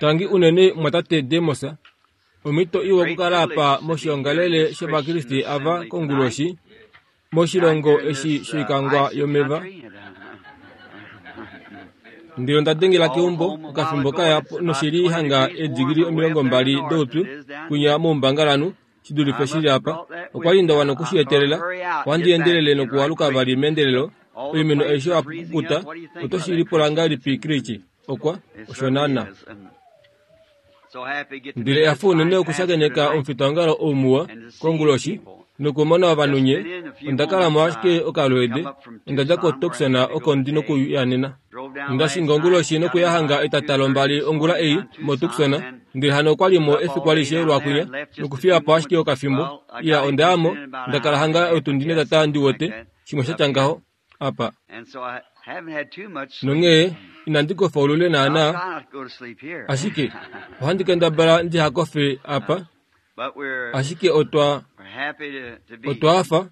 Tangi unene mwatate Demos. Omhito iwa okukala apa moshiongalele shOvakriste ava konguloshi, moshilongo eshi shoikangwa yomeva. Ndele onda dengela keumbo okafimbo kaya noshi li hanga eedigili 20 doupyu kwinya moumbangalanhu, shi dulife shi li apa. Okwa li nda wana oku shi etelela. Ohandi endelele nokualuka vali meendelelo. Oimeno aishe oya kukuta. Oto shi lipula ngahelipi, Creech? Okwa, osho naana. Ndele ehafo unene okushakeneka omufitaongalo ou muwa konguloshi nokumona ovanhu nye. Onda kala mo ashike okalweede. Onda dja koTucson oko ndi nokuya nena. Onda shinga onguloshi nokuya hanga etata lombali ongula ei moTucson, ndele hano okwa li mo efiku alishe lwakwinya nokufiya po ashike okafimbo. Iya, onda ya mo, nda kala hanga otundi netata ndi wete, shimwe sha tya ngaho. apa. Nonghee inandi kofa olule naanaa, ashike ohandi kendabala ndiha kofe apa. Ashike otwa otwa hafa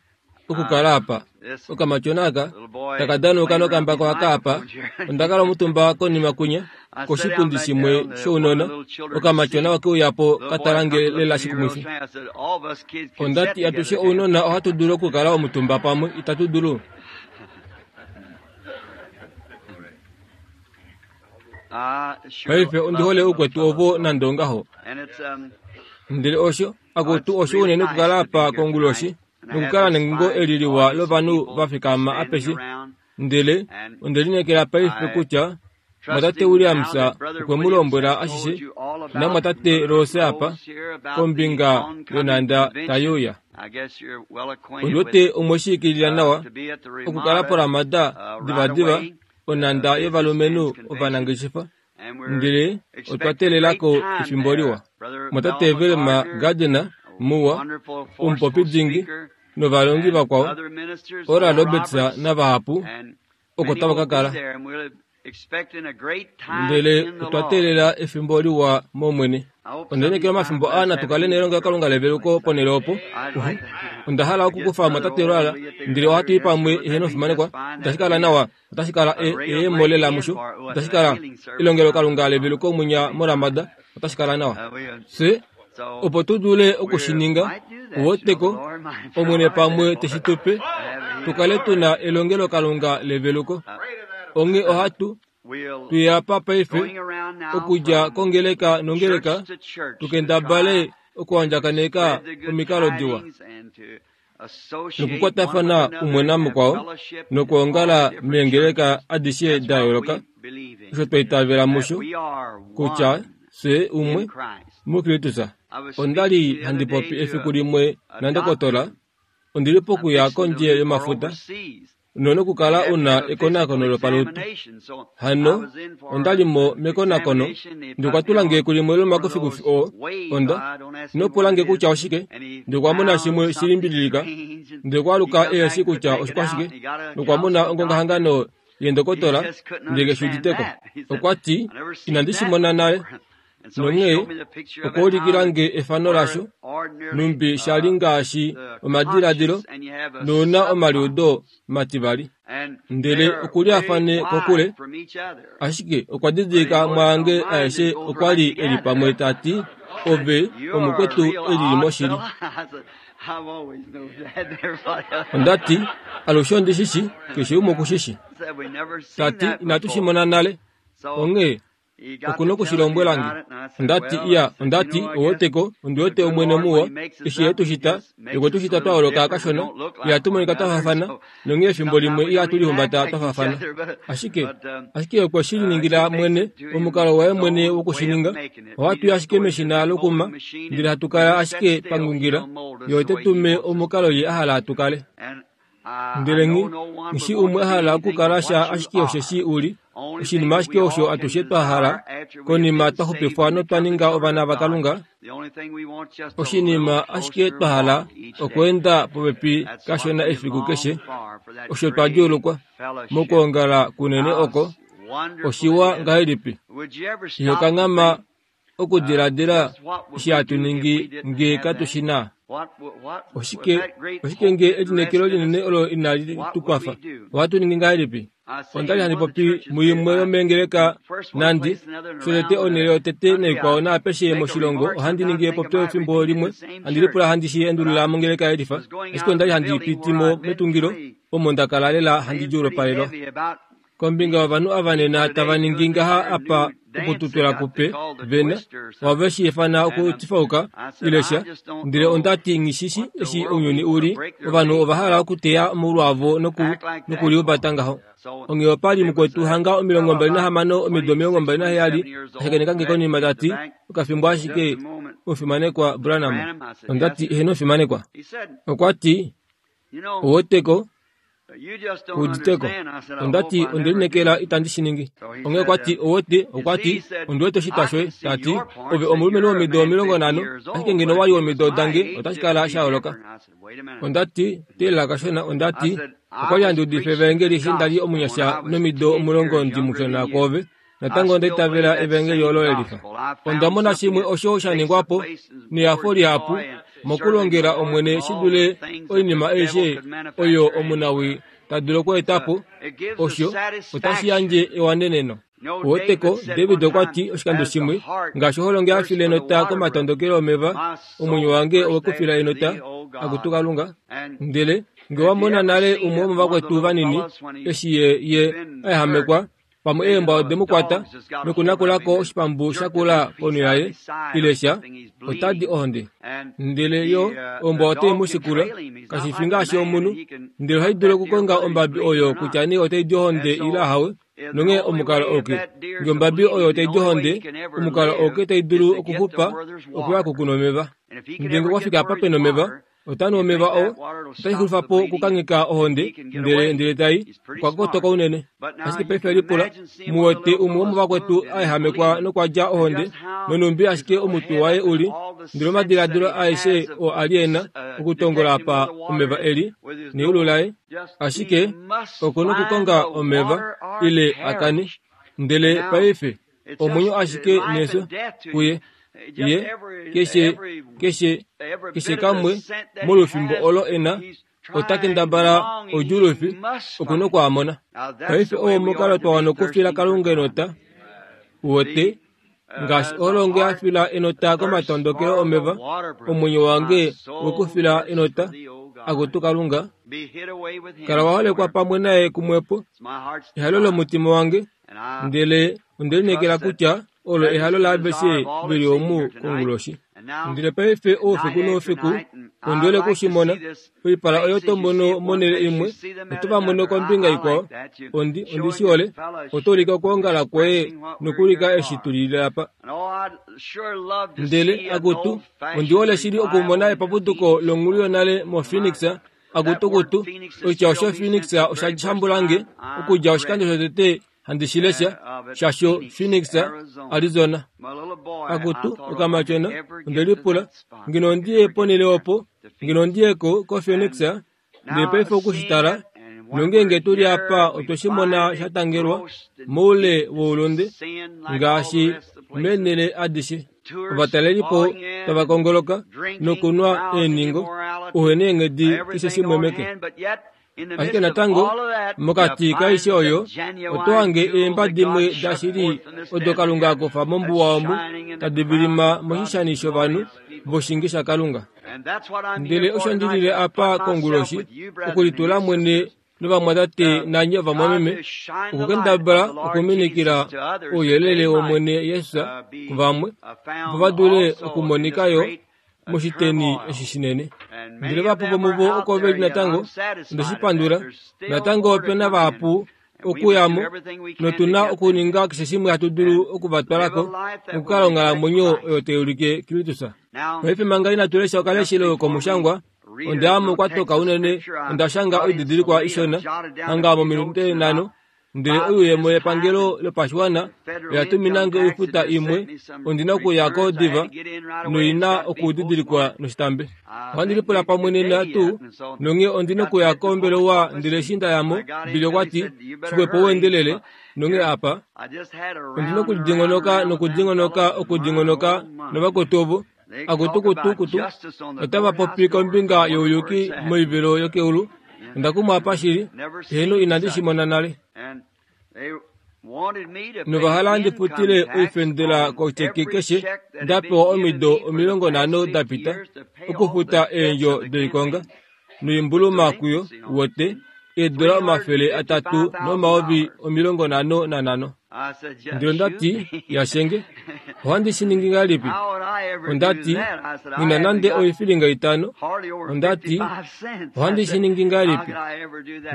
okukala apa. Okamatyona aka taka danauka nokambako aka apa. Onda kala omutumba konima kwinya koshipundi shimwe shounona. Okamatyona oke uya po ka tala nge lela shikumwifi. Onda ti atushe ounona ohatu dulu okukala omutumba pamwe, itatu dulu? Paife ondi hole oukwetu ovo nande ongaho. Ndele osho, akutu osho unene okukala apa konguloshi nokukala nengungo eli liwa lovanhu va fikama apeshe. Ndele onde lineekela paife kutya Mwatate Williams okwe mu lombwela ashishe naMwatate Rose apa kombinga yonhanda tai uya. Ondi wete omwe shi ikilila nawa okukala poRamada divadiva onhanda yovalumenhu ovanangeshefa, ndele otwa teelela ko efimbo liwa. Mwatate Velma Gardner muwa, omupopi dingi, novalongi vakwao, Oral Roberts navahapu, oko tava ka kala. Ndele otwa teelela efimbo liwa mOmwene. Onda lineekela omafimbo aa natu kale nelongelokalunga leveluko ponhele opo. Onda hala okukufa omwatate Lwala, ndele ohatu i pamwe eheno fimanekwa. Itashi kala nawa, otashi kala e, eemo lela musho. Otashi kala elongelokalunga leveluko mwinya moRamada. Otashi kala nawa. Fye opo tu dule oku shi ninga, uweteko, Omwene pamwe te shi tu pe, tu kale tu na elongelokalunga leveluko. Onghee ohatu tu ya pa paife, okudja kongeleka nongeleka, tu kendabale okuandjakaneka omikalo diwa nokukwatafana umwe namukwao nokwoongala meengeleka adishe da yooloka, osho twa itavela musho kutya fye umwe muKristus. Onda li handi popi efiku limwe nandokotola, ondi li pokuya kondje yomafuta nonokukala u na ekonakono lopalutu. Hano onda li mo mekonakono, ndele okwa tula nge kulimwe lomakufikufi oo. Onda, ino pula nge kutya oshike, ndele okwa mona shimwe shi limbililika, ndele okwa aluka ehe shii kutya oshikwashike, nokwa mona ongongahangano yendokotola, ndele ke shi udite ko. Okwa ti, Inandi shi mona nale. Nonghee okwa ulikila nge efano lasho, nhumbi sha li ngaashi omadiladilo nouna omaliudo mativali. Ndele oku liafane kokule, ashike okwa didilika mwaange aeshe okwa li e li pamwe ta ti, Ove omukwetu e lili moshili. Onda ti, Alushe ondi shi shi, keshe umwe oku shi shi. Ta ti, Inatu shi mona nale. Onghee Oku noku shi lombwela nge. Onda ti, Iya, onda ti, ou wete ko, ondi wete Omwene muwa, eshi Ye tu shita, Ye okwe tu shita twa yooloka kashona, ihatu monika twa faafana, nonghee efimbo limwe ihatu lihumbata twa faafana. Ashike, ashike Ye okwe shi liningila mwene, omukalo waye mwene woku shi ninga. Ohatu i ashike meshina lokuma, ndele hatu kala ashike twa ngungila. Ye ote tu me omukalo Ye a hala tu kale. Ndele nghi nghi umwe a hala okukala sha ashike osheshi u li oshinima ashike osho atushe twa hala konima twa xupifwa notwa ninga ovana vaKalunga. Oshinima ashike twa hala okweenda popepi kashona efiku keshe, osho twa djuulukwa mokwoongala kunene oko. Oshiwa ngahelipi! Iho kanghama okudiladila eshi hatu ningi nge katu shi na? Oshike, oshike nge elineekelo linene olo inali tu kwafa? Ohatu ningi ngahelipi? Onda li handi popi muimwe yomeengeleka nandi shotete onhele yotete naikwao naapeshe moshilongo ohandi ningi epopyo efimbo limwe handi lipula handi shi endulula mongeleka yelifa ashike onda li handi piti mo metungilo omo nda kala lela handi djuulopalelwa kombinga yovanhu ava nena tava ningi ngaha apa okututula kupe vena wave shi ifana okutifauka ile sha ndele onda ti nghishishi eshi ounyuni u li ovanhu ova hala okuteya omaulu avo noku nokuliumbata ngaho onghee opa li mukwetu hanga 26 omido 27 a shakeneka nge konima ta ti okafimbo ashike omufimanekwa Branham onda ti eheno omufimanekwa okwa ti Oweteko uditeko onda ti onde lineekela itandi shi ningi onghee okwa ti owete okwa ti ondi wete oshitwa shoye ta ti ove omulumenhu womido 50 ashike ngeno wa li womido dange otashi kala sha yooloka onda ti teelela kashona onda ti okwa li handi udifa evaengeli eshi nda li omunyasha nomido 10 ndi mushona kwoove Natango onda itavela evangeli olo lelifa. Onda mona shimwe osho sha ningwa po nehafo lihapu mokulongela Omwene shi dule oinima aishe oyo omunawii ta dulu okweeta po. Osho otashi yandje ewaneneno. Uweteko, David okwa ti oshikando shimwe, Ngaashi oholo nge ya file enota komatondokelo omeva, omwenyo wange owe ku fila enota, akutu Kalunga. Ndele nge wa mona nale umwe womovakwetu vanini eshi ye, ye a ehamekwa, Pamwe eembwa ode mu kwata nokunakula ko oshipambu sha kula ponho yaye, ile sha, ota di ohonde. Ndele yo, ombwa otai mu shikula, kashi fi ngaashi omunhu, ndele ohai dulu okukonga ombabi oyo kutya nee otai di ohonde ile ahawe, nonghee omukalo ouke. Nge ombabi oyo otai di ohonde, omukalo ouke tai dulu okuxupa okuya kokunwa omeva. Ndele nge okwa fika apa pe nomeva, Ota nu omeva oo, otashi xulifa po okukangheka ohonde, ndele ndele tai, okwa kotoka unene. Ashike paife lipula, mu wete umwe womovakwetu a ehamekwa nokwa dja ohonde, nonhumbi ashike omutwe waye u li, ndele omadiladilo aeshe oo a li e na okutongola apa omeva e li, neyulu laye, ashike oku nokukonga omeva, ile a kane. Ndele paife, omwenyo ashike nefyo kuye ye keshe keshe keshe kamwe molwefimbo olo e na ota kendabala odjuulufi oku nokwaamona paife owo omukalo twa wana okufila kalunga enota uwete ngaashi oholonge ya fila enota komatondokelo omeva omwenyo wange wekufila enota akutu kalunga kala wa holekwa pamwe naye kumwepo ehalo lomutima wange Ndele onde lineekela kutya olo ehalo laaveshe ve li omu konguloshi. Ndele paife oufiku noufiku, ondi hole oku shi mona, oipala oyo to mono monhele imwe, oto va mono kombinga ikwao. Ondi, ondi shi hole. Oto ulike okwoongala kwoye nokuulika eshi tu lile apa. Ndele, akutu, ondi hole shili okumona epapuduko longhulu yonale moPhoenix, Akutukutu, oitya osho Phoenix osha shambula nge okudja oshikando shotete handi shi lesha, shasho Phoenix, Arizona. Akutu, okamatyona, onde lipula, ngeno ondi ye ponhele opo, ngeno ondi ye ko, koPhoenix, ndele paife oku shi tala, nongeenge tu li apa otwe shi mona sha tangelwa moule woulunde, ngaashi meenhele adishe. Ovatalelipo tava kongoloka nokunwa eenhingo, uhe neenghedi keshe shimwe meke. Ashike natango, mokati kaishe oyo, oto hange eemba dimwe dashili odo Kalunga a kufa mombuwa omu, tadi vilima moshishani shovanhu voshinge shaKalunga. Ndele osho ndi lile apa konguloshi, okulitula mwene novamwatate nanye ovamwameme okukendabala okuminikila ouyelele wOmwene Jesus kuvamwe opo va dule okumonika yo moshiteni eshi shinene. Ndele vahapu vomuvo oko ve li natango, onde shi pandula. Natango ope na vahapu okuya mo, notu na okuninga keshe shimwe hatu dulu oku va twala ko nokukala onghalamwenyo oyo tai ulike Kristus. Paife manga inatu lesha okaleshelo komushangwa, Onda ya mo kwa toka unene, onda shanga oididilikwa ishona, hanga mominute nhano, ndele oiyemo yepangelo lopashiwana oya tumina nge oifuta imwe, ondi na okuya ko diva, noi na okudidilikwa noshitambe. Ohandi lipula pamwe nena tuu, nonghee ondi na okuya kombelewa ndele eshi nda ya mo, Billy okwa ti, Xixwepo u endelele, nonghee apa. Ondi na okudingonoka nokudingonoka okudingonoka novakwetu ovo. Akutukutukutu otava popi kombinga youyuki moivelo yokeulu. Onda kumwa apa shili. Heeno, inandi shi mona nale. Novahala ndi futile oifendela kotyeke keshe nda pewa omido 50 da pita, okufuta eendjo doikonga noimbuluma kuyo, wote, $355,000. Ndele onda ti, Yashenge, ohandi shi ningi ngahelipi? Onda ti, Nghi na nande oifilinga 5. Onda ti, Ohandi shi ningi ngahelipi?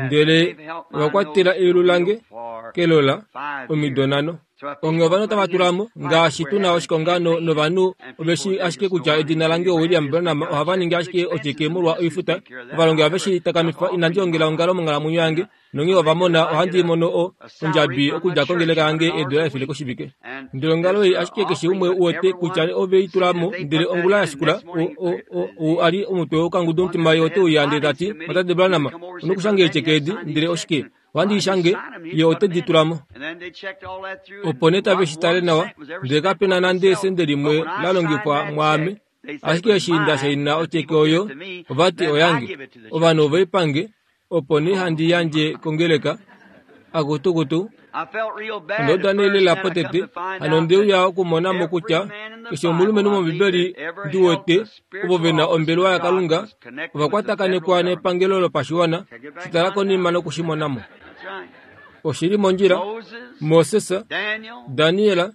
Ndele ova kwatela eyulu lange kelola omido 5. Onghee ovanhu otava tula mo, ngaashi tu na oshikonga novanhu ove shi ashike kutya edina lange oWilliam Branham, ohava ningi ashike otyeke molwa oifuta. Ovalongi ohave shi takamifa, inandi ongela ongalo monghalamwenyo yange, nonghee ova mona ohandi mono o, ondjabi okudja kongeleka yange $100 koshivike. Ndele ongalo ei ashike keshe umwe uwete kutya ove i tula mo, ndele ongula ya shikula, o, o, o, ou a li omutwe wokangudumutima ye ote uya ndele ta ti, Tate Branham, onoku kushange eetyeke edi, ndele oshike? Ohandi i shange, ye ote di tula mo. Opo nee tave shi tale nawa, ndele kape na nande esende limwe la longifwa mwaame. Ashike eshi nda shaina otyeke oyo, ova ti oyange. Ovanhu ove i pange, opo nee handi yandje kongeleka. Akutukutu. Onda uda nee lela potete, hano onde uya okumona mo kutya keshe omulumenhu mOmbibeli ndi wete ovo ve na ombelewa yaKalunga ova kwatakanekwa nepangelo lopashiwana. Shi tala konima noku shi mona mo. Oshi li mondjila. Moses, Daniel,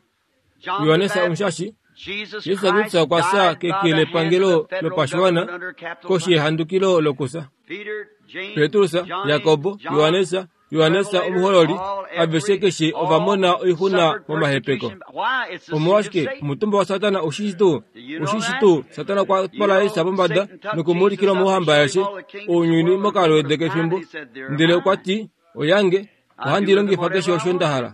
Johannes Omushashi, Jesus Kristus okwa fya keke lepangelo lopashiwana koshi yehandukilo lokufya. Petrus, Jakob, Johannes, Johannes Omuhololi, aveshe keshe ova mona oixuna momahepeko. Omolwashike omutumba waSatana ushishi tuu? Ushishi tuu Satana okwa twala Jesus pombada noku mu ulikila omauhamba aeshe ounyuni mokalweede kefimbo, ndele okwa ti, Oyange, ohandi longifa keshe osho nda hala.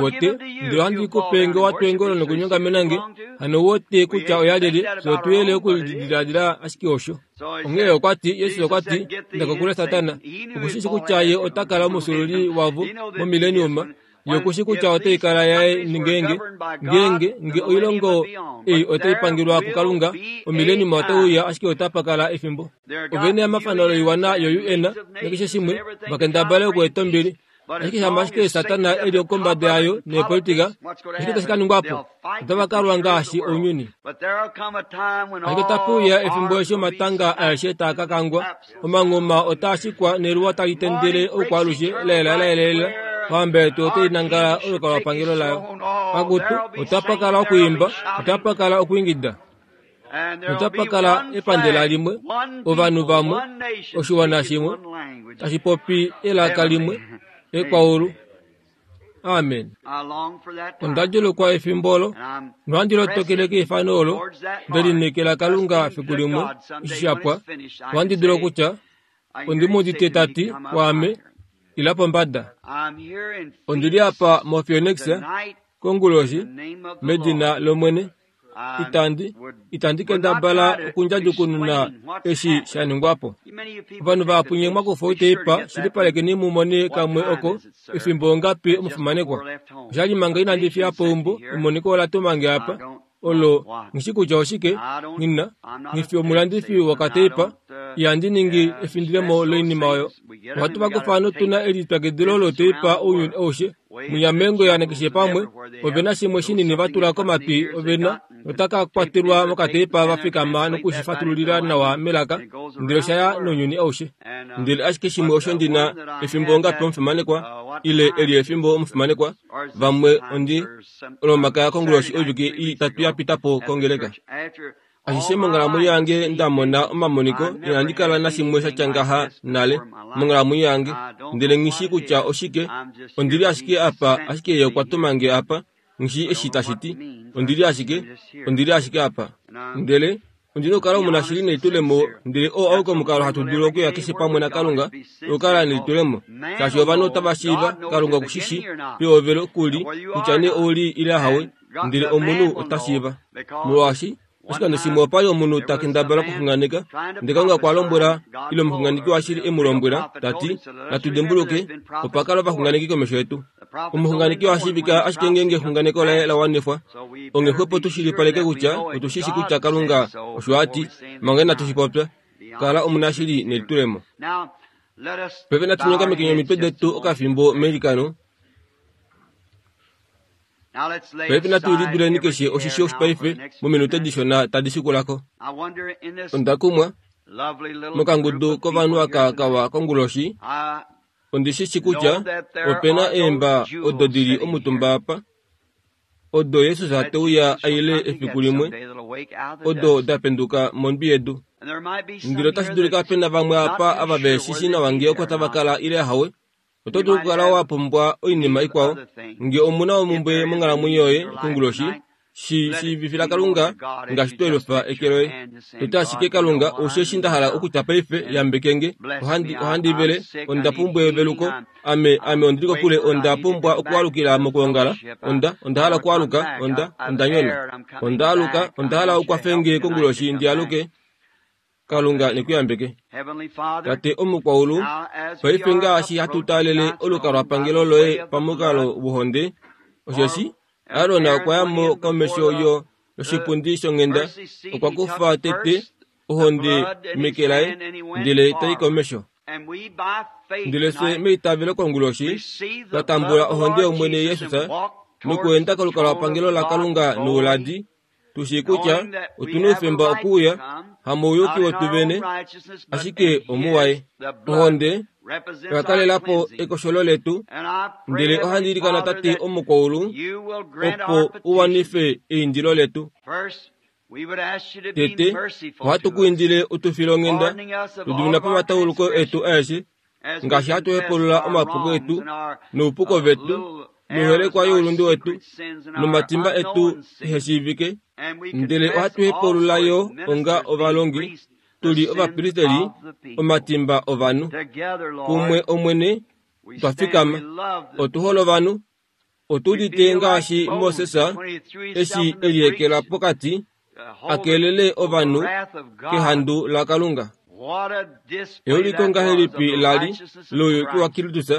Wote, ndele ohandi ku pe nge wa twa eengolo nokunyongamena nge, hano wote kutya oya lyelye, fye otu yele okulidiladila ashike osho. Onghee okwa ti, Jesus okwa ti, Inda kokule Satana. Oku shi shi kutya ye ota kala omufyuululi wavo momileniuma. Ye oku shi kutya otai kala yaye ngeenge, ngeenge, nge oilongo ei otai pangelwa kuKalunga, omileniuma otai uya ashike otapa kala efimbo. Ove na emafano loiwana yo-UN nakeshe shimwe, va kendabale okueta ombili. Ashike shama ashike Satana e li kombada yayo neepolitika, oshike tashi ka ningwa po? Otava ka lwa ngaashi ounyuni. Ashike otape uya efimbo eshi omatanga aeshe taa ka kangwa, omanghuma otaa shikwa neluwa tali tendele oukwaalushe laela laelelela. Ohamba yetu otai nangala olukalwapangelo layo. Akutu, otapa kala okwiimba, otapa kala okwiingida. Notapa kala epandela limwe, ovanhu vamwe, oshiwana shimwe, tashi popi elaka limwe, ekwaulu. Amen. Onda djulukwa efimbo olo, nohandi lotokele keifano olo, nde lineekela Kalunga fiku limwe, eshi sha pwa, ohandi dulu okutya, Ondi mu udite ta ti kwaame, Ila pombada. Ondi li apa moPhoenix, konguloshi, medina lOmwene. Itandi, itandi kendabala okundjadjukununa eshi sha ningwa po. Ovanhu vahapu nye mwa kufa outeipa, shilipalekeni mu mone kamwe oko, efimbo ongapi omufimanekwa. Osha li manga inandi fiya po eumbo, emoniko ola tuma nge apa. Olo, nghi shi kutya oshike, nghi na, nghi fi omulandifi wokateipa, ihandi ningi efindilemo loinima oyo. Ohatu va kufa notu na elipyakidilo loteipa ounyuni aushe. Munyamengoya nakeshe pamwe, ove na shimwe shinini va tula komatwi ove na, nota ka kwatelwa mokateipa va fikama noku shi fatululila nawa melaka, ndele osha ya nounyuni aushe. Ndele ashike shimwe osho ndi na, efimbo ongapi omufimanekwa, ile eli efimbo omufimanekwa, vamwe ondi Olomakaya konguloshi oivike itatu ya pita po kongeleka. Ashishe monghalamwenyo yange nda mona omamoniko, inandi kala nashimwe sha tya ngaha nale monghalamwenyo yange, ndele nghi shii kutya oshike. Ondi li ashike apa, ashike Ye okwa tuma nge apa. Nghi shii eshi tashi ti. Ondi li ashike, ondi li ashike apa. Ndele ondi na okukala omunashili nelitulemo, ndele oo auke omukalo hatu dulu okuya keshe pamwe naKalunga, okukala nelitulemo. Shaashi ovanhu otava shiiva, Kalunga oku shi shii, pehovelo ku li, kutya nee ou li ile ahawe, ndele omunhu ota shiiva. Molwaashi, oshikando shimwe opa li omunhu ta kendabala okuxunganeka, ndele Kalunga okwa lombwela, ile omuxunganeki washili e mu lombwela, ta ti, Natu dimbuluke, opa kala ovaxunganeki komesho yetu. Omuxunganeki oha shiivika ashike ngeenge exunganeko laye la wanifwa. Onghee xwepo tu shilipaleke kutya otu shi shi kutya Kalunga osho a ti, manga inatu shi popya. Kala omunashili nelitulemo. Paife natu nyongamekeni omitwe detu okafimbo meilikano. Paife natu liduleni keshe oshisho paife mominute dishona tadi shikula ko. Onda kumwa mokangudu kovanhu aka kawa konguloshi. Ondi shi shi kutya ope na eemba odo di li omutumba apa, odo Jesus te uya a ile efiku limwe, odo da penduka mondwi yedu. Ndele otashi dulika pe na vamwe apa ava ve shi shi nawa ngee oko tava kala ile ahawe. Oto dulu okukala wa pumbwa oinima ikwao. Nge omu na omumbwe monghalamwenyo yoye konguloshi, shi shiivifila Kalunga ngaashi to elufa eke loye. Toto ashike Kalunga, osheshi nda hala okutya paife, yambeke nge. Ohandi, ohandi vele, onda pumbwa eveluko. Ame, ame ondi li kokule, onda pumbwa okualukila mokwoongala. Onda, onda hala okualuka, onda, onda nyona. Onda aluka, onda hala u kwafe nge konguloshi ndi aluke. Kalunga ne ku yambeke. Tate omukwaulu, paife ngaashi hatu taalele olukalwapangelo loye pamukalo wohonde, osheshi Aron okwa ya mo komesho yo yoshipundi shonghenda, okwa kufa tete ohonde meke laye, ndele ta i komesho. Ndele fye meitavelo konguloshi twa tambula ohonde yOmwene Jesus nokuenda kolukalwapangelo laKalunga nouladi, tu shii kutya otu na oufemba okuuya, hamouyuki wetu vene, ashike omuwaye. Ohonde oya kalela po ekosholo letu, ndele ohandi ilikana Tate omukwaulu opo u wanife eindilo letu. Tete, ohatu ku indile u tu file onghenda, tu dimina po omatauluko etu aeshe, ngaashi hatu hepulula omapuko etu noupuko vetu noiholekwa youlunde wetu nomatimba etu ehe shiivike, ndele ohatu hepulula yo onga ovalongi tu li ovapristeli omatimba ovanhu. Kumwe, Omwene, otwa fikama. Otu hole ovanhu. Otu udite ngaashi Moses eshi e liekela pokati a kelele ovanhu kehandu laKalunga. Euliko ngahelipi la li louyuki waKristus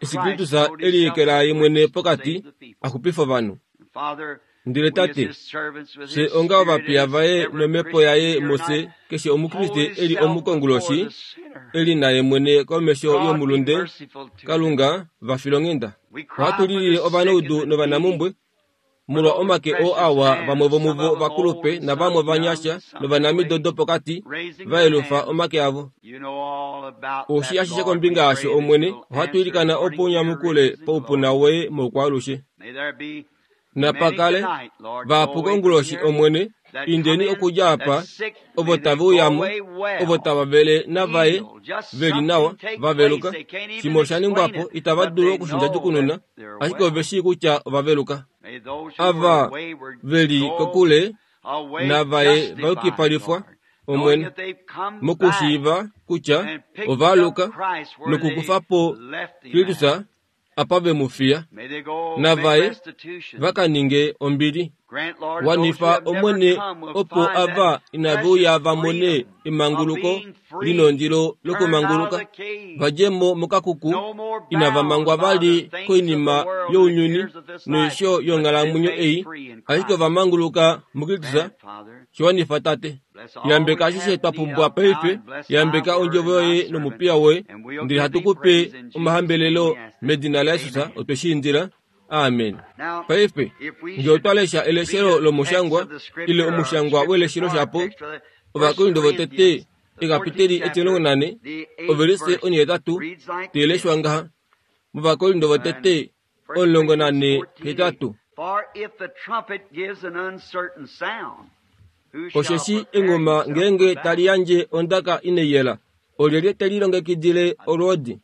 eshi Kristus e liekela ye mwene pokati a xupife ovanhu? Ndele Tate, fye onga ovapiya vaye nomhepo yaye mufye, keshe Omukriste e li omukonguloshi, e li naye mwene komesho yomulunde, Kalunga, va filonghenda. Ohatu lilile ovanaudu novanamumbwe, molwa omake oo awa vamwe vomuvo vakulupe navamwe ovanyasha novanamido dopokati va yelufa omake avo. Oushi ashishe kombinga yasho, Omwene, ohatu ilikana opo u nyamukule paupuna woye moukwaalushe. Napa kale vahapu konguloshi, Omwene, indeni okudja apa, ovo tave uya mo, ovo tava vele navaye ve li nawa, va veluka. Shimwe osha ningwa po, itava dulu oku shi ndjadjukununa, ashike ove shii kutya ova veluka. Ava ve li kokule navaye va yukipalifwa, Omwene, mokushiiva kutya ova aluka nokukufa po Kristus apa ve mu fiya, navaye va ka ninge ombili. Wanifa, Omwene, opo ava inave uya va mone emanguluko linondilo lokumanguluka, va dje mo mokakuku, inava mangwa vali koinima younyuni noisho yonghalamwenyo ei, ashike ova manguluka muKristus. Shi wanifa, Tate. Yambeka ashishe twa pumbwa paife. Yambeka ondjovo yoye nomupiya woye, ndele hatu ku pe omahambelelo medina laJesus otwe shi indila. Amen. Paife, nge otwa lesha eleshelo lomushangwa, ile omushangwa weleshelo shapo, Ovakorinto votete, ekapiteli etimulongo nane, ovelise onhihetatu, tai leshwa ngaha, mOvakorinto votete 14, 8. Osheshi enghuma ngeenge tali yandje ondaka inai yela, olyelye te lilongekidile olwoodi?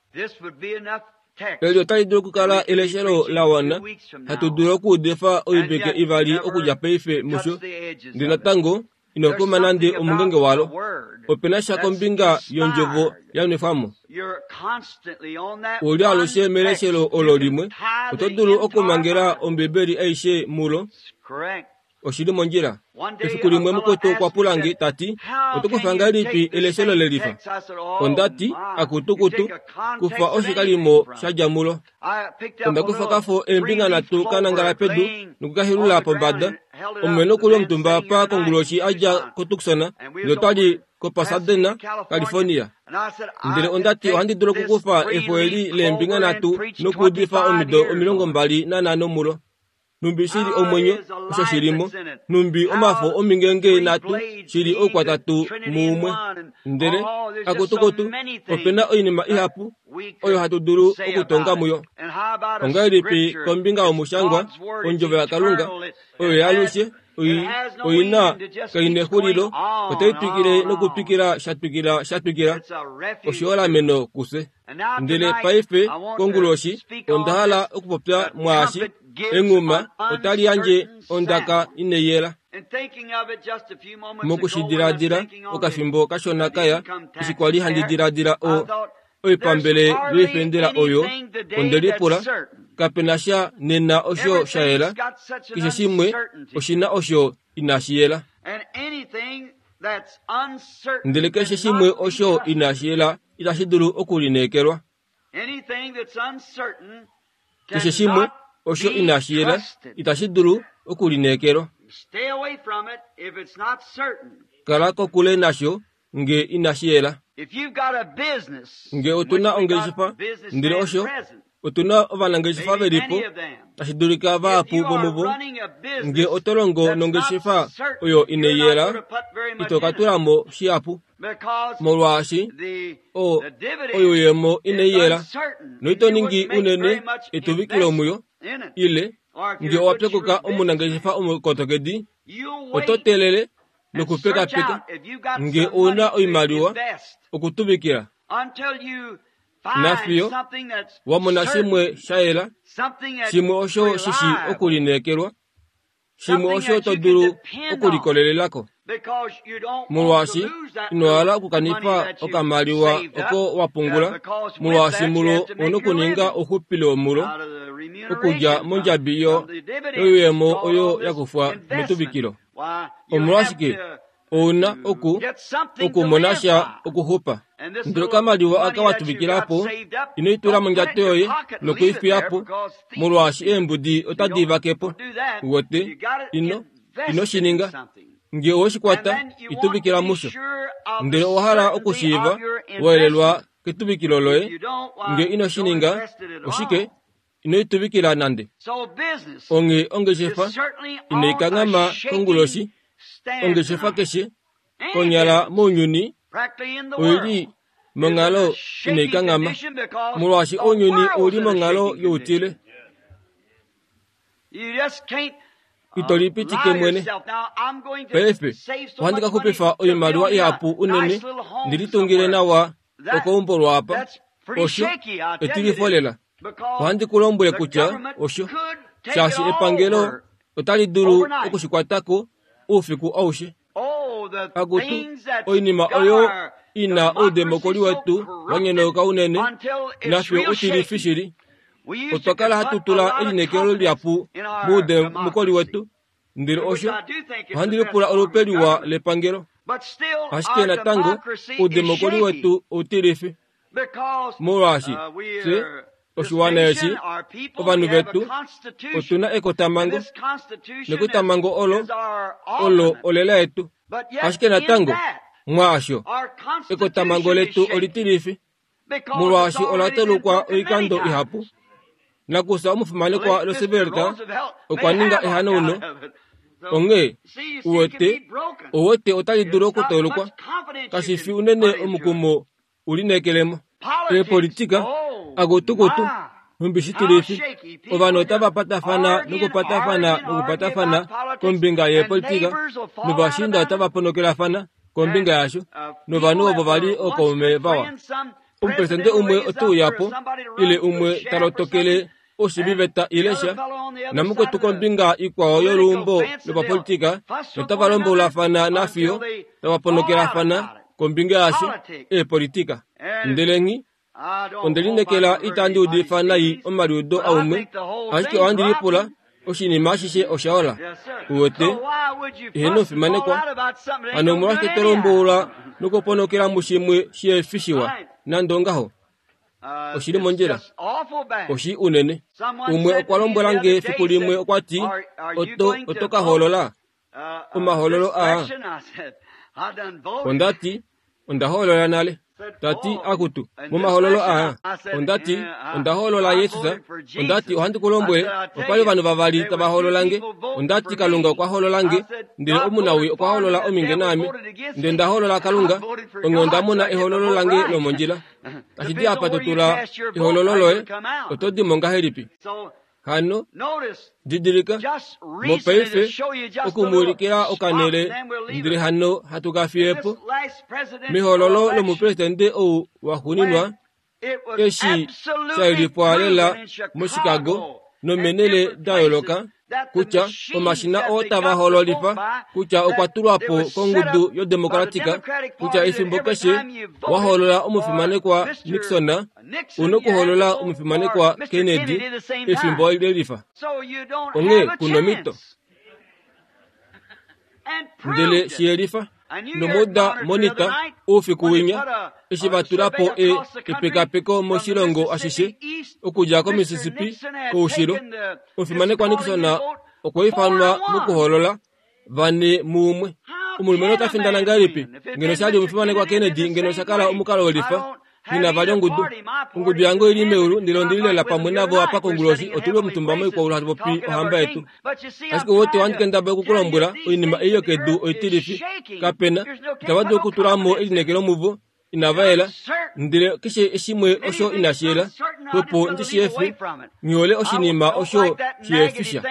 Eli otali dulu okukala eleshelo la wana hatu dulu okuudifa oivike ivali okudja paife musho, ndele natango ino kuma nande omungenge walo. Ope na sha kombinga yondjovo ya nwefwa mo. U li alushe meleshelo olo limwe, oto dulu okumangela Ombibeli aishe mulo. Oshi li mondjila. Efiku limwe mukwetu okwa pula nge, ta ti, Oto kufa ngahelipi eleshelo lelifa? Onda ti, Akutukutu, kufa oshikalimo sha dja mulo. Onda kufa kafo eembinga nhatu ka nangala pedu noku ka helula pombada. Omumwe nokuli omutumba apa konguloshi a dja koTucson, ndele otwa li koPasadena, California. Ndele onda ti ohandi dulu okukufa efo eli leembinga nhatu nokuudifa omido 25 mulo. Nhumbi shi li omwenyo, osho shi li mo. Nhumbi omafo omingenge nhatu shi li oukwatatu muumwe. Ndele, akutukutu, ope na oinima ihapu oyo hatu dulu okutonga muyo. Ongahelipi kombinga yomushangwa, Ondjovo yaKalunga, oyo yaalushe, oi, oi na, kai nexulilo, otai twikile nokutwikila sha twikila sha twikila, oshiholameno kufye. Ndele paife, konguloshi, onda hala okupopya mwaashi, Enghuma otali yandje ondaka inai yela. Moku shi diladila okafimbo kashona kaya, eshi kwa li handi diladila o, oipambele yoifendela oyo, onde lipula, Kape na sha nena osho sha yela, keshe shimwe oshi na osho inashi yela. Ndele keshe shimwe osho inashi yela itashi dulu okulineekelwa. Keshe shimwe osho inashi yela itashi dulu okulineekelwa. Kala kokule nasho nge inashi yela. Nge otu na ongeshefa, ndele osho otu na ovanangeshefa ve li po, tashi dulika vahapu vomuvo, nge oto longo nongeshefa oyo inai yela, ito ka tula mo shihapu. Molwaashi o, oyuuyemo inai yela, noito ningi unene etuvikilo muyo, ile nge owa pyokoka omunangeshefa omukotokedi, oto teelele nokupekapeka nge ou na oimaliwa okutuvikila nafiyo wa mona shimwe sha yela, shimwe osho shi shi okulineekelwa, shimwe osho to dulu okulikolelela ko. Molwaashi ino hala okukanifa okamaliwa oko wa pungula, molwaashi mulo ou na okuninga ouxupilo womulo okudja mondjabi yo yoyuuyemo oyo ya kufwa metuvikilo. Omolwashike ou na oku okumona sha okuxupa? Ndele okamaliwa aka wa tuvikila po, ino i tula mondjato yoye noku i fiya po, molwaashi eembudi otadi i vake po. Uwete? Ino, ino shi ninga. Nge owe shi kwata, i tuvikila musho. Ndele owa hala okushiiva wa yelelwa ketuvikilo loye. Nge ino shi ninga, oshike? Ino i tuvikila nande. Onghee ongeshefa inai kanghama konguloshi. Ongeshefa keshe konyala mounyuni oi li monghalo inai kanghama, molwaashi ounyuni ou li monghalo youtile. Ito lipitike mwene. Paife ohandi ka xupifa oimaliwa ihapu unene ndi litungile nawa okeumbo lwaapa. Osho etilifo lela. Ohandi ku lombwele kutya osho, shaashi epangelo otali dulu oku shi kwata ko oufiku aushe. Akutu, oinima oyo i na oudemokoli wetu wa nyonauka unene, nafye utilifi shili. Otwa kala hatu tula elineekelo lihapu moudemokoli wetu, ndele osho ohandi lipula olupe liwa lepangelo. Ashike natango oudemokoli wetu outilifi. Molwaashi fye oshiwana eshi, ovanhu vetu, otu na ekotamhango, nekotamhango olo olo olela yetu. Ashike natango, mwaasho, ekotamhango letu olitilifi, molwaashi ola tolokwa oikando ihapu. Nakufya omufimanekwa Roosevelt okwa ninga ehanauno. Onghee, uwete, owete otali dulu okutolokwa. Kashi fi unene omukumo u lineekelemo. Eepolitika, akutukutu, nhumbi shitilifi, ovanhu otava patafana nokupatafana nokupatafana kombinga yeepolitika, novashiinda otava ponokelafana kombinga yasho, novanhu ovo va li ookaume vawa. Omupresidente umwe ote uya po, ile umwe ta lotokele oshiviveta ile sha, namukwetu kombinga ikwao yoluumbo lopapolitika notava lombolafana nafiyo tava ponokelafana kombinga yasho, eepolitika. Ndele nghi, onde lineekela itandi udifa nai omaliudo aumwe, ashike ohandi lipula oshinima ashishe osha ola. Uwete? Eheno omufimanekwa. Hano omolwashike to lomboula nokuponokela mushimwe shihe fi shiwa, nande ongaho? Oshi li mondjila. Oshi unene. Umwe okwa lombwela nge fiku limwe okwa ti, Oto, oto ka hoolola omahoololo aa? Onda ti, Onda hoolola nale. Ta ti, Akutu, momahoololo aa. Onda ti, Onda hoolola Jesus. Onda ti, Ohandi ku lombwele, opa li ovanhu vavali tava hoolola nge. Onda ti, Kalunga okwa hoolola nge, ndele omunawii okwa hoolola ominge naame. Ndele nda hoolola Kalunga, onghee onda mona ehoololo lange lomondjila. Tashi di apa to tula ehoololo loye, oto di mo ngahelipi? Hano, didilika, mopaife, oku mu ulikila okanhele, ndele hano hatu ka fiye po. Mehoololo lomupresidente ou waxuuninwa, eshi sha yelifwa lela moChicago nomeenhele da yooloka, kutya omashina oo tava hoololifa kutya okwa tulwa po kongudu yoDemocratic, kutya efimbo keshe wa hoolola omufimanekwa Nixon, u nokuhoolola omufimanekwa Kennedy efimbo lelifa. Onghee ku nomhito. Ndele shi yelifa. Nomuda monita oufiku winya eshi va tula po e, epekapeko moshilongo ashishe okudja koMississippi koushilo. Omufimanekwa Nixon okwa ifanwa mokuhoolola vane muumwe. Omulumenhu ota findana ngahelipi? Ngeno sha li omufimanekwa Kennedy, ngeno sha kala omukalo welifa. Nghi na vali ongudu. Ongudu yange oi li meulu, ndele ondi li lela pamwe navo apa konguloshi. Otu li omutumba moikwaulu hatu popi ohamba yetu. Ashike uwete, ohandi kendabala oku ku lombwela, oinima ei yokedu oitilifi. Kape na. Itava dulu okutula mo elineekelo muvo. Inava yela. Ndele keshe shimwe osho inashi yela, xwepo ndi shi efe. Nghi hole oshinima osho shi efisha.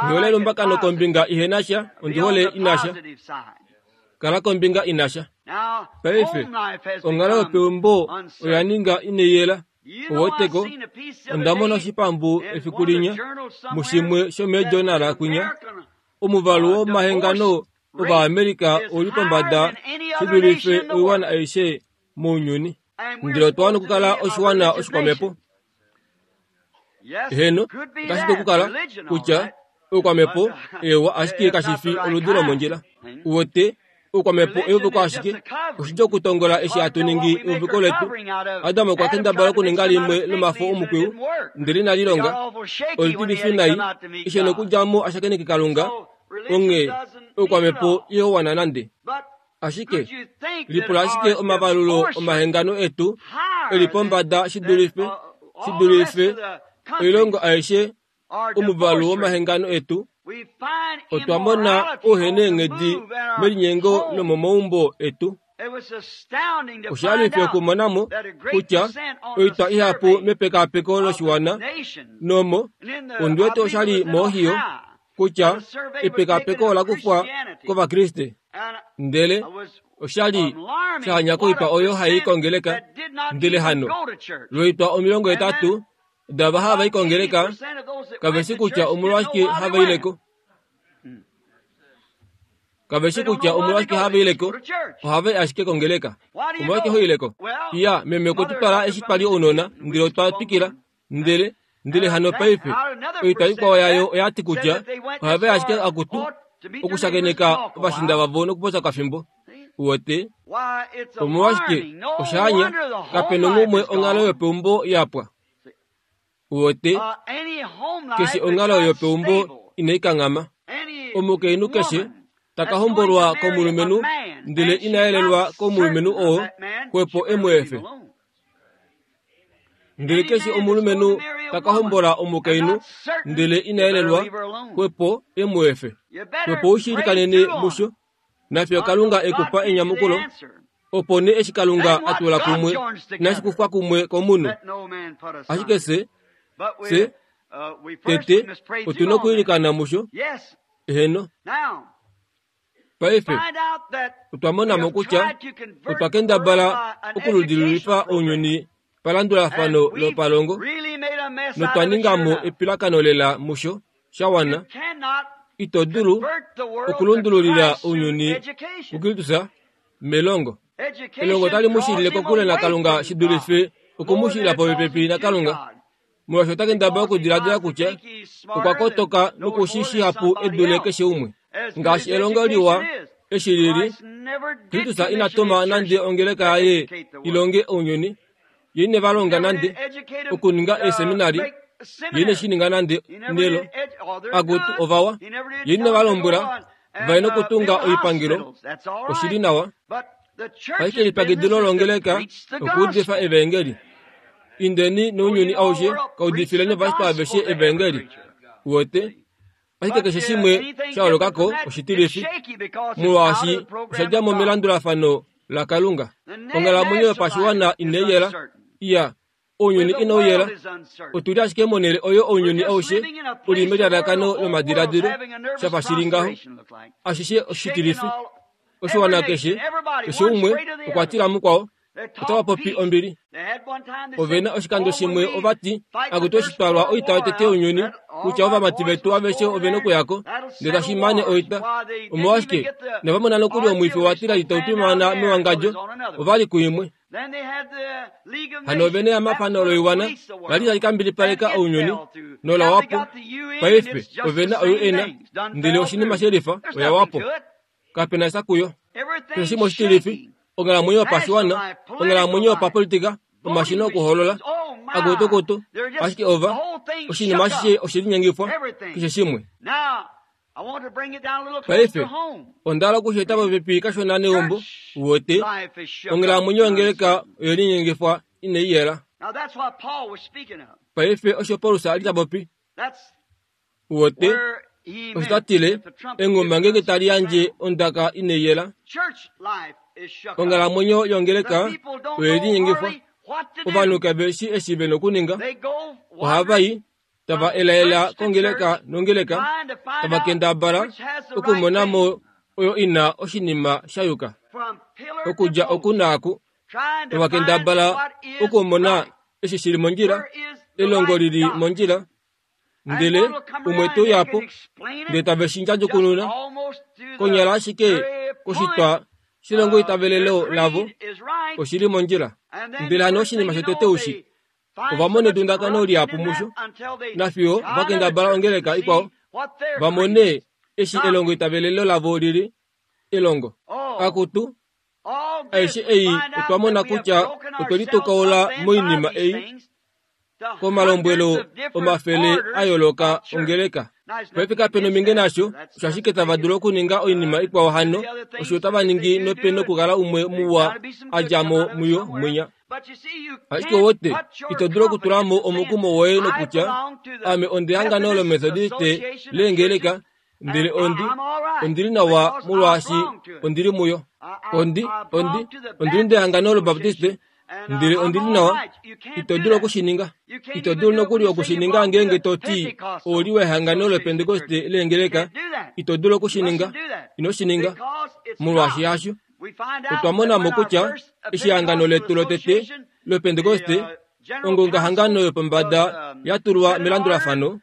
Nghi hole elumbakano kombinga ihe na sha, ondi hole ina sha. Kala kombinga ina sha. Paife, onghalo yopeumbo oya ninga inai yela. Oweteko, onda mona oshipambu efiku linya, mushimwe shomeejournala kwinya, omuvalu womahengano Ovaamerica ou li pombada shi dulife oiwana aishe mounyuni. Ndele otwa wana okukala oshiwana oshikwamhepo. Heeno, otashi dulu okukala kutya oukwamhepo ewa ashike kashi fi oludi lomondjila. Uwete, oukwamhepo euviko ashike, oshidjuu okutongola eshi hatu ningi euviko letu. Adam okwa kendabala okuninga limwe lomafo omukwiyu, ndele inali longa. Olitilifi nai, eshi e nokudja mo a shakeneke Kalunga, onghee oukwamhepo ihau wana nande. Ashike, lipula ashike omavalulo omahengano etu e li pombada shi dulife, shi dulife oilongo aishe omuvalu womahengano etu. Otwa mona ouheneenghedi melinyengo lomomaumbo etu. Osha li okumona mo kutya oitwa ihapu mepekapeko loshiwana nomo ondi wete osha li moOhio kutya epekapeko ola kufwa kOvakriste. Ndele osha li sha hanya koitwa oyo hai i kongeleka, ndele hano lwoitwa 80 dava hava i kongeleka kave shi kutya omolwashike hava ile ko. Kave shi kutya omolwashike hava ile ko, ohava i ashike kongeleka. Omolwashike ho ile ko? Iya, meme okwe tu twala eshi twa li ounona, ndele otwa twikila. Ndele, ndele hano paife, oitwa ikwao yayo oya ti kutya ohava i ashike akutu okushakeneka ovashinda vavo nokupopya okafimbo. Uwete? Omolwashike, osha anya, kape nongumwe onghalo yopeumbo ya pwa. Uwete? Keshe onghalo yopeumbo inai kanghama. Omukainhu keshe ta ka hombolwa komulumenhu ndele ina yelelwa komulumenhu oo, xwepo e mu efe. Ndele keshe omulumenhu ta ka hombola omukainhu ndele ina yelelwa, xwepo e mu efe. Xwepo u shi ilikanene musho, nafiyo Kalunga e ku pa enyamukulo. Opo nee eshi Kalunga a tula kumwe, inashi kufwa kumwe komunhu. Ashike se, se, tete, otu na okwiilikana musho. Eheno. Paife, otwa mona mo kutya otwa kendabala okuludililifa ounyuni palandulafano lopalongo, notwa ninga mo epilakano lela musho sha wana. Ito dulu okulundululila ounyuni kuKristus melongo. Elongo otali mu shilile kokule naKalunga shi dulife oku mu shilila popepi naKalunga. Molwaashi ota kendabala okudiladila kutya okwa kotoka noku shi shihapu e dule keshe umwe. Ngaashi elongo liwa. Eshi li li, Kristus ina tuma nande ongeleka yaye i longe ounyuni. Ye ine va longa nande okuninga eeseminari. Ye ine shi ninga nande nelo. Akutu ovawa. Ye ine va lombwela va ye nokutunga oipangelo. Oshi li nawa. Ashike elipyakidilo longeleka okuudifa evaengeli. Indeni nounyuni aushe ka udifileni ovashitwa aveshe evaengeli. Uwete? Ashike keshe shimwe sha yooloka ko oshitilifi, molwaashi osha dja mo melandulafano laKalunga. Onghalamwenyo yopashiwana inai yela. Iya, ounyuni inau yela. Otu li ashike monhele oyo ounyuni aushe u li melalakano lomadiladilo, sha fa shi li ngaho. Ashishe oshitilifi. Oshiwana keshe, keshe umwe okwa tila mukwao. Otava popi ombili. Ove na oshikando shimwe ova ti, Akutu eshi twa lwa oita yotete younyuni, kutya ovamati vetu aveshe ove nokuya ko, ndele tashi mane oita. Omolwashike, inava mona nokuli omwifi wa tila itau twimaana mewangadjo, ova li kuimwe. Hano ove neyamafano loiwana la li tali ka mbilipaleka ounyuni, nola wa po. Paife ove na o-UN, ndele oshinima shelifa oya wa po. Kape na sha kuyo. Keshe shimwe oshitilifi, onghalamwenyo yopashiwana, onghalamwenyo yopapolitika, omashina okuhoolola, akutukutu, ashike ova, oshinima ashishe oshe linyengifwa, keshe shimwe. Paife, onda hala oku shi eta popepi kashona neumbo, uwete, onghalamwenyo yongeleka oye linyengifwa inai yela. Paife osho Paulus a li ta popi. Uwete, osho ta tile, enghuma ngeenge tali yandje ondaka inai yela, onghalamwenyo yongeleka oye linyengifwa. Ovanhu kave shi eshi ve nokuninga. Ohava i, tava elaela kongeleka nongeleka, tava kendabala okumona mo oyo i na oshinima sha yuka. Okudja oku naaku, tava kendabala okumona eshi shi li mondjila, elongo li li mondjila, Ndele umwe te uya po, ndele tave shi ndjadjukununa konyala ashike koshitwa shelongoitavelelo lavo, oshi li mondjila. Ndele hano oshinima shotete ushi, ova mona edundakano lihapu musho, nafiyo va kendabala ongeleka ikwao va mone eshi elongoitavelelo lavo li li elongo. Akutu, aishe ei otwa mona kutya otwe litukaula moinima ei komalombwelo omafele a yooloka ongeleka. Paife kape nominge nasho, osho ashike tava dulu okuninga oinima ikwao hano, osho otava ningi nope nokukala umwe muwa a dja mo muyo mwinya. Ashike wote, ito dulu okutula mo omukumo woye nokutya, Ame ondehangano lOmethodiste leengeleka, ndele ondi, ondi li nawa molwaashi ondi li muyo. Ondi, ondi, ondi li ndehangano lObaptiste, ndele ondi li nawa. Ito dulu oku shi ninga. Ito dulu nokuli oku shi ninga ngeenge to ti ou li wehangano lOpentekoste leengeleka. Ito dulu oku shi ninga. Ino shi ninga. Molwaashi hasho. Otwa mona mo kutya eshi ehangano letu lotete lOpentekoste, ongongahangano yopombada ya tulwa melandulafano,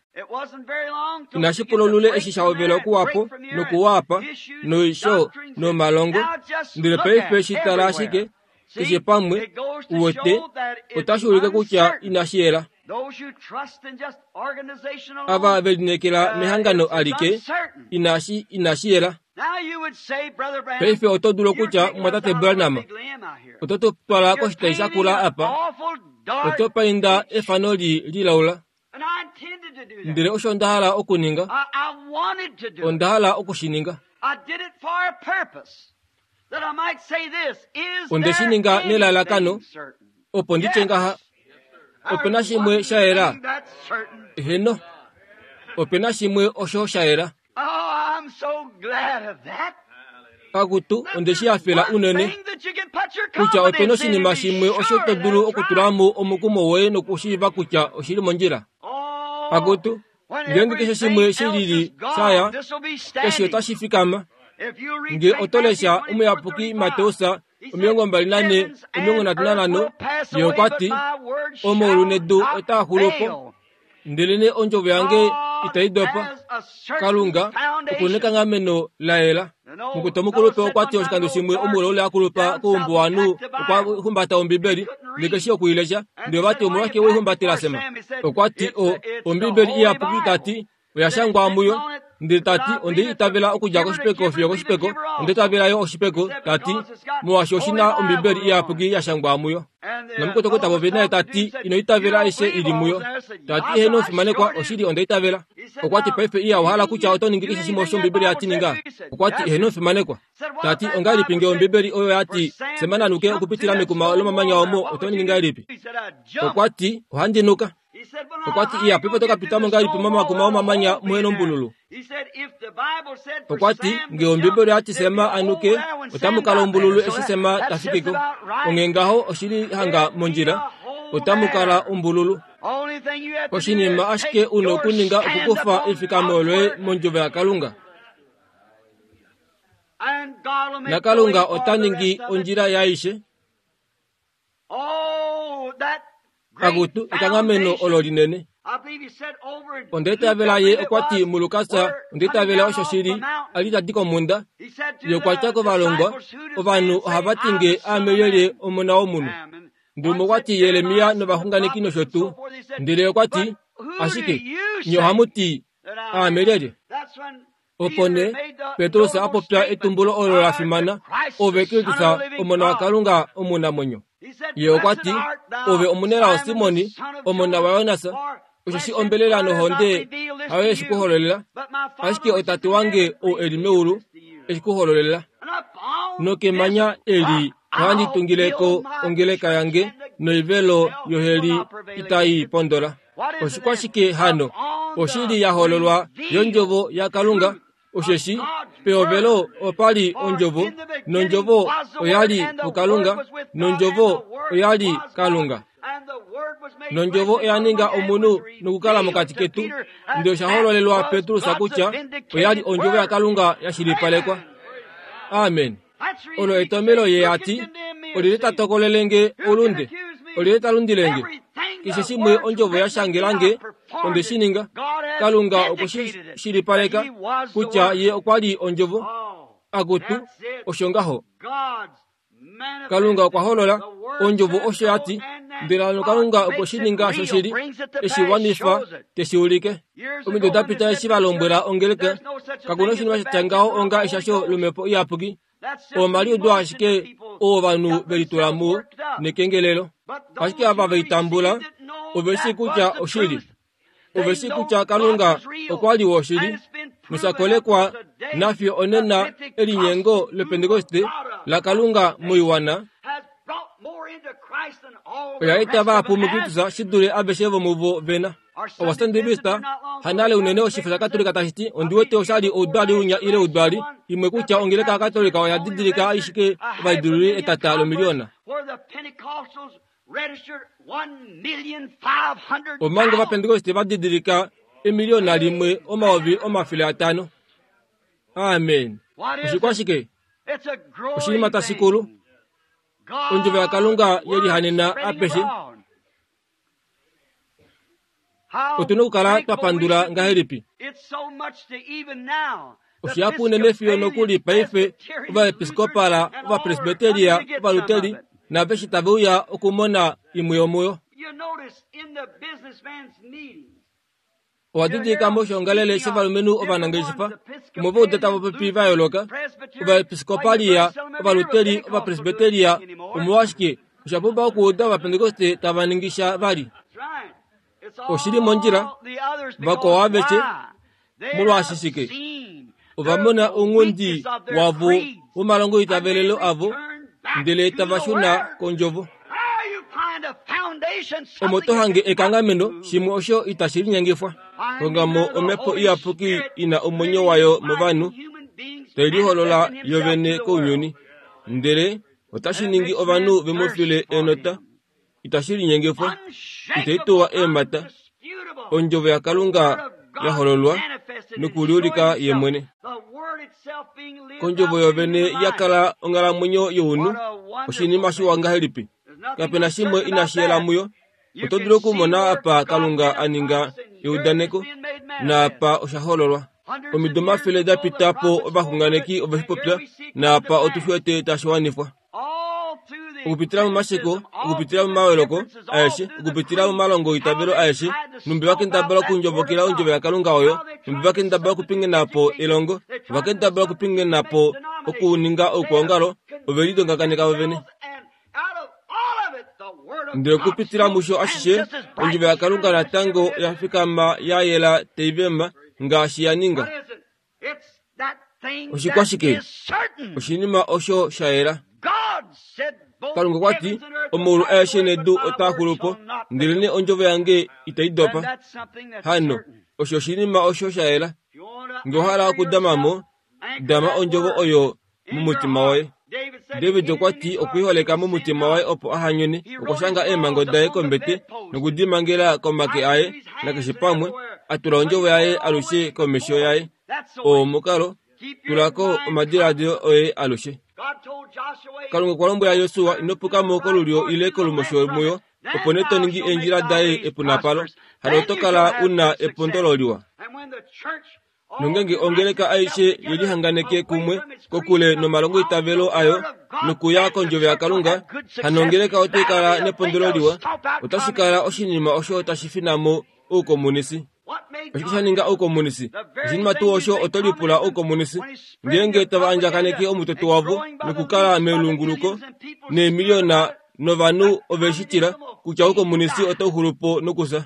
inashi pula olule eshi sha hovela okuwa po nokuwa apa noisho nomalongo, ndele paife shi tala ashike keshe pamwe, uwete, otashi ulike kutya inashi yela. Ava ve lineekela mehangano alike, inashi, inashi yela. Paife oto dulu okutya, Mumwatate Branham, oto tu twala koshitai shakula apa. Oto painda efano li lilaula. Ndele osho nda hala okuninga. Onda hala oku shi ninga. Onde shi ninga nelalakano opo ndi tye ngaha, Ope na shimwe sha yela? Eheno, ope na shimwe osho sha yela. Akutu, onde shi hafela unene kutya ope na oshinima shimwe osho to dulu okutula mo omukumo woye nokushiiva kutya oshi li mondjila. Akutu, ngeenge keshe shimwe shi lili sha ya, eshi otashi fikama. Nge oto lesha Omuyapuki Mateus 24, 35, ye okwa ti, Omaulu nedu otaa xulu po, ndelenee ondjovo yange itai dopa. Kalunga oku nekanghameno la yela. Mukuta omukulupe okwa ti oshikando shimwe omulaule a kulupa koumbuwanhu okwa humbata Ombibeli ndele ke shii oku i lesha. Ndele ova ti omolwashike we i humbatela Sema? Okwa ti o, Ombibeli iyapuki ta ti oya shangwa muyo. Ndele ta ti, Onde itavela okudja koshipeko fiyo koshipeko, onde itavela yo oshipeko, ta ti, molwaashi oshi na Ombibeli Iyapuki ya shangwa muyo. Namukwetu ta popi naye ta ti, Ino itavela aishe i li muyo. Ta ti, Heeno, omufimanekwa, oshili onda itavela. Okwa ti, Paife iya owa hala kutya oto ningi keshe shimwe osho Ombibeli ya ti ninga? Okwa ti, Heeno, omufimanekwa. Ta ti, Ongahelipi ngee Ombibeli oyo ya ti, Sema na nuke okupitila mekuma lomamanya omo, oto ningi ngahelipi? Okwa ti, Ohandi nuka. Okwa ti, Iya, paife oto ka pita mo ngahelipi momakuma omamanya muhe nombululu? Okwa ti, Ngee Ombibeli oya ti Sema a nuke, otamu kala ombululu eshi Sema ta fiki ko. Onghee ngaho oshi li hanga mondjila, otamu kala ombululu. Oshinima ashike u na okuninga okukufa efikamo loye mondjovo yaKalunga. NaKalunga ota ningi ondjila yaaishe. Akutu, ekanghameno olo linene. Onda itavela ye okwa ti muLukas, onda itavela osho shi li, a li ta di komhunda. Ye okwa tya kovalongwa, Ovanhu ohava ti nge aame lyelye Omona wOmunhu? Ndele okwa ti Jeremia novaxunganeki nosho tuu. Ndele okwa ti, Ashike nye ohamu ti aame lyelye? Opo nee Petrus a popya etumbulo olo la fimana, Ove Kristus, Omona waKalunga omunamwenyo. Ye okwa ti, Ove omunelao Simoni, omona waJonas, osheshi ombelela nohonde hayo ye shi ku hololela, ashike oTate wange ou e li meulu e shi ku hololela. Nokemanya eli ohandi tungile ko ongeleka yange, noivelo yoheli itai pondola. Oshikwashike hano? Oshili ya hololwa yondjovo yaKalunga, osheshi pehovelo opa li ondjovo, nondjovo oya li puKalunga, nondjovo oya li Kalunga. Nondjovo oya ninga omunhu nokukala mokati ketu, ndele osha hololelwa Petrus kutya oya li ondjovo yaKalunga ya shilipalekwa. Amen. Olo etomelo ye a ti, Olyelye ta tokolele nge oulunde? Olyelye ta lundile nge? Keshe shimwe ondjovo ya shangela nge, onde shi ninga. Kalunga okwe shi shilipaleka kutya ye okwa li ondjovo. Akutu, osho ngaho. Kalunga okwa holola ondjovo osho ya ti, ndele hano Kalunga okwe shi ninga shoshili, e shi wanifa, te shi ulike. Omido da pita eshi va lombwela ongeleka, kaku na oshinima sha tya ngaho onga eshasho lomhepo iyapuki. Omaliudo ashike oo ovanhu ve litula muo nekengelelo. Ashike ava ve i tambula ove shii kutya oshili. Ove shii kutya Kalunga okwa li woshili, nosha kolekwa nafiyo onena elinyengo lOpentekoste laKalunga moiwana oya eta vahapu muKristus shi dule aveshe vomuvo ve na. Ovasandivista hanale unene oshifo shaKatolika tashi ti ondi wete osha li oudwali unya ile oudwali imwe kutya ongeleka yaKatolika oya didilika ashike ovalidiluli etata lomiliona. Omanga Ovapentekoste va didilika emiliona limwe 500 000. Amen. Oshikwashike? Oshinima tashi kulu. Ondjovo yaKalunga ye lihanena apeshe. Otu na okukala twa pandula ngahelipi? Oshihapu unene fiyo nokuli paife ovaepiskopala, ovapresbiteria, ovaluteri naaveshe tave uya okumona imwe yomuyo. Owa didilika moshoongalele shovalumenhu ovanangeshefa omo va uda tava popi va yooloka, ovaepiskopalia, ovaluteri, ovapresbiteria, omolwashike osha pumba okuuda Ovapentekoste tava ningi sha vali. Oshi li mondjila, vakwao aveshe, molwaashi shike? Ova mona ounghundi wavo womalongoitavelelo avo, ndele tava shuna kOndjovo. Omo to hange ekanghameno, shimwe osho itashi linyengifwa. Honga mo Omhepo Iyapuki i na omwenyo wayo movanhu, tai liholola yovene kounyuni. Ndele Otashi ningi ovanhu ve mu file enota, itashi linyengifwa, itai tuwa eemhata. Ondjovo yaKalunga ya hololwa nokuliulika ye mwene. Kondjovo yovene ya kala onghalamwenyo younhu, oshinima shiwa ngahelipi! Kape na shimwe inashi yela muyo. Oto dulu okumona apa Kalunga a ninga eudaneko, naapa osha hololwa. Omido omafele da pita po ovaxunganeki ove shi popya, naapa otu shi wete tashi wanifwa. Okupitila momasheko, okupitila momaweloko aeshe, okupitila momalongo oitavelo aeshe, nhumbi va kendabala okundjobokela ondjovo yaKalunga oyo, nhumbi va kendabala okupingena po elongo, ova kendabala okupingena po okuninga oukwaongalo, ove lidongakaneka vovene. Ndele okupitila musho ashishe, ondjovo yaKalunga natango oya fikama ya yela tai vema ngaashi ya ninga. Oshikwashike? Oshinima osho sha yela. Kalunga okwa ti, Omaulu aeshe nedu otaa xulu po, ndelenee ondjovo yange itai dopa. Hano, osho oshinima osho sha yela. Nge owa hala okudama mo, dama ondjovo oyo momutima woye. David okwa ti okwiiholeka momutima waye opo a hanyone. Okwa shanga eemhango daye kombete noku di mangela komake aye nakeshe pamwe, a tula ondjovo yaye alushe komesho yaye. Oo omukalo, tula ko omadiladilo oye alushe. Kalunga okwa lombwela Josua, ino puka mo kolulyo ile kolumosho muyo, opo nee to ningi eendjila daye epunapalo, hano oto kala u na epondolo liwa. Nongenge ongeleka aishe ye lihanganeke kumwe kokule nomalongoitavelo ayo nokuya kondjovo yaKalunga, hano ongeleka otai kala nepondolo liwa. Otashi kala oshinima osho tashi fina mo oukomunisi. Oshike sha ninga oukomunisi? Oshinima tuu osho oto lipula oukomunisi. Ngeenge tava andjakaneke omutoto wavo nokukala melunguluko neemiliona novanhu ove shi tila kutya oukomunisi otau xulu po nokufya.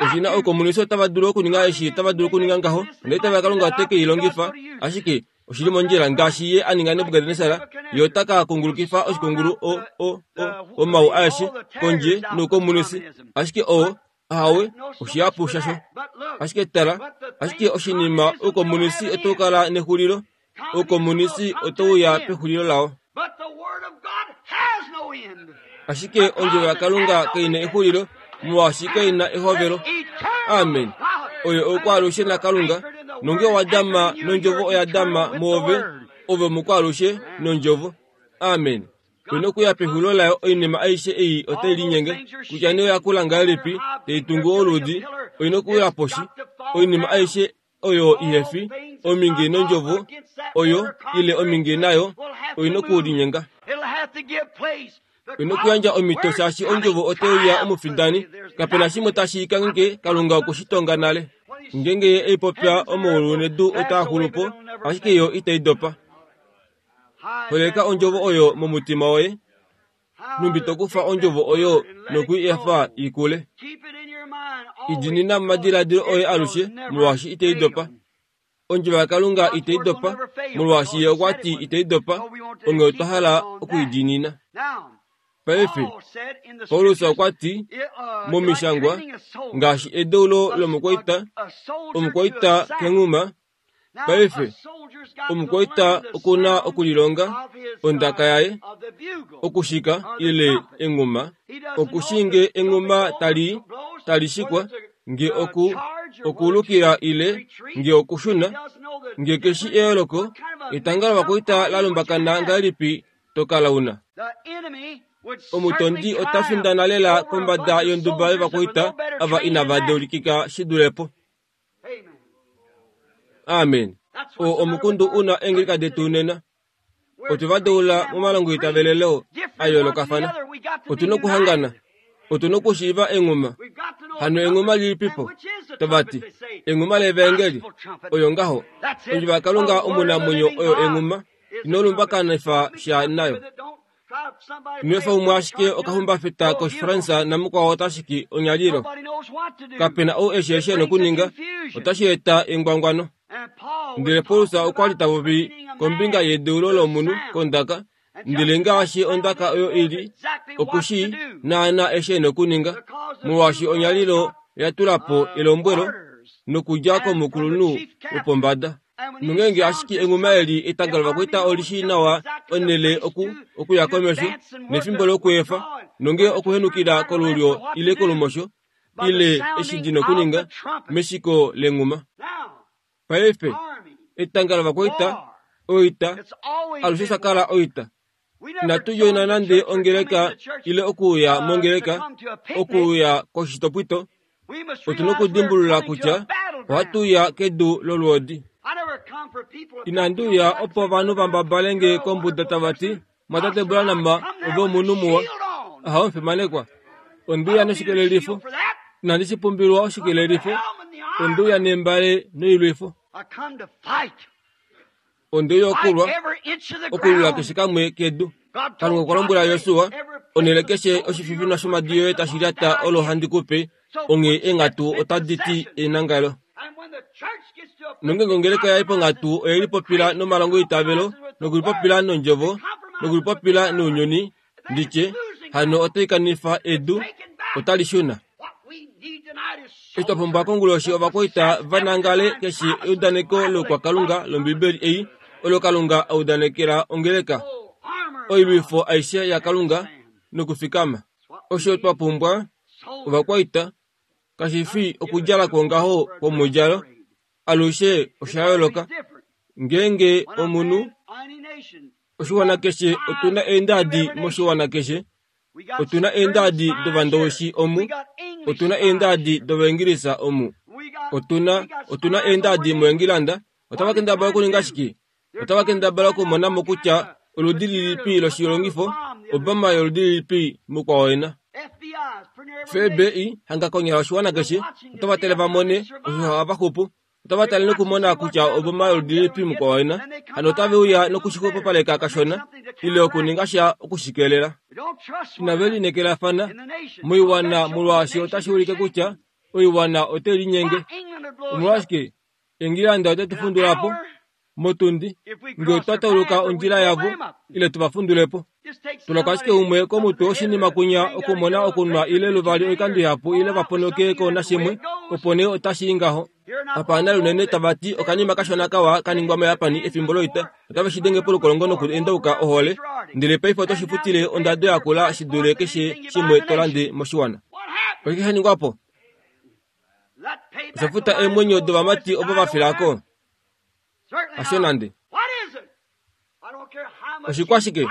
Oshi na oukomunisi otava dulu okuninga eshi tava dulu okuninga ngaho, ndele tava Kalunga ote ke i longifa, ashike oshi li mondjila ngaashi ye a ninga Nebukadnesar, ye ota ka kungulukifa oshikungulu o, o, o, omau aeshe kondje noukomunisi, ashike oo, ahawe, oshihapu shasho. Ashike tala, ashike oshinima oukomunisi otau kala nexulilo, oukomunisi otau ya pexulilo lao. Ashike ondjovo yaKalunga kai na exulilo, molwaashi kai na ehovelo. Amen. Oyo oukwaalushe naKalunga, nonge owa dama nondjovo oya dama mwoove, ove omukwaalushe nondjovo. Amen. Oina okuya pexulilo layo oinima aishe ei otai linyenge, kutya nee oya kula ngahelipi, tai tungu oludi, oina okuya poshi. Oinima aishe oyo ihe fi ominge nondjovo oyo ile ominge nayo oi na okulinyenga. Oi na okuyandja omhito shaashi ondjovo otai uya omufindani. Kape na shimwe tashi kangheke Kalunga oku shi tonga nale. Ngeenge ye ei popya omaulu nedu otaa xulu po, ashike yo itai dopa. Holeka ondjovo oyo momutima woye. Nhumbi to kufa ondjovo oyo noku i efa i kule. I diinina momadiladilo oye alushe, molwaashi itai dopa. Ondjovo yaKalunga itai dopa, molwaashi Ye okwa ti itai dopa, onghee otwa hala oku i diinina. Paife, Paulus okwa ti, mOmishangwa, ngaashi edeulo lomukwaita, omukwaita kenghuma, Paife, omukwaita oku na okulilonga ondaka yaye, okushika ile enghuma, okushi nge enghuma tali tali shikwa, nge oku okuulukila ile nge okushuna, nge keshi eyooloko, etanga lovakwaita la lumbakana ngahelipi to kala u na. Omutondi ota findana lela kombada yonduba yovakwaita ava inava deulikika shi dule po. Amen. Oo omukundu u na eengeleka detu nena. Otwe va deula momalongoitavelelo a yoolokafana. Otu na okuhangana. Otu na okushiiva enghuma. Hano enghuma lilipipo? Tava ti, Enghuma levaengeli. Oyo ngaho. Ondjovo yaKalunga omunamwenyo oyo enghuma. Ino lumbakanifa sha nayo. Nwefa umwe ashike okahumbafeta kOshifransa namukwao ota shiki onyalilo. Kape na ou eshi eshi e na okuninga, otashi eta engwangwano. Ndele Paulus okwa li ta popi kombinga yedeulo lomunhu kondaka, ndele ngaashi ondaka oyo i li, oku shii naanaa eshi e na okuninga, molwaashi onyalilo oya tula po elombwelo nokudja komukulunhu wopombada. Nongeenge ashike enghuma eli etanga lovakwaita oli shii nawa onhele oku okuya komesho nefimbo lokweefa, nonge okuhenukila kolulyo ile kolumosho ile eshi li na okuninga meshiko lenghuma. Paife, etanga lovakwaita, oita, alushe sha kala oita. Inatu djoina nande ongeleka ile okuuya mongeleka, okuuya koshitopwito. Otu na okudimbulula kutya ohatu uya kedu lolwoodi. Inandi uya opo ovanhu va mbabale nge kombuda tava ti, Mwatate Branham, ove omunhu muwa. Aha, omufimanekwa. Onde uya noshikelelifo. Inandi shi pumbilwa oshikelelifo. Onde uya nembale noilwifo. Onde uya okulwa, okulwila keshe kamwe kedu. Kalunga okwa lombwela Josua, Onhele keshe oshififinwa shomadi yoye tashi lyata olo handi ku pe, onghee eenghatu otadi ti enangalo. Nongeenge ongeleka ya i ponghatu oye lipopila nomalongoitavelo, nokulipopila nondjovo, nokulipopila nounyuni, ndi tye, hano otai kanifa edu, otali shuna. Eshi twa pumbwa konguloshi ovakwaita va nangale keshe eudaneko loukwakalunga lOmbibeli ei, olo Kalunga a udanekela ongeleka, oilwifo aishe yaKalunga, nokufikama. Osho twa pumbwa, ovakwaita, kashi fi okudjala kwongaho kwomudjalo, alushe osha yooloka. Ngeenge omunhu, oshiwana keshe, otu na eendadi moshiwana keshe, otu na eendadi dOvandowishi omu, otu na eendadi dOvaingilisa omu, otu na, otu na eendadi moEngilanda. Otava kendabala okuninga shike? Otava kendabala okumona mo kutya oludi lilipi loshilongifo, obama yoludi lilipi mukwao ena. FBI hanga konyala oshiwana keshe, otava tale va mone osho hava xupu. Otava tale nokumona kutya oboma yoludi lilipi mukwao ena. Hano otave uya nokushixwepopaleka kashona, ile okuninga sha oku shi keelela. Inave linekelafana moiwana molwaashi otashi ulike kutya oiwana otai linyenge. Omolwashike Engilanda ote tu fundula po motundi nge otwa tauluka ondjila yavo ile tu va fundule po. Tulako ashike umwe komutwe oshinima kunya okumona okunwa ile luvali oikando ihapu ile va ponoke ko nashimwe, opo nee otashi i ngaho. Apa nale unene tava ti okanima kashona kawa ka ningwa moYapani efimbo loita, otave shi denge polukolongo noku endauka ohole, ndele paife oto shi futile ondado yakula shi dule keshe shimwe to lande moshiwana. Oshike sha ningwa po? Osha futa eemwenyo dovamati ovo va fila ko? Hasho nande. Oshikwashike?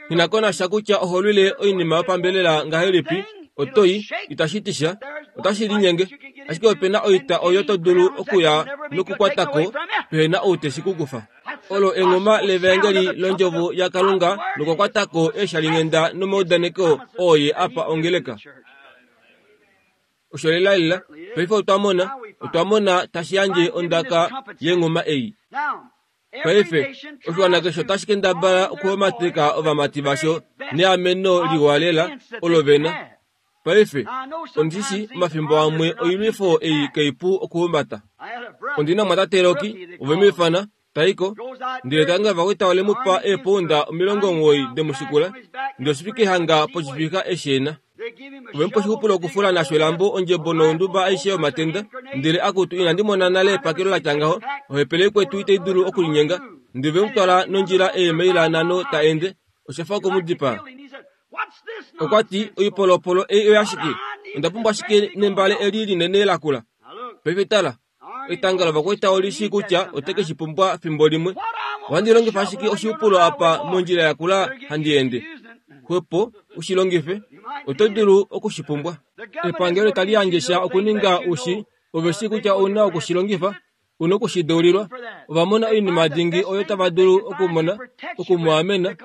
Nghi na ko nasha kutya oho lwile oinima yopambelela ngahelipi, oto i, itashi ti sha, otashi linyenge. Ashike ope na oita oyo to dulu okuya nokukwata ko pehe na ou te shi ku kufa. Olo enghuma levaengeli londjovo yaKalunga nokukwata ko eeshalinghenda nomaudaneko oo Ye a pa ongeleka. Osho lelalela. Paife otwa mona, otwa mona tashi yandje ondaka yenghuma ei. Paife, oshiwana keshe otashi kendabala okuhomateka ovamati vasho neameno liwa lela olo ve na. Paife, ondi shi omafimbo amwe oilwifo ei kaipu okuhumbata. Ondi na omwatate Rocky, ove mu ifana, ta i ko, ndele tangi ovakwaita ole mu pa eepounda 90 demushikula, ndele oshifike hanga poshifika eshi e na. Ove mu pa oshixupulo okufula nasho elambo, ondjebo nonduba aishe yomatenda, ndele akutu inandi mona nale epakelo la tya ngaho, ohepele ikwetu itai dulu okulinyenga. Ndele ve mu twala nondjila eemaila nhano ta ende, osha fa oku mu dipaa. Okwa ti, Oipolopolo ei oyashike? Onda pumbwa shike nembale eli linene lakula? Paife tala, Etanga lovakwaita oli shii kutya ote ke shi pumbwa fimbo limwe. Ohandi longifa ashike oshiupulo apa mondjila ya kula handi ende. Xwepo u shi longife, oto dulu oku shi pumbwa. Epangelo itali yandje sha okuninga u shi, ove shii kutya ou na oku shi longifa, u na oku shi deulilwa. Ova mona oinima dingi oyo tava dulu okumona, oku mu amena,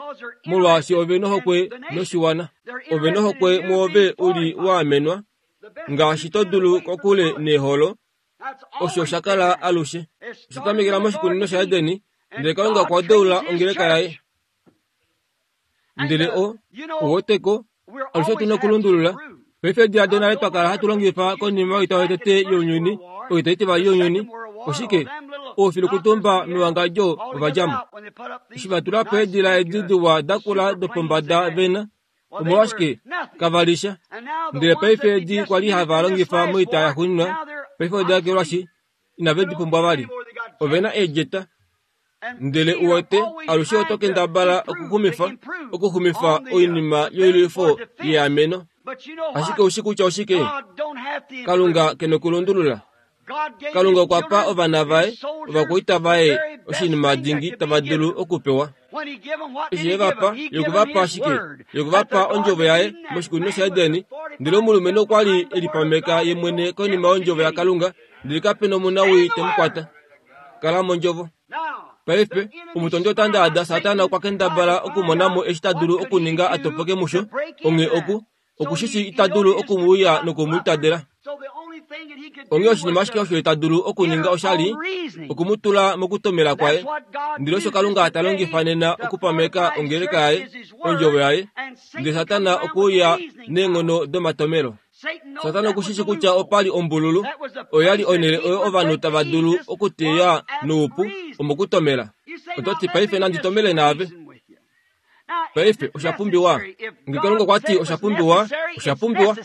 molwaashi ove nohokwe noshiwana. Ove nohokwe mwoove u li wa amenwa. Ngaashi to dulu kokule neeholo, osho sha kala alushe. Osha tamekela moshikunino shaEden, ndele Kalunga okwa deula ongeleka yaye. Ndele o, oweteko, alushe otu na okulundulula. Paife ediladilo nale twa kala hatu longifa konima yoita yotete younyuni, oita itivali younyuni, oshike? Oufilukutumba mewangadjo ova dja mo. Eshi va tula po eedila edi diwa dakula dopombada ve na, Omolwashike kava li sha? Ndele paife edi kwa li hava longifa moita yaxuuninwa, paife oda ekelwashi, inave di pumbwa vali. Ove na eedjeta. Ndele u wete, alushe oto kendabala okuxumifa, okuxumifa oinima yoilwifo yeameno. Ashike ou shi kutya oshike? Kalunga ke nokulundulula. Kalunga okwa pa ovana vaye, ovakwaita vaye, oshinima dingi tava dulu okupewa. Eshi e va pa, ye okwe va pa shike? Ye okwe va pa ondjovo yaye moshikunino shaEden. Ndele omulumenhu okwa li e lipameka ye mwene konima yondjovo yaKalunga, ndele kape nomunawii te mu kwata. Kala mondjovo. Paife, omutondi ota ndaada Satana okwa kendabala okumona mo eshi ta dulu okuninga a topoke musho, onghee oku, oku shi shii ita dulu oku mu uya noku mu itadela. Onghee oshinima ashike osho ta dulu okuninga osha li oku mu tula mokutomela kwaye. Ndele osho Kalunga ta longifa nena okupameka ongeleka yaye, ondjovo yaye, ndele Satana okwe uya neenghono domatomelo. Satana oku shi shi kutya opa li ombululu, oyo ya li onhele oyo ovanhu tava dulu okuteya noupu omokutomela. Oto ti, Paife nandi tomele naave. Paife osha pumbiwa. Nge Kalunga okwa ti osha pumbiwa, osha pumbiwa.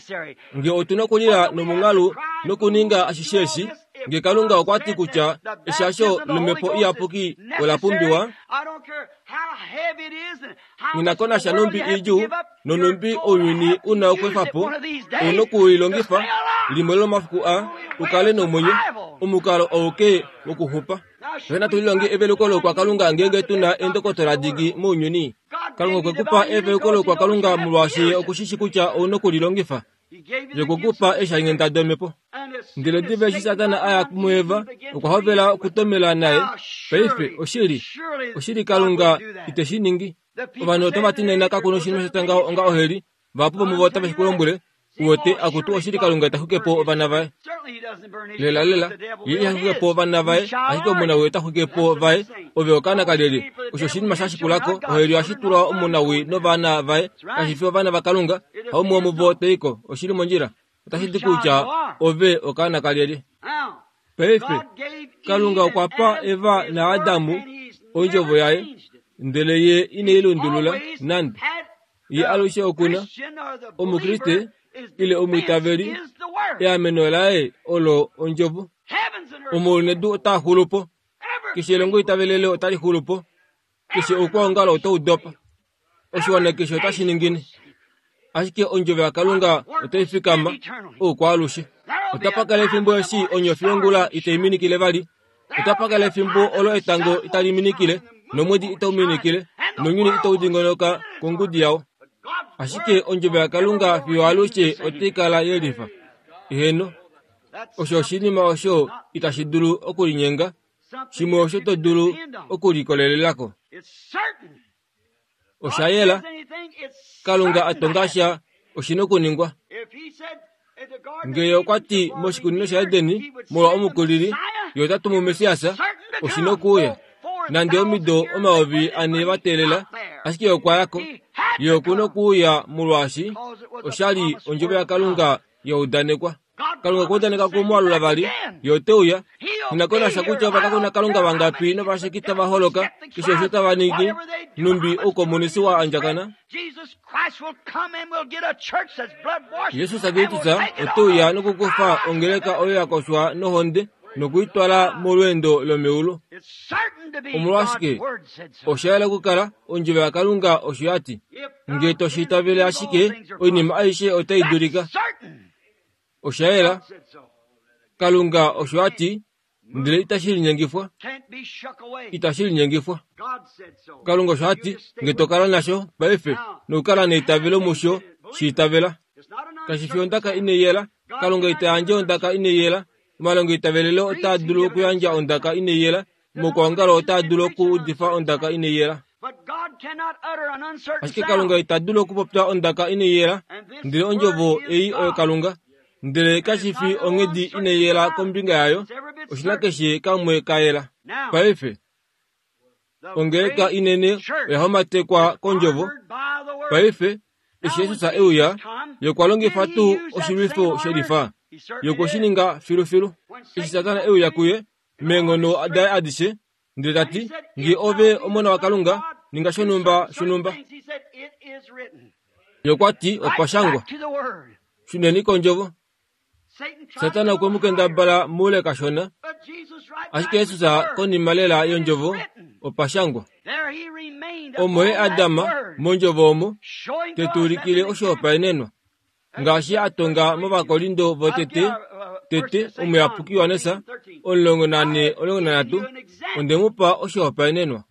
Nge otu na okulila nomunghalu nokuninga ashishe eshi, nge Kalunga okwa ti kutya eshasho lomhepo iyapuki ola pumbiwa, Nghi ko nasha nhumbi idjuu nonhumbi ounyuni u na okweefa po, ou na oku i longifa limwe lomomafiku aa u kale nomwenyo, omukalo auke wokuxupa. Fye natu lilonge eveluko loukwakalunga ngeenge tu na eendokotola dingi mounyuni. Kalunga okwe ku pa eveluko loukwakalunga molwaashi ye oku shi shii kutya ou na oku li longifa. Ye okwe ku pa eeshalinghenda domhepo. Ndele diva eshi Satana a ya muEva, okwa hovela okutomela naye. Paife, oshili, oshili Kalunga ite shi ningi. Ovanhu otava ti nena kaku noshinima sha tya ngaho onga oheli. Vahapu vomuvo otave shi ku lombwele, Uwete, akutu, oshili Kalunga ita xwike po ovana vaye. Lelalela, ye iha xwike po ovana vaye, ashike omunawii ota xwike po vaye. Ove okaana kalyelye? Osho oshinima sha shikula ko. Oheli ohashi tulwa omunawii novana vaye, kashi fi ovana vaKalunga. Haumwe womuvo ta i ko. Oshi li mondjila. Otashi ti kutya ove okaana kalyelye. Paife, Kalunga okwa pa Eva naAdamu ondjovo yaye, ndele ye ine i lundulula nande. Ye alushe oku na Omukriste ile omwiitaveli, eameno laye olo ondjovo. Omaulu nedu otaa xulu po, keshe elongo itavelele otali xulu po, keshe oukwaongalo otau dopa, oshiwana keshe otashi ningine. Ashike ondjovo yaKalunga otai fikama oukwaalushe. Otapa kala efimbo eshi onyofi yongula itai minikile vali, Otapa kala efimbo olo etango itali minikile, nomwedi itau minikile, nounyuni itau dingonoka kongudi yao. Ashike ondjovo yaKalunga fiyo alushe otai kala ye lifa. Eheno, osho oshinima osho itashi dulu okulinyenga, shimwe osho to dulu okulikolelelako. ko. Osha yela, Kalunga a tonga sha oshi na okuningwa. Ngee okwa ti moshikunino shaEdeni molwa omukulili, ye ota tumu Messias, oshi na okuuya. Nande omido 4000 va teelela, ashike ye okwa ya ko. Ye oku na okuuya molwaashi osha li ondjovo yaKalunga ya udanekwa. Kalunga okwa udaneka oku mu alula vali, ye ote uya. Nghi ko nasha kutya ovakakona Kalunga vangapi novasheki tava holoka, keshe osho tava ningi, nhumbi oukomunisi wa andjakana. Jesus Kristus ote uya nokukufa ongeleka oyo ya koshwa nohonde noku i twala molweendo lomeulu. Omolwashike? Osha yela okukala ondjovo yaKalunga osho ya ti. Nge to shi itavele ashike, oinima aishe otai dulika. Osha yela. Kalunga osho a ti, ndele itashi linyengifwa. Itashi linyengifwa. Kalunga osho a ti, nge to kala nasho paife nokukala neitavelo musho, shi itavela. Kashi fi ondaka inai yela. Kalunga ita yandje ondaka inai yela. Omalongo eitavelelo otaa dulu okuyandja ondaka inai yela. Mokuongalo otaa dulu okuudifa ondaka inai yela. Ashike Kalunga ita dulu okupopya ondaka inai yela, ndele ondjovo ei oyo Kalunga. Ndele kashi fi onghedi inai yela kombinga yayo, oshi na keshe kamwe ka yela. Paife, ongeleka inene oya homatekwa kondjovo. Paife, eshi Jesus e uya, ye okwa longifa tuu oshilwifo shelifa? Ye okwe shi ninga filufilu. Eshi Satana e uya kuye, meenghono daye adishe, ndele ta ti, Nge ove omona waKalunga, ninga shonhumba shonhumba. Ye okwa ti, Opa shangwa. Shuneni kondjovo. Satana okwe mu kendabala moule kashona, ashike Jesus konima lela yondjovo, opa shangwa. Omo ye Adam mondjovo omo, te tu ulikile oshihopaenenwa. Ngaashi a tonga mOvakorindo votete, tete, omuyapuki Johannes 14, 13, onde mu pa oshihopaenenwa.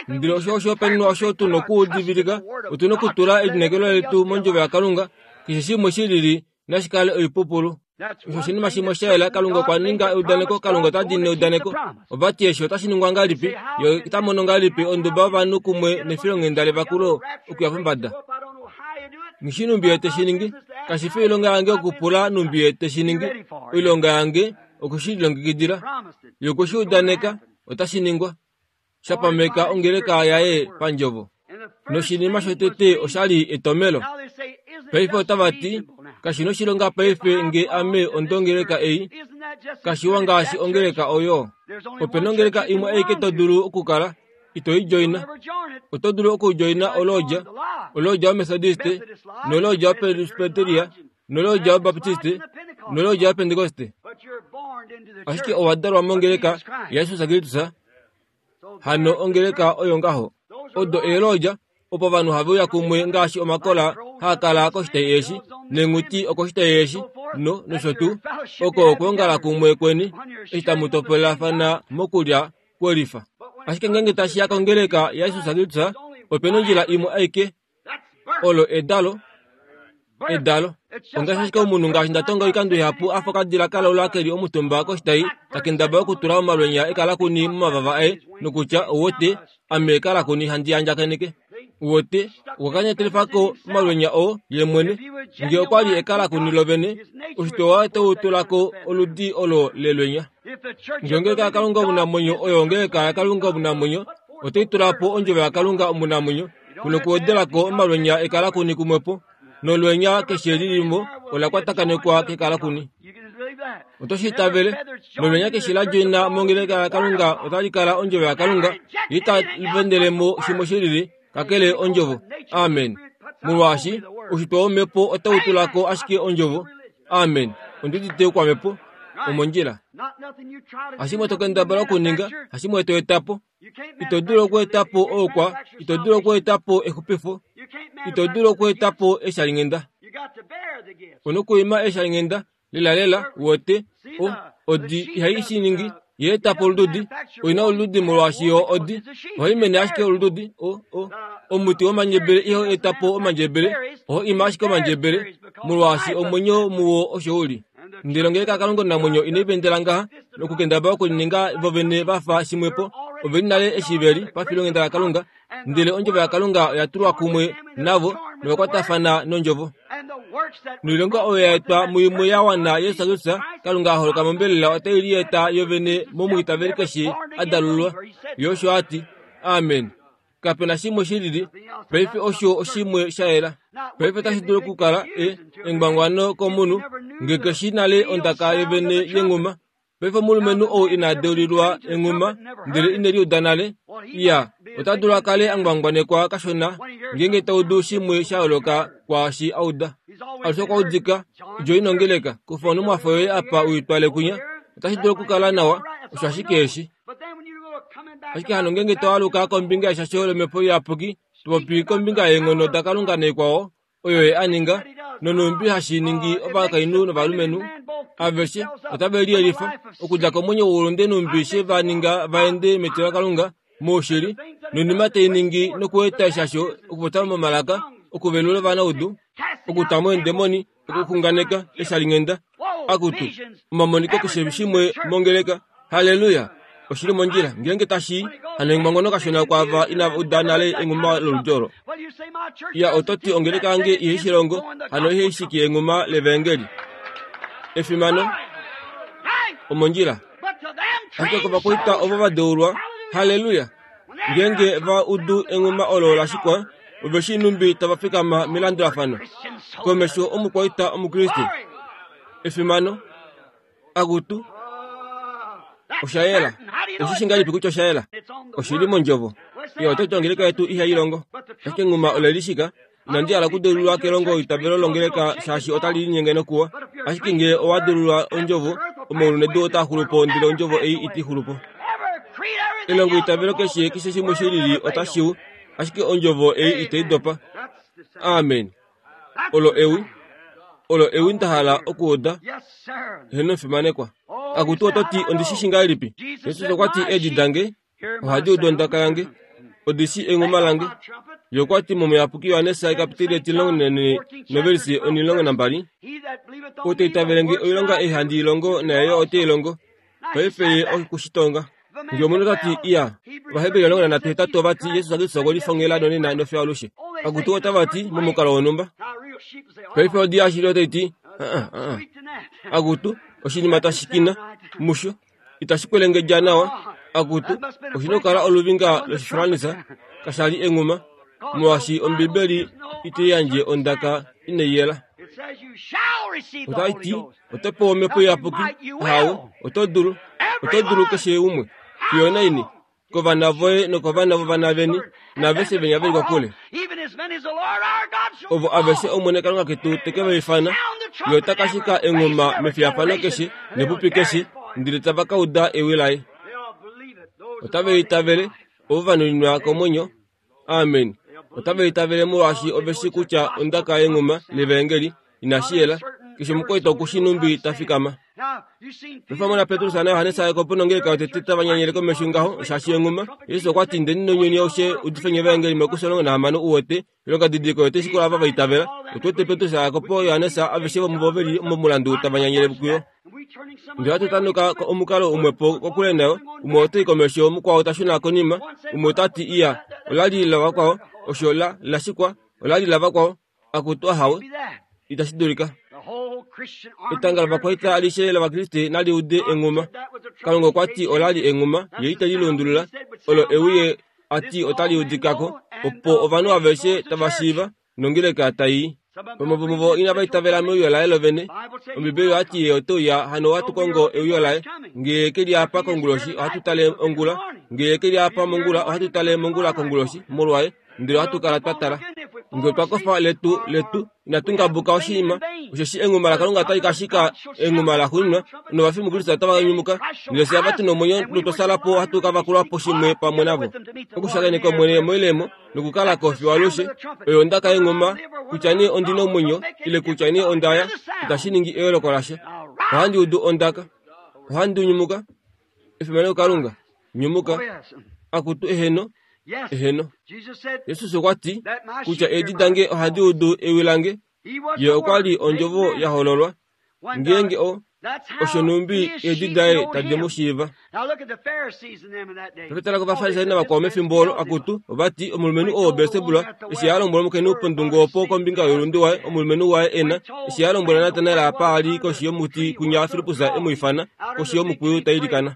Ndele osho oshihopaenenwa osho tu na okudivilika, otu na okutula elineekelo letu mondjovo yaKalunga, keshe shimwe shi lili nashi kale oipupulu. Osho oshinima shimwe sha yela. Kalunga okwa ninga eudaneko. Kalunga ota diinine eudaneko. Ova ti eshi otashi ningwa ngahelipi? Ye ota mono ngahelipi onduba yovanhu kumwe nefilonghenda levakulo okuya pombada? Nghi shii nhumbi ye te shi ningi. Kashi fi oilonga yange okupula nhumbi ye te shi ningi. Oilonga yange oku shi lilongekidila. Ye okwe shi udaneka, otashi ningwa. Sha pameka ongeleka yaye pandjovo. Noshinima shotete osha li etomelo. Paife otava ti, Kashi noshilonga paife nge ame ondongeleka ei. Kashiwa ngaashi ongeleka oyo. Ope nongeleka imwe aike to dulu okukala. Ito i djoina. Oto dulu okudjoina olodja, olodja yoMethodiste, nolodja yoPresbyteria, nolodja yoBaptiste, nolodja yoPentekoste. Ashike owa dalwa mongeleka yaJesus Kristus, hano ongeleka oyo ngaho. Odo eelodja opo ovanhu have uya kumwe ngaashi omakola haa kala koshitai eshi nenghuti okoshitai eshi no nosho tuu oko okwoongala kumwe kweni eshi tamu topolelafana mokulya kwelifa. Ashike ngeenge tashi ya kongeleka yaJesus Kristus, ope na ondjila imwe aike, olo edalo. Edalo. Ongaashi ashike omunhu ngaashi nda tonga oikando ihapu a fa okadila ka laula ke li omutumba koshitai ta kendabala okutula omalwenya ekalakuni momavava aye nokutya, Uwete, ame ekalakuni handi andjakaneke. Uwete, okwa kanyatelifa ko omalwenya oo ye mwene. Nge okwa li ekalakuni lovene, oshitwe waye otau tula ko oludi olo lelwenya. Nge ongeleka yaKalunga omunamwenyo oyo ongeleka yaKalunga omunamwenyo, otai tula po ondjovo yaKalunga omunamwenyo nokuwedela ko omalwenya ekalakuni kumwepo, nolwenya keshe li li mo ola kwatakanekwa kekalakuni. Oto shi itavele? Nolwenya keshe la djoina mongeleka yaKalunga otali kala ondjovo yaKalunga, ye ita vendele mo shimwe shi lili kakele ondjovo. Amen. Molwaashi oushitwe womhepo otau tula ko ashike ondjovo. Amen. Ondi udite oukwamhepo. Omondjila. Hashimwe to kendabala okuninga, hashimwe to eta po. Ito dulu okweeta po oukwa, ito dulu okweeta po exupifo, ito dulu okweeta po eshalinghenda. U nokuima eshalinghenda lelalela, wote, o, odi ihai shi ningi, ye eta po olududi. Oi na olududi molwaashi yo odi. Ohai mene ashike olududi. O, o, omuti womandjebele ihau eta po omandjebele, ohau ima ashike omandjebele, molwaashi omwenyo muwo osho u li. Ndele ongeleka yaKalunga omunamwenyo inai vendela ngaha nokukendabala okulininga vovene va fa shimwepo. Ove li nale eshi ve li pafilonghenda laKalunga, ndele ondjovo yaKalunga oya tulwa kumwe navo novakwatafana nondjovo. Noilonga oyo ya etwa muimwe ya wana Jesus Kristus, Kalunga a holoka mombelela otai lieta yovene momwiitaveli keshe a dalululwa. Ye osho a ti. Amen. Kape na shimwe shi lili. Paife osho oshimwe sha yela. Paife otashi dulu okukala e, engwangwano komunhu nge keshi nale ondaka yovene yenghuma. Paife omulumenhu ou ina deulilwa enghuma ndele ine liuda nale, iya, ota dulu a kale a ngwangwanekwa kashona ngeenge ta udu shimwe sha yooloka kwaashi a uda. Alushe okwa udika, Djo ino ngeleka, kufa onhumwafo yoye apa u i twale kwinya. Otashi dulu okukala nawa, osho ashike eshi. Ashike hano ngeenge to aluka kombinga yeshasho lOmhepo Iyapuki, to popi kombinga yeenghono daKalunga naikwao oyo ye a ninga, nonhumbi hashi ningi ovakainhu novalumenhu aveshe otave liyelifa okudja komwenyo woulunde nhumbi she va ninga va ende metilo laKalunga moushili, noinima tai ningi nokueta eshasho okupopya momalaka, okuvelula ovanaudu, okuta mo eendemoni, okuxunganeka eshalinghenda, akutu, omamoniko keshe shimwe mongeleka. Halleluya! Oshi li mondjila. Ngeenge tashi hano engwangono kashona kwaava inava uda nale enghuma loludi olo. Ya, oto ti ongeleka yange ihai shi longo, hano ihai shiki enghuma levaengeli. Efimano! Omondjila. Ashike kovakwaita ovo va deulwa, halleluya! Ngeenge va udu enghuma olo la shikwa, ove shii nhumbi tava fikama melandulafano komesho omukwaita Omukriste. Efimano! Akutu, osha yela. Oshi shi ngahelipi kutya osha yela? Oshi li mondjovo. Ye oto ti ongeleka yetu ihai longo. Ashike enghuma ole li shika. Inandi hala okudeulilwa kelongo itavelo longeleka shaashi otali linyenge nokuwa. Ashike ngee owa deulilwa ondjovo, omaulu nedu otaa xulu po ndele ondjovo ei iti xulu po. Elongo itavelo keshe keshe shimwe shi lili otashi u, ashike ondjovo ei itai dopa. Amen. Olo ewi. Olo ewi nda hala okuuda. Heeno fimanekwa. Akutu oto ti ondi shi shi ngahelipi? Jesus okwa ti eedi dange ohadi udu ondaka yange. Odi shi enghuma lange. Ye okwa ti mOmuyapuki Johannes ekapiteli etilongo novelisi onilongo nambali, Ou ta itavele nge oilonga ei handi i longo naye yo ote i longo. Paife ye oku shi tonga. Nge omunhu ota ti, Iya, Ovaheberi 13 ova ti Jesus Kristus okwe lifongela nonena nofiyo alushe. Akutu otava ti, momukalo wonhumba. Paife odi yashili otai ti, Uh-uh, uh-uh. Akutu, oshinima tashi kina, musho. Itashi kwelengedja nawa. Akutu, oshi na okukala oluvinga lOshifransa, kasha li enghuma, molwaashi Ombibeli itai yandje ondaka inai yela. Otai ti, Oto pewa Omhepo Iyapuki. Ahawe, oto dulu. Oto dulu keshe umwe. Fiyo onaini? Kovana voye nokovana vovana veni, naaveshe venya ve li kokule. Ovo aveshe Omwene Kalunga ketu te ke va ifana, Ye ota ka shika enghuma mefiyafano keshe nepupi keshe, ndele tava ka uda ewi laye. Otave itavele, ovo va nuninwa komwenyo. Amen. Otava itavele molwaashi ove shi kutya ondaka yenghuma levaengeli inashi yela. Keshe omukwaita oku shi nhumbi ta fikama. Pefamwe naPetrus naJohannes Jakob nongeleka yotete tava nyanyele komesho ngaho shaashi enghuma. Jesus okwa ti ndeni nounyuni aushe udifeni evaengeli Markus 16 u wete ilonga didiliko yote shikola ava va itavela. Otu wete Petrus, Jakob, Johannes aveshe vomuvo ve li momulandu tava nyanyele kuyo. Ndele ohatu tanuka omukalo umwepo kokule nayo, umwe ota i komesho, mukwao ta shuna konima, umwe ota ti iya, ola li lavakwao, osho la, la shikwa, ola li lavakwao, akutu ahawe, itashi dulika. Etanga lovakwaita alishe lOvakriste nali ude enghuma. Kalunga okwa ti ola li enghuma, ye ite li lundulula, olo ewi ye a ti otali udika ko, opo ovanhu aveshe tava shiiva, nongeleka tai i. Vamwe vomuvo inava itavela meuyo laye lovene. Ombibeli oya ti ye ote uya, hano ohatu kongo euyo laye. Nge ye ke li apa konguloshi, ohatu tale ongula. Nge ye ke li apa mongula, ohatu tale mongula konguloshi, molwaye, ndele ohatu kala twa tala. Nge otwa kofa letu, letu, inatu ngabuka oshinima, osheshi enghuma laKalunga otali ka shika enghuma laxuuninwa, novafi muKristus otava ka nyumuka, ndele fye ava tu nomwenyo notwa sala po ohatu ka vakulwa po shimwe pamwe navo. Okushakeneka Omwene moilemo nokukala ko fiyo alushe, oyo ondaka yenghuma, kutya nee ondi na omwenyo ile kutya nee onda ya, itashi ningi eyooloko lasha. Ohandi udu ondaka. Ohandi nyumuka. Efimano kuKalunga. Nyumuka. Akutu eheno. Eheno. Jesus okwa ti kutya eedi dange ohadi udu ewi lange. Ye okwa li ondjovo ya hololwa. Ngeenge o osho nhumbi eedi daye tadi mu shiiva. Paife tala kOvafarisai navakwao mefimbo olo, akutu, ova ti, Omulumenhu oo Belsebul, eshi a lombwela omukainhu pondungu opo kombinga youlunde waye, omulumenhu waye e na, eshi a lombwela Natanael apa a li koshi yomuti kwinya Filippus e mu ifana, koshi yomukwiyu ta ilikana.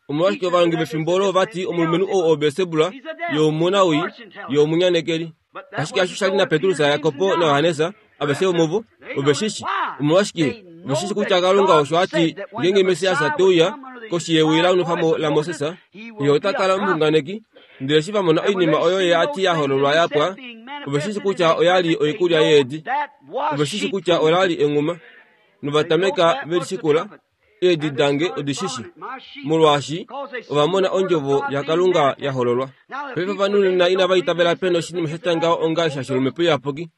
Omolwashike ovalongi vefimbo olo ova ti, Omulumenhu ou oBelsebul, ye omunawii, ye omunyanekeli. Ashike osho sha li naPetrus, Jakob naJohannes, aveshe vomuvo ove shi shi. Omolwashike? Ove shi shi kutya Kalunga osho a ti ngeenge Messias te uya koshi yewi la nwefwa mo laMoses, ye ota kala omuxunganeki. Ndele eshi va mona oinima oyo ye a ti ya hololwa ya pwa, ove shi shi kutya oya li oikulya yeedi. Ove shi shi kutya ola li enghuma. Nova tameka ve li shikula. Eedi dange odi shi shi, molwaashi ova mona ondjovo yaKalunga ya hololwa. Paife ovanhu nena inava itavela pe na oshinima sha tya ngaho onga eshasho lOmhepo Iyapuki.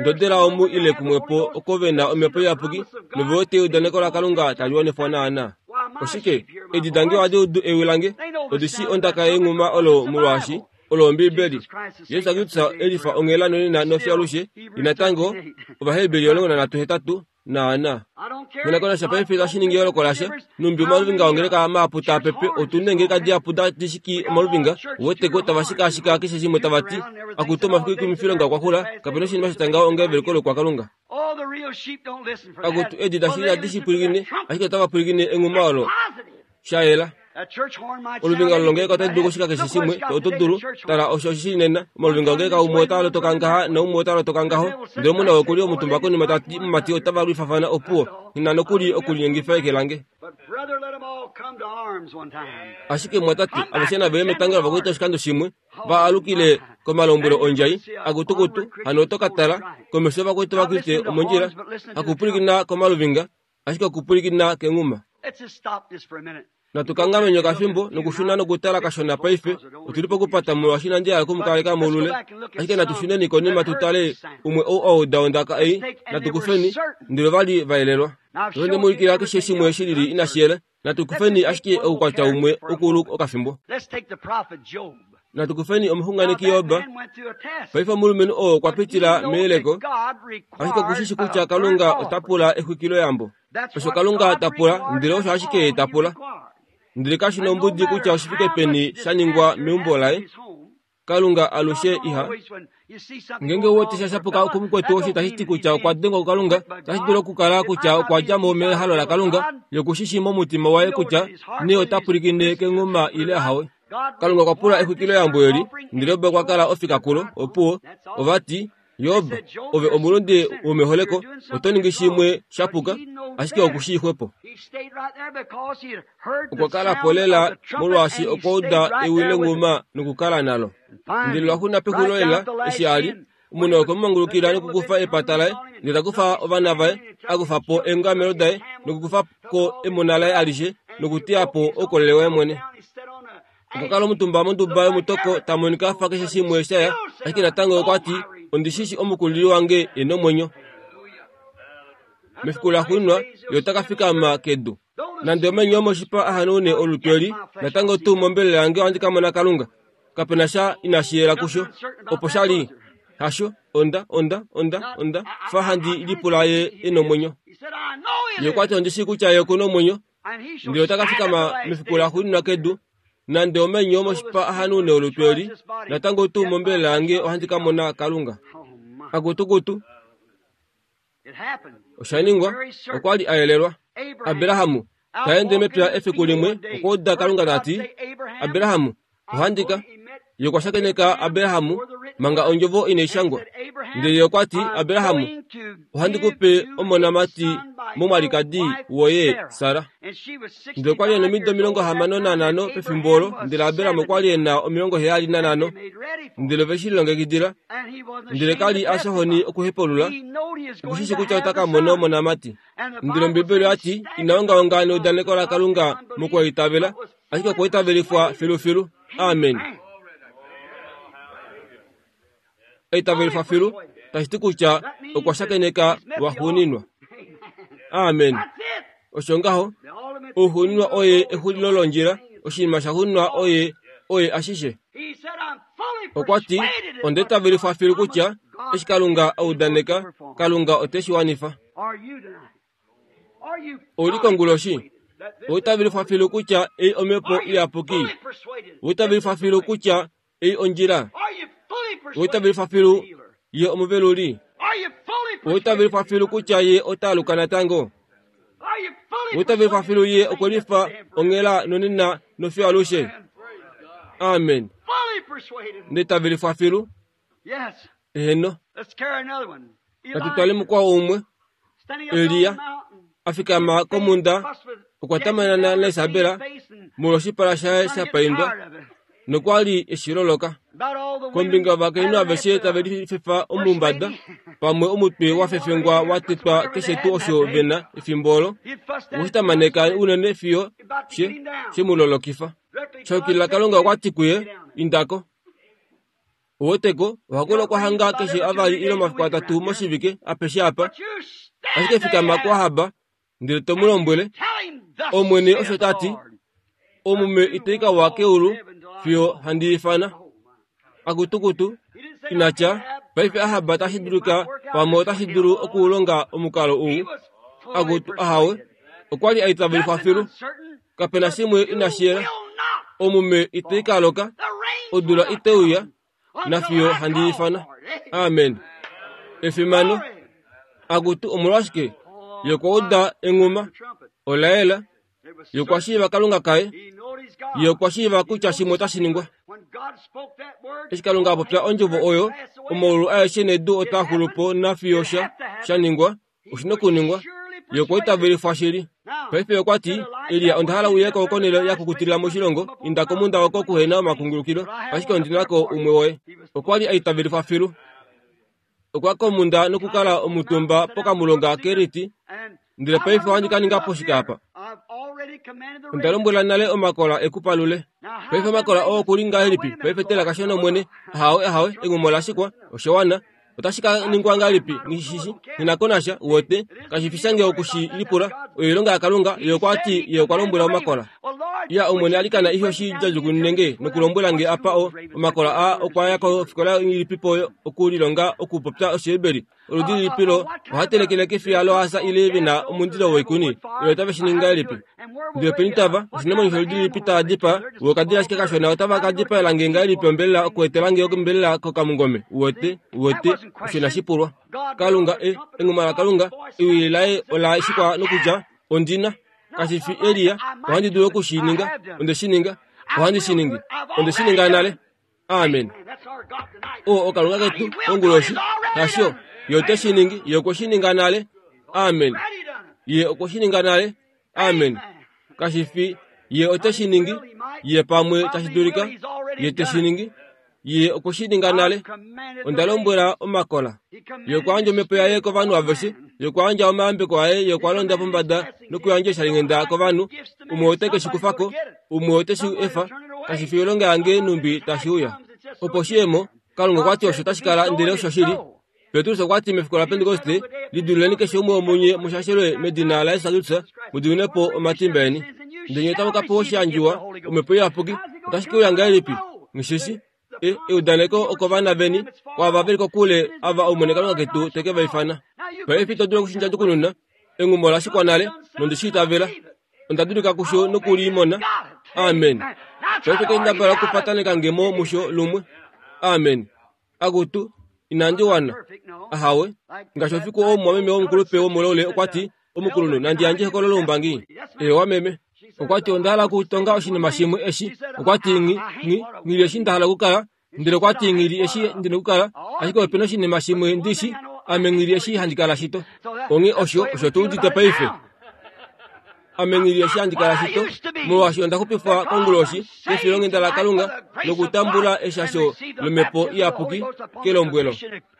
Ndodela omu ile kumwepo oko ve na Omhepo Iyapuki nove wete eudaneko laKalunga tali wanifwa naanaa. Oshike? Eedi dange ohadi udu ewi lange, odi shii ondaka yenghuma olo molwaashi olo Ombiibeli. Jesus Kristus e lifa onghela nonena nofiyo alushe, ye natango Ovaheberi 13:8 Naana. Konakonasha paife itashi ningi eyooloko lasha. Numbi omaluvinga ongeleka mahapu taa pepe, otu neengeleka dihapu tadi shiki omaluvinga, uweteko, tava shikaashika keshe shimwe tava ti, Akutu, omafiku oikumifilonga okwa xula, kape na oshinima sha tya ngaho onga eveluko loukwakalunga. Akutu, eedi dashili ihadi shi pwilikine, ashike otava pwilikine enghuma olo. Sha yela. Oluvinga lolongeleka otali dulu okushika keshe shimwe, oto dulu. Tala osho oshi shili nena. Omaluvinga ongeleka umwe otaa lotoka ngaha naumwe ota lotoka ngaho, ndele omuna oku li omutumba konima ta ti, Mumati, otava lwifafana, opuwo. Nghi na nokuli okulinyengifa eke lange. Ashike mwatate, aveshe nave ye metanga lovakwaita oshikando shimwe, va alukile komalombwelo ondjai, akutukutu, hano oto ka tala, komesho yovakwaita Ovakriste omondjila, hakupwilikina komaluvinga, ashike okupwilikina kenghuma. Natu kanghamenye okafimbo nokushuna nokutala kashona paife. Otu li pokupata molwaashi inandi hala oku mu kaleka moulule. Ashike natu shuneni konima tu tale umwe ou a uda ondaka ei. Natu kufeni, ndele ova li va yelelwa. Nonde mu ulikila keshe shimwe shi lili inashi yela. Natu kufeni ashike oukwatya umwe ukulu okafimbo. Natu kufeni omuxunganeki Job. Paife omulumenhu oo okwa pitila meyeleko, ashike oku shi shi kutya Kalunga ota pula exwikiloyambo. Osho Kalunga ta pula, ndele osho ashike ye ta pula. Ndele kashi nombudi kutya oshi fike peni sha ningwa meumbo laye, Kalunga alushe iha. Ngeenge ou wete sha shapuka kumukwetu osho itashi ti kutya okwa dengwa kuKalunga, otashi dulu okukala kutya okwa dja mo mehalo laKalunga, ye oku shi shii momutima waye kutya nee ota pwilikine kenghuma ile ahawe. Kalunga okwa pula exwikiloyambo eli, ndele Job okwa kala ofika kulo. Opuwo, ova ti, Job, ove omulunde womeholeko, oto ningi shimwe sha puka, ashike oku shii xwepo. Okwa kala po lela molwaashi okwa uda ewi lenghuma nokukala nalo. Ndele lwaxuna pexulilo lela, eshi a li, omunhu okwe mu mangulukila nokukufa epata laye, ndele ta kufa ovana vaye, a kufa po eengamelo daye, nokukufa ko emona laye alishe, nokuteya po oukolele waye mwene. Okwa kala omutumba monduba yomutoko ta monika a fa keshe shimwe sha ya, ashike natango okwa ti, Ondi shi shi omukulili wange e nomwenyo. Mefiku laxuuninwa ye ota ka fikama kedu. Nande omenyo omoshipa a hanaune olutu eli, natango tuu mombelela yange ohandi ka mona Kalunga. Kape na sha inashi yela kusho. Opo sha li. Hasho, onda, onda, onda, onda fa handi lipula ye e nomwenyo. Ye okwa ti ondi shii kutya ye oku nomwenyo, ndele ota ka fikama mefiku laxuuninwa kedu. Nande omenyo omoshipa a hanaune olutu eli, natango tuu mombelela yange ohandi ka mona Kalunga. Akutukutu. Osha ningwa, okwa li a yelelwa. Abrahamu ta ende mepya efiku limwe okwa uda Kalunga ta ti, Abrahamu, ohandi ka. Ye okwa shakeneka Abrahamu manga ondjovo inai shangwa. Ndele ye okwa ti, Abrahamu, ohandi ku pe omonamati momwalikadi woye Sara. Ndele okwa li e na omido 65 pefimbo olo, ndele Abraham okwa li e na 75. Ndele ove shi lilongekidila. Ndele ka li a fya okuhepulula, oku shi shi kutya ota ka mona omonamati. Ndele Ombibeli oya ti, Ina ongaonga neudaneko laKalunga mokwaitavela, ashike okwa itavelifwa filufilu. Amen. Eitavelifwa filu tashi ti kutya okwa shakeneka lwaxuuninwa. Amen. Osho ngaho, ouxuuninwa oye exulilo londjila, oshinima shaxuuninwa oye oye ashishe. Okwa ti, Onda itavelifwa filu kutya eshi Kalunga a udaneka, Kalunga ote shi wanifa. Ou li konguloshi? Owa itavelifwa filu kutya ei Omhepo Iyapuki? Owa itavelifwa filu kutya ei ondjila? Owa itavelifwa filu ye omuveluli? Owa itavelifwa filu kutya ye ota aluka natango? Owa itavelifwa filu ye okwe lifa onghela nonena nofiyo alushe? Amen. Nda itavelifwa filu. Eheno. Natu tale mukwao umwe. Elia a fikama komhunda okwa tamanana naIsabela molwoshipala shaye sha paindwa nokwa li e shi loloka. Kombinga yovakainhu aveshe tave lifefa omumbada pamwe omutwe wa fefengwa wa tetwa keshe tuu osho ve na efimbo olo, okwe shi tamaneka unene fiyo she she mu lolokifa. Sha yukilila Kalunga okwa ti kuye, Inda ko. Oweteko, oha kula okwa hanga keshe avali ile omafiku atatu moshivike, apeshe apa. Ashike fikama kuAhab, ndele to mu lombwele, Omwene osho ta ti, omume itai ka wa keulu fiyo handi ifana. Akutukutu, ina tya, paife Ahab tashi dulika pamwe otashi dulu okulonga omukalo ou. Akutu, ahawe, okwa li a itavelifwa filu. Kape na shimwe inashi yela. Omume itai ka loka, odula itai uya, nafiyo handi ifana. Amen. Efimano. Akutu, omolwashike? Ye okwa uda enghuma. Ola yela. Ye okwa shiiva Kalunga kaye. Ye okwa shiiva kutya shimwe otashi ningwa. Eshi Kalunga a popya ondjovo oyo, omaulu aeshe nedu otaa xulu po nafiyo sha, sha ningwa. Oshi na okuningwa. Ye okwa itavelifwa shili. Paife okwa ti, Elia, onda hala uye ko konhele ya kukutilila moshilongo, inda komunda oko kuhe na omakungulukilo, ashike ondi na ko umwe woye. Okwa li a itavelifwa filu. Okwa komunda nokukala omutumba pokamulonga Keriti, ndele paife ohandi ka ninga po shike apa? Onda lombwela nale omakola e ku palule. Paife omakola oo oku li ngahelipi? Paife tela kashona Omwene. Ahawe, ahawe, engumo la shikwa, osha wana. Otashi ka ningwa ngahelipi? Nghi shi na ko nasha, uwete. Kashi fi shange oku shi lipula. Oyo oilonga yaKalunga. Ye okwa ti Ye okwa lombwela omakola. Ya, Omwene alikana ihe oshi djadjukunune nge nokulombwela nge apa o, omakola aa okwa ya kofikola ilipipo okulilonga okupopya Oshiheberi. Oludi lilipi lo oha telekele kefiya lohaasa ile ve na omundilo woikuni? Ile otave shi ningi ngahelipi? Ndele openi tava, oshinamwenyo sholudi lilipi tava dipaa? Vo okadila ashike kashona otava ka dipaela nge ngahelipi ombelela okuetela nge ombelela kokamungome? Uwete? Uwete? Osho inashi pulwa. Kalunga, e, enghuma laKalunga, ewi laye ola shikwa nokutya, Ondi na. Kashi fi Elia, ohandi dulu oku shi ninga. Onde shi ninga. Ohandi shi ningi. Onde shi ninga nale. Amen. O, oKalunga ketu, onguloshi. Hasho, Ye ote shi ningi. Ye okwe shi ninga nale. Amen. Ye okwe shi ninga nale. Amen. Kashi fi, Ye ote shi ningi. Ye pamwe tashi dulika. Ye te shi ningi. Ye okwe shi ninga nale. Onda lombwela omakola. Ye okwa yandja omhepo yaye kovanhu aveshe. Ye okwa yandja omayambeko aye. Ye okwa londa pombada nokuyandja oshalinghenda kovanhu. Umwe ote ke shi kufa ko, umwe ote shi efa. Kashi fi oilonga yange nhumbi tashi uya. Opo shi ye mo, Kalunga okwa ti osho tashi kala ndele oshoshili. Petrus okwa ti mefiku laPentekoste, Lidululeni keshe umwe womunye mu shashelwe medina laJesus Kristus, mu diminwe po omatimba eni. Ndele nye otamu ka pewa oshiyandjiwa, Omhepo Iyapuki. Otashi ke uya ngahelipi? Nghi shi shii. E, eudaneko okovana veni, kwaava ve li kokule, ava Omwene Kalunga ketu te ke va ifana. Paife ito dulu okushinja-ndukununa. Engumo ola shikwa nale, nondi shi itavela. Onda dulika kusho noku li mona. Amen. Paife kendabala okupataneka nge mo musho lumwe. Amen. Akutu, inandi wana. Ahawe. Ngaashi ofiku oo omumwameme womukulupe womulaule okwa ti, Omukulunhu, nandi yandje ehokololo loumbangi? Eewa, meme. Okwa ti, Onda hala okutonga oshinima shimwe eshi. Okwa ti, Nghi, nghi, nghi li eshi nda hala okukala. Ndele okwa ti, Nghi li eshi ndi na okukala. Ashike ope na oshinima shimwe ndi shi, ame nghi li eshi handi kala shito. Onghee osho, osho tu udite paife. Ame nghi li eshi handi kala shito, molwaashi onda xupifwa konguloshi kefilonghenda laKalunga nokutambula eshasho lOmhepo Iyapuki kelombwelo.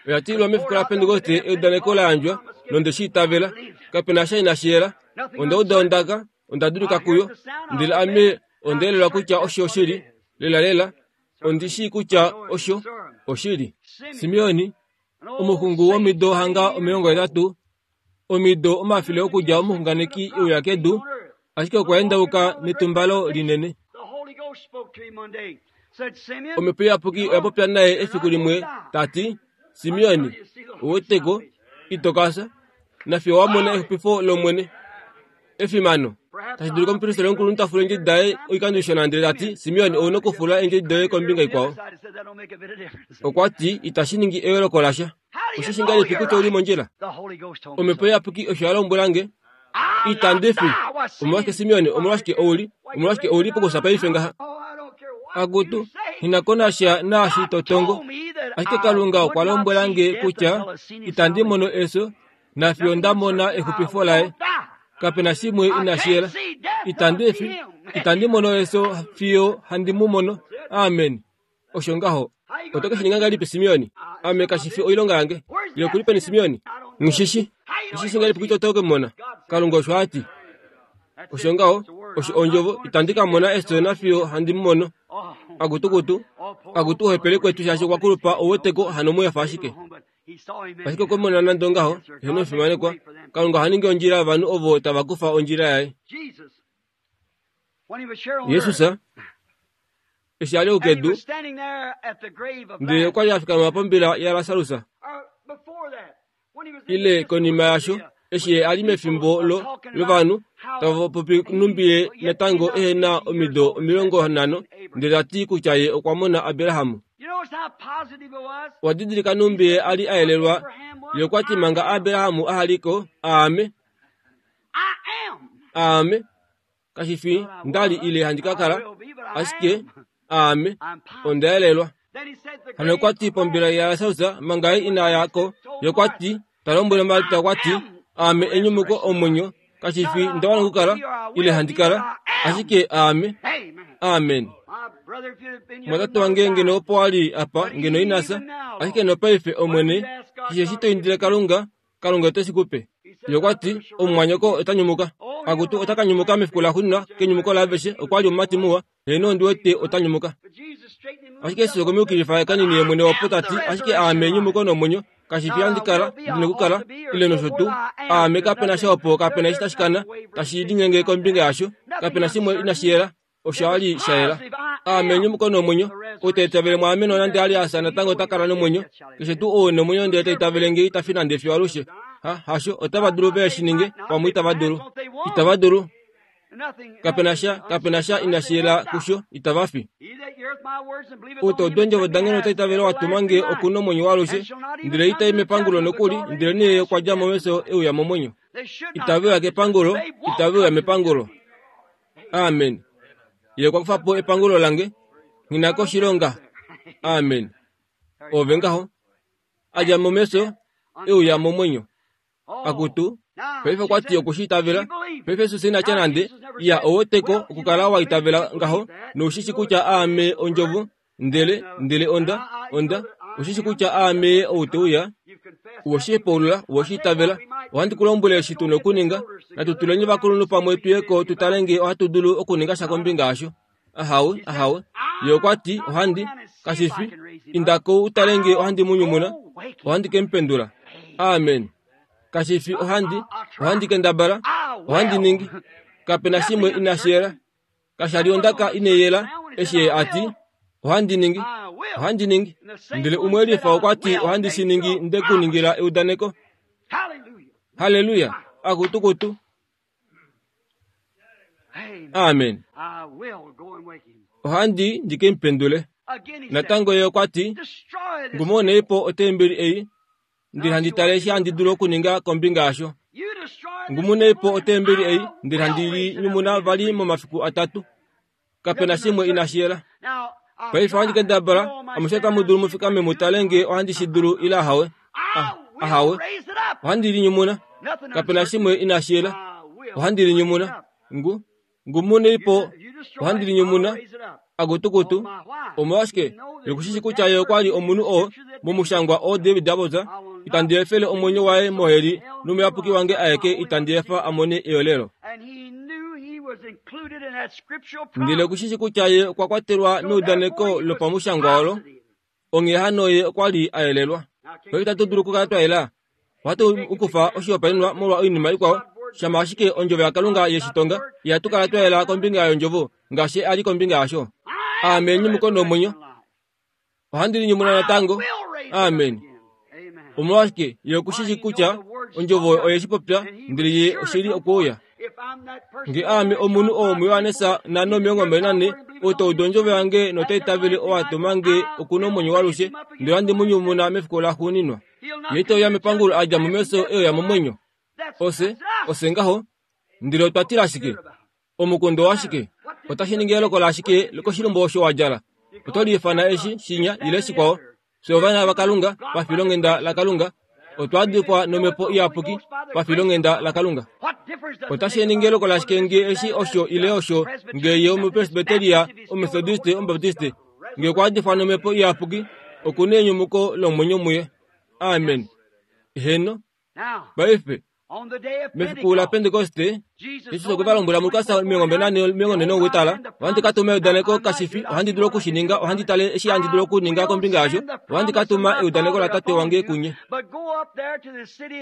Oya tililwa mefiku laPentekoste eudaneko la yandjwa, nonde shi itavela. Kape na sha inashi yela. Onda uda ondaka, onda dulika kuyo, ndele ame onda yelelwa kutya osho oshili. Lelalela, ondi shii kutya osho oshili. Simeoni, omuxungu womido hanga 80, omido omafele okudja omuxunganeki e uya kedu, ashike okwa endauka netumbalo linene. Omhepo Iyapuki oya popya naye efiku limwe ta ti, Simeoni, ou weteko, ito ka fya, nafiyo wa mona exupifo lOmwene. Efimano! Tashi dulika omupristeli omukulunhu ta fula eendjedi daye oikando ishona ndele ta ti, Simeon, ou na okufula eendjedi doye kombinga ikwao. Okwa ti, Itashi ningi eyooloko lasha. Osheshi ngahelipi kutya ou li mondjila? Omhepo Iyapuki osho ya lombwela nge. Itandi fi. Omolwashike Simeon, omolwashike ou li, omolwashike ou li pokufya paife ngaha? Akutu, nghi na ko nasha naashi to tongo. Ashike Kalunga okwa lombwela nge kutya itandi mono efyo nafiyo nda mona exupifo laye. Kape na shimwe inashi yela. Itandi fi, itandi mono efyo fiyo handi mu mono. Amen. Osho ngaho. Oto ke shi ninga ngahelipi, Simeoni? Ame kashi fi oilonga yange. Ile okuli peni Simeoni? Nghi shi Nghi shi ngahelipi kutya oto ke mu mona? Kalunga osho a ti. Osho ngaho, osho ondjovo, itandi ka mona efyo nafiyo handi mu mono. Akutukutu, akutu ohepele kwetu shaashi okwa kulupa ouweteko hano mu efa ashike. Ashike okwe mona nande ongaho, eheno omufimanekwa, Kalunga oha ningi ondjila yovanhu ovo tava kufa ondjila yaye. Jesus eshi a li oukedu, ndele okwa li a fikama pombila yaLasarus, ile konima yasho, eshi ye a li mefimbo lo lovanhu tava popi nhumbi ye natango ehe na omido 50, ndele ta ti kutya ye okwa mona Abraham. Owa didilika nhumbi ye a li a yelelwa? Ye okwa ti manga Abraham aha li ko, aame. Aame. Kashi fi nda li ile handi ka kala, ashike aame. Onda yelelwa. Hano okwa ti pombila yaLasarus manga ye ina ya ko, ye okwa ti, ta lombwele Marta okwa ti, Aame enyumuko omwenyo, kashi fi nda wana okukala ile handi kala, ashike aame. Amen. Mwatate wange ngeno opo wa li apa, ngeno ina fya, ashike nopaife Omwene, keshe eshi to indile Kalunga, Kalunga ote shi ku pe. Ye okwa ti, Omumwanyoko ota nyumuka. Akutu, ota ka nyumuka mefiku laxuuninwa, kenyumuko laaveshe. Okwa li omumati muwa. Heeno, ondi wete ota nyumuka. Ashike Jesus okwe mu yukilifa kanini ye mwene opo ta ti, Ashike aame enyumuko nomwenyo. Kashi fi handi kala, ndi nokukala, ile nosho tuu. Aame kape na sha opo kape na eshi tashi kana, tashi linyenge kombinga yasho. Kape na shimwe inashi yela. Osha li sha yela. Aame enyumuko nomwenyo. Ou ta itavele mwaame nonande a li a fya natango ota kala nomwenyo. Keshe tuu ou e nomwenyo ndele ta itavele nge ita fi nande fiyo alushe. Ha, hasho, otava dulu ve shi ninge, pamwe itava dulu. Itava dulu. Kape na sha, kape na sha inashi yela kusho, itava fi. Ou ta udu eendjovo dange nota itavele wa tuma nge oku nomwenyo waalushe, ndele ita i mepangulo nokuli, ndelenee ye okwa dja mo mefyo e uya momwenyo. Itave uya kepangulo, itave uya mepangulo. Amen. Ye okwa kufa po epangulo lange. Nghi na ko oshilonga. Amen. Ove ngaho. A dja mo mefyo e uya momwenyo. Akutu, paife okwa ti oku shi itavela. Paife Jesus ina tya nande, Ya, ou weteko okukala wa itavela ngaho, nou shi shi kutya aame Ondjovo, ndele, ndele onda, onda, ou shi shi kutya aame ou te uya. Uwe shi hepaulula, uwe shi itavela. Ohandi ku lombwele eshi tu na okuninga. Natu tuleni ovakulunhu pamwe tu ye ko tu tale nge ohatu dulu okuninga sha kombinga yasho. Ahawe, ahawe. Ye okwa ti, Ohandi, kashi fi, inda ko u tale nge ohandi mu nyumuna, ohandi ke mu pendula. Amen. Kashi fi ohandi, ohandi kendabala, ohandi ningi. Kape na shimwe inashi yela. Kasha li ondaka ine yela eshi ye a ti, Ohandi ningi, ohandi ningi. Ndele umwe lifa okwa ti, Ohandi shi ningi nde ku ningila eudaneko. Halleluya! Akutukutu. Amen. Ohandi ndi ke mu pendule. Natango ye okwa ti, Ngumonei po otembeli ei, ndele handi tale eshi handi dulu okuninga kombinga yasho. Ngumunei po otembeli ei, ndele handi li nyumuna vali momafiku atatu. Kape na shimwe inashi yela. Paife ohandi kendabala, amushe otamu dulu mu fikame mu tale nge ohandi shi dulu ile ahawe. Ah, ahawe. Ohandi linyumuna. Kape na shimwe inashi yela. Ohandi linyumuna. Ngu, ngumunei po. Ohandi linyumuna. Akutukutu. Omolwashike? Ye ku shi shi kutya ye okwa li omunhu oo, momushangwa oo David a popya, Itandi efele omwenyo waye moheli nomuyapuki wange aeke itandi efa a mone eyolelo. Ndele oku shi shi kutya ye okwa kwatelwa meudaneko lopamushangwa olo, onghee hano ye okwa li a yelelwa. Paife itatu dulu okukala twa yela. Ohatu kufa oshihopaenenwa molwa oinima ikwao, shama ashike Ondjovo yaKalunga ye shi tonga, ihatu kala twa yela kombinga yOndjovo ngaashi a li kombinga yasho. Aame enyumuko nomwenyo. Ohandi linyumuna natango. Amen. Omolwashike ye oku shi shi kutya Ondjovo oye shi popya, ndele ye oshili okuuya. Nge aame omunhu oo muJohannes 4:24, ou ta udu ondjovo yange nota itavele oo a tuma nge oku na omwenyo waalushe, ndele ohandi mu nyumuna mefiku laxuuninwa. Ye ite uya mepangulo a dja mo mefyo e uya momwenyo. Ofye, ofye ngaho. Ndele otwa tila shike? Omukundo washike? Otashi ningi eloko lashike koshilumbo osho wa djala? Oto liifana eshi, shinya, ile shikwao. Fye ovana vaKalunga, pafilonghenda laKalunga, otwa dikwa nomhepo iyapuki, pafilonghenda laKalunga. Otashi ningi eloko lashike nge eshi osho ile osho, nge ye Omupresbyteria, Omethodiste, Omubaptiste, nge okwa dikwa nomhepo iyapuki, oku nenyumuko lomwenyo muye. Amen. Heno. Paife, mefiku laPentekoste, Jesus okwe va lombwela muLukas 24 tala, ohandi ka tuma eudaneko kashi fi ohandi dulu oku shi ninga, ohandi tale eshi handi dulu okuninga kombinga yasho, ohandi ka tuma eudaneko laTate wange kunye.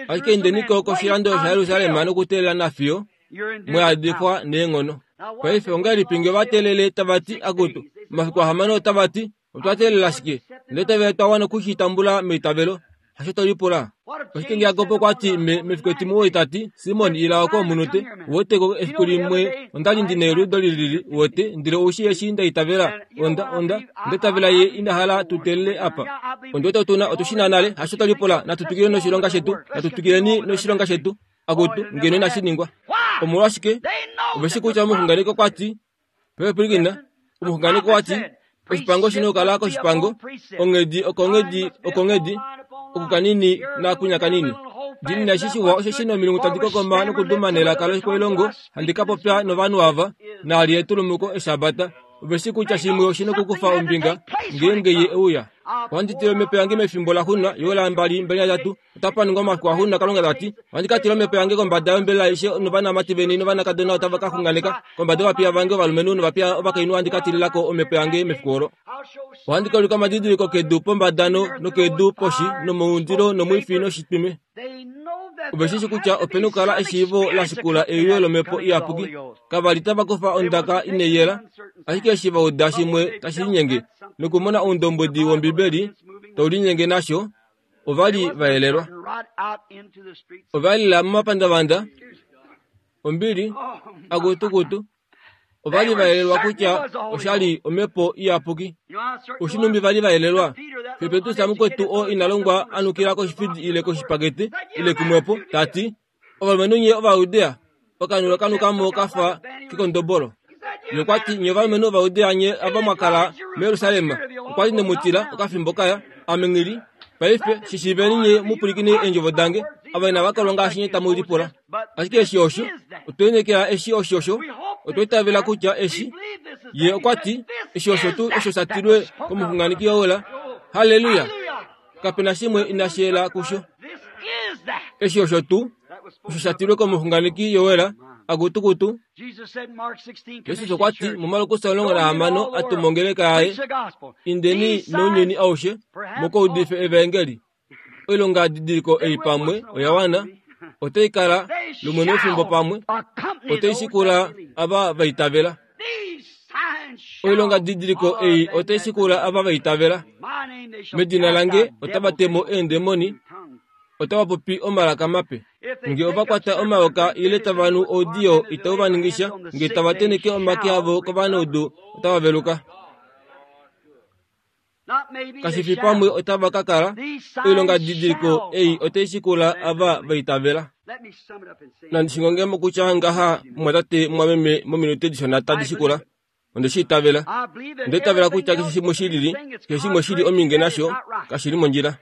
Ashike indeni ko koshilando shaJerusalem nokuteelela nafiyo mwa yadifwa neenghono. Paife ongahelipi nge va teelele tava ti, Akutu, omafiku ahamano otava ti, Otwa teelela shike? Ndele tave twa wana oku shi tambula meitavelo. Hasho to lipula. Oshike nge Jakob okwa ti me, mefiku etimuwoi ta ti, Simon, ila oko omunute. Uwete ko efiku limwe onda li ndi neliudo li lili, uwete, ndele ou shii eshi nda itavela. Onda, onda, onda itavela ye ina hala tu teelele apa. Ondi wete otu na, otu shi na nale. Hasho to lipula. Natu twikileni noshilonga shetu. Natu twikileni noshilonga shetu. Akutu, ngeno inashi ningwa. Omolwashike? Ove shi kutya omuxunganeki okwa ti, Pwilikina, omuxunganeki okwa ti, Oshipango shi nokukala koshipango, onghedi okonghedi okonghedi, oku kanini naakunya kanini. Ndi na shi shiwa osheshi nomilungu tadi kokoma nokuduma nelaka lokoilongo, handi ka popya novanhu ava, naali etulumuko eshabata. Ove shi kutya shimwe oshi nokukufa ombinga ngeenge ye e uya. Ohandi tile omhepo yange mefimbo laxunwa yoolambali 23. Otapa ningwa omafiku axunwa Kalunga ta ti, Ohandi ka tila omhepo yange kombada yombelela aishe novanamati veni novanakadona otava ka xunganeka, kombada yovapiya vange ovalumenhu novapiya ovakainhu ohandi ka tilila ko omhepo yange mefiku olo. Ohandi ka ulika omadidiliko kedu pombada nokedu poshi nomoundilo nomwifi noshitwime. Ove shi shi kutya ope na okukala eshiivo la shikula euyo lomhepo iyapuki. Kava li tava kufa ondaka inai yela, ashike eshi va uda shimwe tashi linyenge nokumona oundombwedi wOmbibeli tau linyenge nasho, ova li va yelelwa. Ova lila momapandavanda, ombili, akutukutu, Ova li va yelelwa kutya osha li omhepo iyapuki. Oshinumbi va li va yelelwa? Xe Petrus mukwetu oo ina longwa a nukila koshifidi ile koshipakete ile kumwepo, ta ti, Ovalumenhu nye Ovayudea, okanhu okanuka mo ka fa kekondobolo. Ye okwa ti, Nye ovalumenhu Ovayudea nye ava mwa kala muJerusalem, okwa li ne mu tila okafimbo kaya, ame nghi li. Paife, shi shiiveni nye mu pwilikine eendjovo dange, ava inava kolwa ngaashi nye tamu lipula. Ashike eshi osho, otwe lineekela eshi osho osho, otwa itavela kutya eshi, Ye okwa ti, eshi osho tuu osho sha tilwe komuxunganeki Joel. Halleluya! Kape na shimwe inashi yela kusho. Eshi osho tuu osho sha tilwe komuxunganeki Joel, akutukutu. Jesus okwa ti muMarkus 16 a tuma ongeleka yaye, Indeni nounyuni aushe mu ka udife evaengeli. Oilongadidiliko ei pamwe oya wana, otai kala lumwe mefimbo pamwe, otai shikula ava va itavela. Oilongadidiliko ei otai shikula ava va itavela. Medina lange otava te mo eendemoni, otava popi omalaka mape. Nge ova kwata omayoka ile tava nu oudiyo itau va ningisha, nge tava tenheke omake avo kovanaudu otava veluka. Kashi fi pamwe otava ka kala, oilongadidiliko ei otai shikula ava va itavela. Nandi shi ngonge mo kutya ngaha, mumwatate, mumwameme, mominute dishona tadi shikula. Onde shi itavela. Onda itavela kutya keshe shimwe shi lili, keshe shimwe shi li ominge nasho, kashi li mondjila.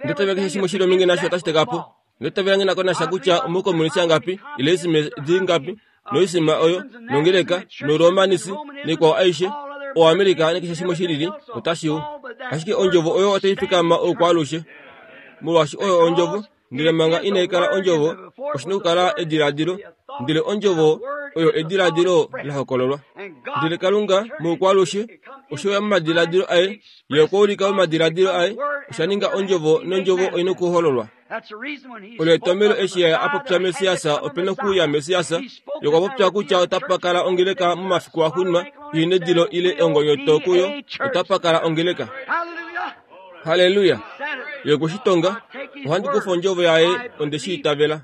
Onda itavela keshe shimwe shi li ominge nasho otashi teka po. Onda itavela nghi na ko nasha kutya omaukomunisi angapi, ile eesime dingapi, noisima oyo, nongeleka, noruomanisi, naikwao aishe, oAmerica nakeshe shimwe shi lili, otashi u. Ashike Ondjovo oyo otai fikama oukwaalushe. Molwaashi oyo Ondjovo, ndele manga inai kala Ondjovo, oshi na okukala ediladilo, ndele Ondjovo oyo ediladilo la hokololwa. Ndele Kalunga, moukwaalushe, oshe uya momadiladilo aye, Ye okwa ulika momadiladilo aye, osha ninga Ondjovo, nOndjovo oi nokuhololwa. Olo etomhelo eshi Ye a popya Messias, ope nokuuya Messias. Ye okwa popya kutya otapa kala ongeleka momafiku axuuninwa, ihe nedilo ile ongonyoto kuyo, otapa kala ongeleka. Halleluya! Ye okwe shi tonga. Ohandi kufa ondjovo yaye, onde shi itavela.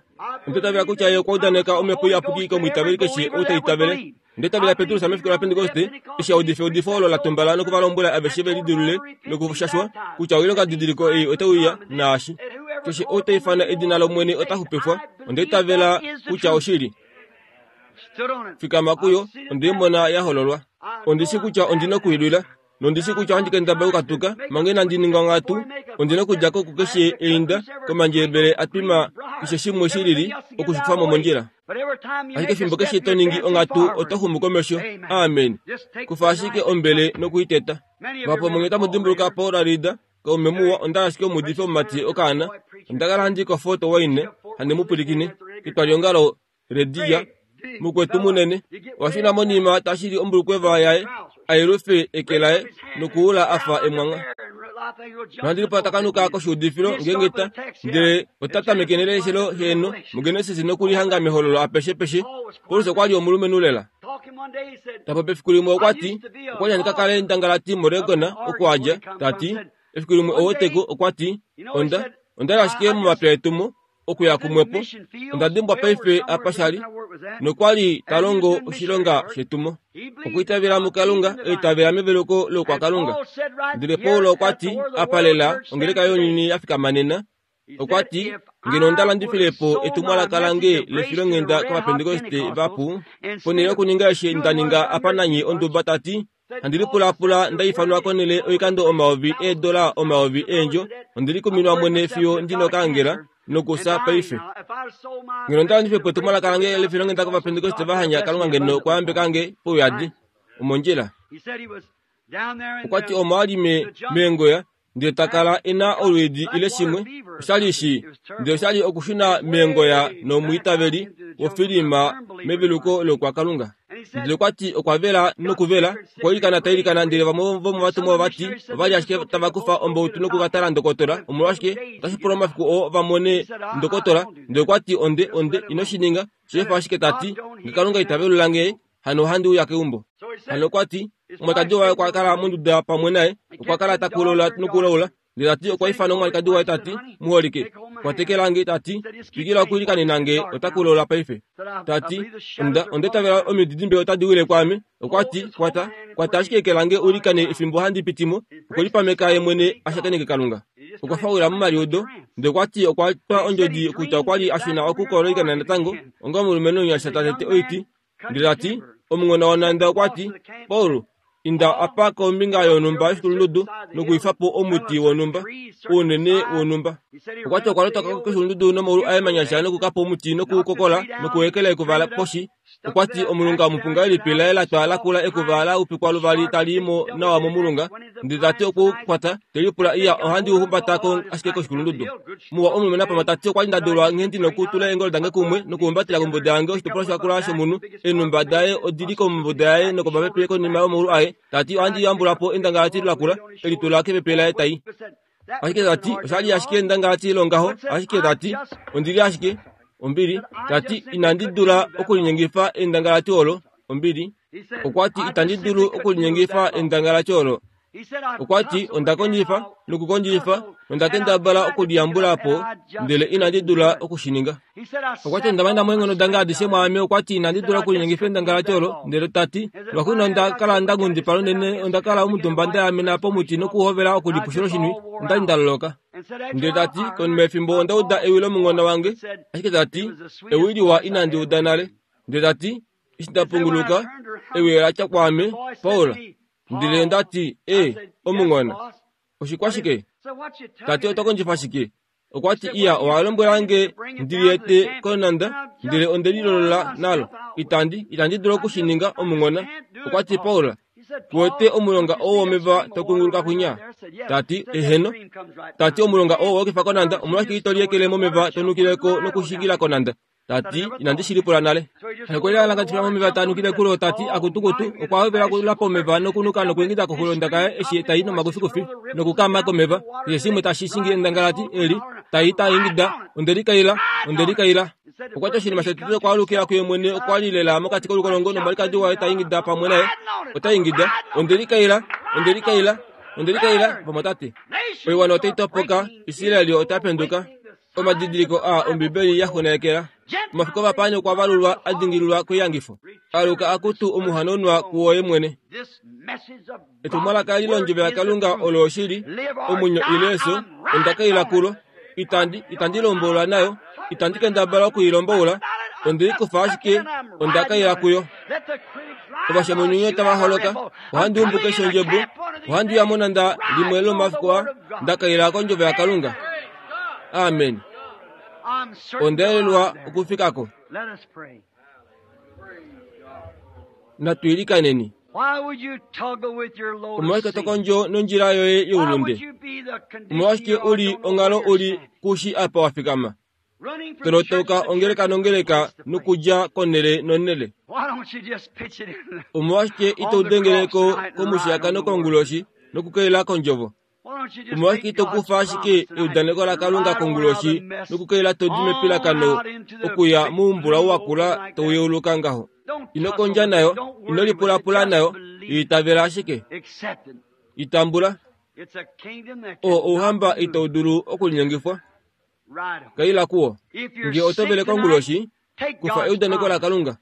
Onda itavela kutya Ye okwa udaneka Omhepo Iyapuki komwiitaveli keshe ou ta itavele. Onda itavela Petrus mefiku laPentekoste eshi a udifa eudifo olo la tumbala noku va lombwela aveshe ve lidilulule nokushashwa kutya oilongadidiliko ei otai uya naashi keshe ou ta ifana edina lOmwene ota xupifwa. Onda itavela kutya oshili. Fikama kuyo, onde i mona ya hololwa. Ondi shi kutya ondi na okuilwila. Nondi shi kutya ohandi kendabala okukatuka manga inandi ninga onghatu. Ondi na okudja ko kukeshe einda, komandjebele a twima, keshe shimwe shi lili, oku shi kufa mo mondjila. Ashike efimbo keshe to ningi onghatu, oto xumu komesho. Amen. Kufa ashike ombele noku i teta. Vahapu vomunye otamu dimbuluka Paul Reeder, kaume muwa. Onda li ashike omuudifi omumati okaana. Onda kala handi i koFort Wayne, handi mu pwilikine, ketwaliongalo Rediya, mukwetu munene, okwa shuna monima ta shili ombulukweva yaye, a yelufe eke laye nokuula a fa emwangha. Nohandi lipula ta kanuka koshuudifilo ngeenge ta, ndele ota tameke neleshelo heeno muGenesis nokulihanga mehololo apeshepeshe. Paulus okwa li omulumenhu lela. Ta popi efiku limwe okwa ti, okwa li handi ka kale ndangalati moOregon oku a dja, ta ti, efiku limwe oweteko okwa ti, onda, onda li ashike momapya etumo, okuya kumwepo, onda dimbwa paife apa sha li, nokwa li ta longo oshilonga shetumo. Okwiitavela muKalunga, eitavela meveluko loukwakalunga. Ndele Paulus okwa ti, apa lela ongeleka younyuni ya fikama nena, okwa ti, Ngeno onda landifile po etumwalaka lange lefilonghenda kOvapentekoste vapu, ponhele yokuninga eshi nda ninga apa nanye onduba, ta ti, Handi lipulaapula nda ifanwa konhele oikando omayovi eedola omayovi eendjo, ondi likuminwa mwene fiyo ndi nokaangela nokufya paife. Ngeno onda landife po etumwalaka lange lefilonghenda kOvapentekoste va hanya, Kalunga ngeno okwa yambeka nge pauyadi. Omondjila. Okwa ti omo a li meengoya ndele ta kala e na olwiidi ile shimwe, osha li shi, ndele osha li okushuna meengoya nomwiitaveli wofilima meveluko loukwakalunga. Ndele okwa ti okwa vela nokuvela, okwa ilikana ta ilikana, ndele vamwe vomovatumwa ova ti ova li ashike tava kufa ombautu noku ka tala ndokotola. Omolwashike, otashi pula omafiku oo va mone ndokotola. Ndele okwa ti, Onde, onde, ino shi ninga. Sheefa ashike ta ti, Nge Kalunga ita velula nge, hano ohandi uya keumbo. Hano okwa ti, omwalikadi waye okwa kala monduda pamwe naye, okwa kala ta kulula nokulaula. Ndele ta ti okwa ifana omwalikadi waye ta ti, Muholike, kwatekela nge, ta ti, twikila okwiilikanena nge, ota kulula paife. Ta ti, Onda, onda itavela omididimbe otadi wile kwaame. Okwa ti, Kwata, kwata ashike eke lange u ilikane efimbo handi piti mo. Okwe lipameka ye mwene a shakeneke Kalunga. Okwa faula momaliudo, ndele okwa ti okwa twa ondjodi kutya okwa li a shuna okukololikana natango onga omulumenhu omunyasha ta tete oiti. Ndele ta ti, Omunghona wonhanda okwa ti, Paul, inda apa kombinga yonhumba yoshikulundudu nokuifa po omuti wonhumba, ounene wonhumba. Okwa ti okwa lotoka koshikulundudu nomaulu aye manyasha nokuka po omuti nokuukokola nokuekela ekuva poshi. Okwa ti omulunga omupunga elipi laye la twa la kula ekuva la upikwa luvali tali i mo nawa momulunga. Ndele ta ti okwe u kwata, te lipula iya ohandi u humbata ko ashike koshikulundudu. Muwa omulumenhu apama ta ti okwa li nda dulwa nghee ndi nokutula eengolo dange kumwe nokuhumbatela kombuda yange oshitopolwa shakula shomunhu. Eenhumba daye odi li kombuda yaye nokomapepe konima yomaulu aye. Ta ti ohandi yambula po endangalati lakula, e li tula kepepe laye tai. Ashike ta ti osha li ashike endangalati longaho, ashike ta ti ondi li ashike ombili. Ta ti inandi dula okulinyengifa endangalati olo, ombili. Okwa ti itandi dulu okulinyengifa endangalati olo. Okwa ti, Onda kondjifa nokukondjifa nonda kendabala okuliyambula po, ndele inandi dula oku shi ninga. Okwa ti, Onda mana mo eenghono dange adishe mwaame. Okwa ti, Inandi dula okulinyengifa endangalati olo. Ndele ta ti, Lwaxuuninwa onda kala nda nghundipala unene, onda kala omutumba nda yaamena pomuti nokuhovela okulipushila oshinwi. Onda li nda loloka. Ndele ta ti, Konima yefimbo onda uda ewi lomunghona wange, ashike ta ti, ewi liwa inandi uda nale. Ndele ta ti, Eshi nda punguluka, ewi ola tya kwaame, Paul, Ndele onda ti, E, omunghona, oshikwashike? Ta ti, Oto kondjifa shike? Okwa ti, Iya, owa lombwela nge ndi liete konanda, ndele onde lilolola nalo. Itandi, itandi dulu oku shi ninga, omunghona. Okwa ti, Paul, ku wete omulonga oo womeva to kunguluka kwinya? Ta ti, Eheno. Ta ti, Omulonga oo wa yukifa konanda, omolwashike ito liekele momeva to nukile ko nokushingila konanda? Ta ti, Inandi shi lipula nale. Okwe lialangatifa momeva ta nukile kulo, ta ti, Akutukutu! Okwa hovela okulula pomeva nokunuka nokuingida koxulo yondaka yaye eshi ta i nomakufikufi nokukaama komeva. Keshe shimwe tashi shingi endangalati eli, ta i ta ingida, Onde likaila! Onde likaila! Okwa ti oshinima shotete okwa alukila kuye mwene okwa li lela mokati kolukolongo nomwalikadi waye ta ingida pamwe naye. Ota ingida, Onde likaila! Onde likaila! Onde likaila! Vamwatate, oiwana otai topoka, Israel ota penduka. Omadidiliko aa Ombibeli ya xunganekela. Omafiku ovapaani okwa valulwa a dingililwa koiyangifo. Aluka akutu omuhanaunwa kuwoye mwene. Etumwalaka eli londjovo yaKalunga olo oshili, omwenyo ile efyo, onda kaila kulo. Itandi, itandi lomboula nayo, itandi kendabala oku i lomboula, onde i kufa ashike, onda kaila kuyo. Ovashamununye tava holoka, ohandi umbu keshe ondjebo, ohandi uya monanda limwe lomafiku aa, nda kaila kondjovo yaKalunga. Amen. Onda yelelwa okufika ko. Natu ilikaneni. Omolwashike to kondjo nondjila yoye youlunde? Omolwashike u li onghalo u li ku shi apa wa fikama? To lotoka ongeleka nongeleka nokudja konhele nonhele. Omolwashike ito dengele ko komushiyakano konguloshi nokukelela kondjovo? Omolwashike ito kufa ashike eudaneko laKalunga konguloshi nokukelela to di mepilakano okuya moumbula wa kula tau yeuluka ngaho? Ino kondja nayo, ino lipulapula nayo, i itavela ashike. I tambula. Oo ouhamba itau dulu okulinyengifwa. Kaila kuwo. Nge oto vele konguloshi, Kufa eudaneko laKalunga.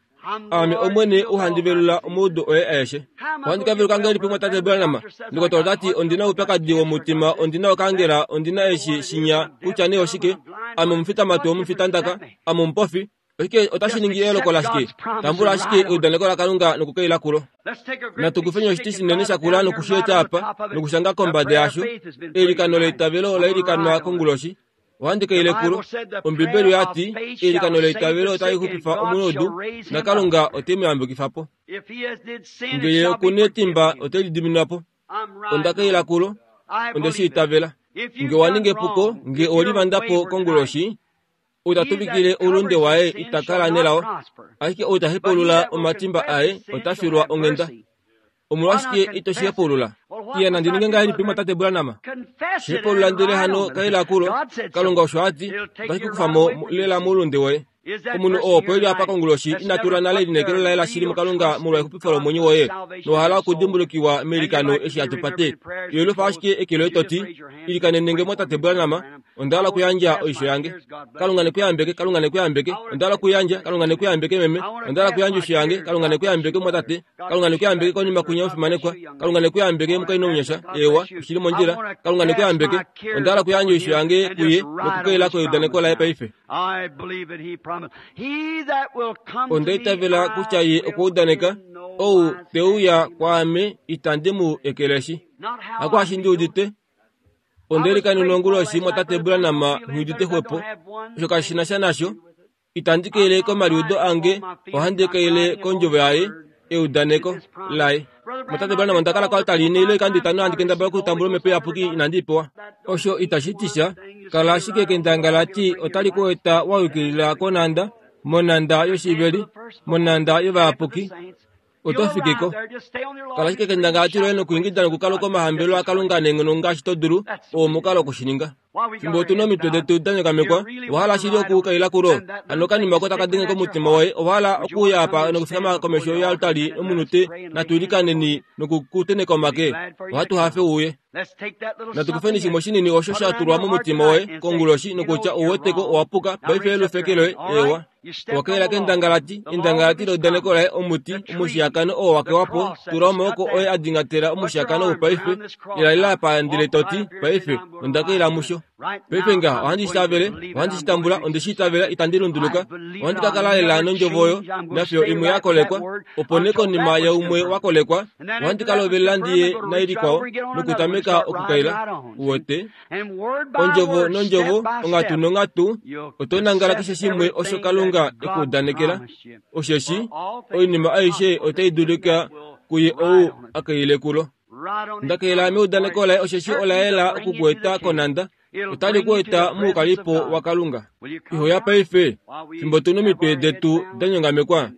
Aame Omwene ou handi velula omaudu oye aeshe. Ohandi ka veluka ngahelipi mwatate Branham? Ndokotola ota ti ondi na oupyakadi womutima, ondi na okaangela, ondi na eshi, shinya, kutya nee oshike. Ame omufitamatu womufitandaka. Ame omupofi. Oshike otashi ningi eyooloko lashike? Tambula ashike eudaneko laKalunga nokukaila kulo. Natu kufeni oshiti shinene shakula noku shi eta apa, nokushanga kombada yasho, Eilikano leitavelo ola ilikanwa konguloshi. Ohandi kaile kulo. Ombibeli oya ti, Eilikano leitavelo otali xupifa omunaudu, naKalunga ote mu yambukifa po. Nge ye oku netimba ote li diminwa po. Onda kaila kulo. Onde shi itavela. Nge owa ninga epuko, nge owe livanda po konguloshi, ou ta tuvikile oulunde waye ita kala nelao, ashike ou ta hepaulula omatimba aye ota filwa onghenda. Omolwashike ito shi hepaulula? Iya nandi ninge ngahelipi mwatate Branham? Shi hepaulula ndele hano kaila kulo. Kalunga osho a ti, otashi ku kufa mo lela moulunde woye. Omunhu oo opo e li apa konguloshi ina tula nale elineekelo laye lashili muKalunga molwa exupifo lomwenyo woye nowa hala okudimbulukiwa meilikano eshi hatu pate. Yelwifa ashike eke loye to ti, Ilikanene nge mwatate Branham, onda hala okuyandja oisho yange. Kalunga ne ku yambeke, Kalunga ne ku yambeke. Onda hala okuyandja, Kalunga ne ku yambeke meme. Onda hala okuyandja oisho yange, Kalunga ne ku yambeke mwatate. Kalunga ne ku yambeke konima kwinya omufimanekwa. Kalunga ne ku yambeke omukainhu omunyasha. Eewa, oshi li mondjila. Kalunga ne ku yambeke. Onda hala okuyandja oisho yange kuye nokukaila keudaneko laye paife. Onda itavela kutya ye okwa udaneka, Ou te uya kwaame itandi mu ekeleshi. Hakwaashi ndi udite. Onde likanena onguloshi mwatate Branham nghi udite xwepo. Osho kashi na sha nasho. Itandi kaile komaliudo ange, ohandi kaile kondjovo yaye, eudaneko laye. Mwatate Branham onda kala koaltari ine ile oikando itano handi kendabala okutambula omhepo iyapuki inandi i pewa. Osho itashi ti sha. Kala ashike kendangalati otali ku eta wa yukilila konhanda, monhanda yoshiveli, monhanda yovayapuki. Oto fiki ko. Kala ashike kendangalati loye nokuingida nokukaluka omahambelo aKalunga neenghono ngaashi to dulu, oo omukalo woku shi ninga. Fimbo otu na omitwe detu da nyokamekwa, owa hala shili okukaila kulo? Hano okanima oko taka denge komutima woye, owa hala okuuya apa nokufikama komesho yoaltari omunute, natu ilikaneni nokukuteneka omake? Ohatu hafe u uye. Natu kufeni shimwe shinini osho sha tulwa momutima woye konguloshi nokutya ou weteko owa puka, paife yelufeke loye, eewa. Owa kaila kendangalati, endangalati leudaneko laye, omuti, omushiyakano oo wa kewa po, tula omaoko oye a dingatela omushiyakano ou paife, ila apa ndele to ti, Paife, onda kaila musho. Paife ngaha ohandi shi tavele, ohandi shi tambula, onde shi itavela, itandi lunduluka. Ohandi ka kala lela nondjovo oyo, nafiyo imwe ya kolekwa, opo nee konima yaumwe wa kolekwa, ohandi ka lovelela ndi ye nailikwao nokutameka okukaila. Uwete? Ondjovo nondjovo, onghatu nonghatu, oto nangala keshe shimwe osho Kalunga e ku udanekela, osheshi oinima aishe otai dulika kuye ou a kaile kulo. Nda kaila meudaneko laye osheshi ola yela oku ku eta konhanda, otali ku eta moukalipo waKalunga. Iho ya paife, fimbo tu nomitwe detu da nyongamekwa,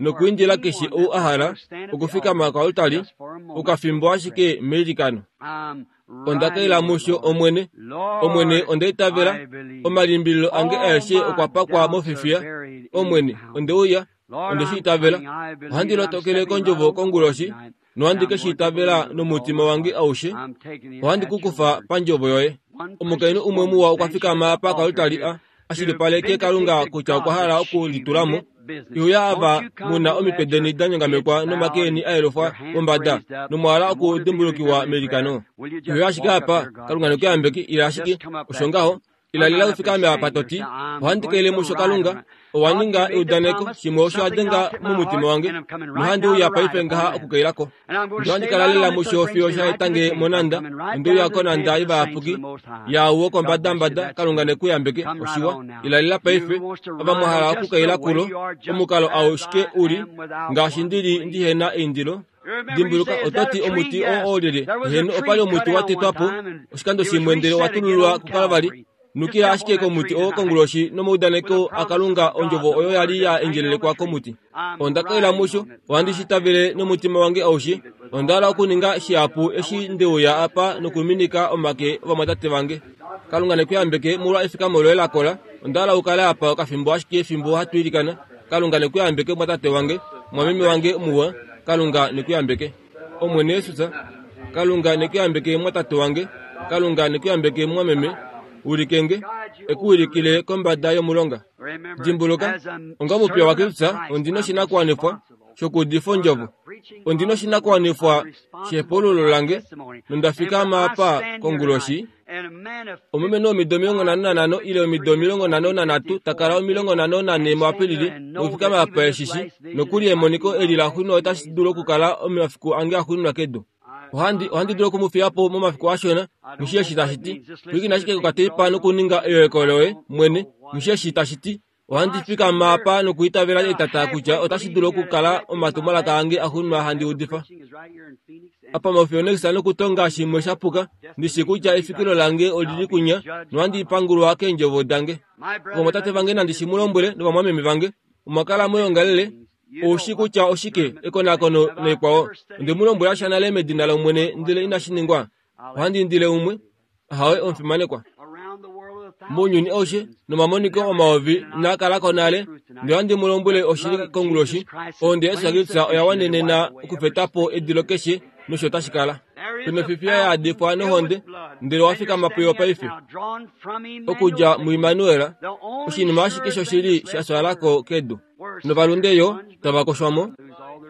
nokuindila keshe ou a hala okufikama koaltari okafimbo ashike meilikano. Onda kaila musho, Omwene. Omwene, onda itavela. Omalimbililo ange aeshe okwa pakwa mofifiya. Omwene, onde uya. Onde shi itavela. Ohandi lotokele kondjovo konguloshi, nohandi ke shi itavela nomutima wange aushe. Ohandi ku kufa pandjovo yoye. Omukainhu umwe muwa okwa fikama apa koaltari a a shilipaleke Kalunga kutya okwa hala oku litula mo. Ihuya ava mu na omitwe deni da nyongamekwa nomake eni a yelufwa pombada, nomwa hala okudimbulukiwa meilikano. Ihuya ashike apa, Kalunga ne ku yambeke, ila ashike. Osho ngaho. Ila lila u fikame apa to ti, Ohandi kaile musho Kalunga, owa ninga eudaneko, shimwe osho a denga momutima wange, nohandi uya paife ngaha okukaila ko. Nohandi kala lela musho fiyo sha eta nge monhanda, onde uya konhanda yovayapuki, yaau wokombadambada, Kalunga ne ku yambeke. Oshiwa. Ila lela paife, ava mwa hala okukaila kulo, omukalo aushike u li, ngaashi ndi li ndi he na eindilo. Dimbuluka, oto ti, Omuti oo oolyelye? Heeno, opa li omuti wa tetwa po oshikando shimwe ndele owa tulululwa kuKalvari. Nukila ashike komuti oo konguloshi nomaudaneko aKalunga ondjovo oyo ya li ya endjelelekwa komuti. Onda kaila musho, ohandi shi tavele nomutima wange aushe. Onda hala okuninga shihapu eshi nde uya apa nokuminika omake ovamwatate vange. Kalunga ne ku yambeke molwa efikamo loye la kola. Onda hala u kale apa okafimbo ashike fimbo hatu ilikana. Kalunga ne ku yambeke mwatate wange, mwameme wange muwa. Kalunga ne ku yambeke. Omwene Jesus, Kalunga ne ku yambeke mwatate wange. Kalunga ne ku yambeke mwameme. Wilike nge, e ku wilikile kombada yomulonga. Dimbuluka, onga omupiya waKristus, ondi noshinakuwanifwa shokuudifa ondjovo. Ondi noshinakuwanifwa shehepululo lange, nonda fikama apa konguloshi Omulumenhu womido 55 ile omido 53 ta kala 54 muApilili nokufikama apa eshishi nokuli emoniko eli la xwinwa otashi dulu okukala omafiku ange axuuninwa kedu. Ohandi, ohandi dulu oku mu fiya po momafiku ashona, nghi eshi tashi ti. Pwilikina ashike kokateipa nokuninga eyoeko loye mwene, nghi eshi tashi ti. Ohandi fikama apa nokuitavela etata kutya otashi dulu okukala omatumwalaka ange axuuninwa handi udifa. Apa moPhoenix nokutonga shimwe sha puka, ndi shi kutya efikilo lange oli li kunya nohandi pangulwa keendjovo dange. Ovamwatate vange nandi shi mu lombwele novamwameme vange, omwa kala moyoongalele, ou shi kutya oshike ekonakono naikwao. Onde mu lombwela sha nale medina lOmwene ndele inashi ningwa. Ohandi indile umwe. Ahawe omufimanekwa. Mounyuni aushe nomamoniko omayovi inaa kala ko nale, ndele ohandi mu lombwele oshili konguloshi, ohonde yaJesus Kristus oya wanenena okufeta po edilo keshe nosho tashi kala. Penofifiya ya adifwa nohonde, ndele owa fikama puyo paife. Okudja muImmanuel, oshinima ashike shoshili sha twala ko kedu. Novalunde yo tava koshwa mo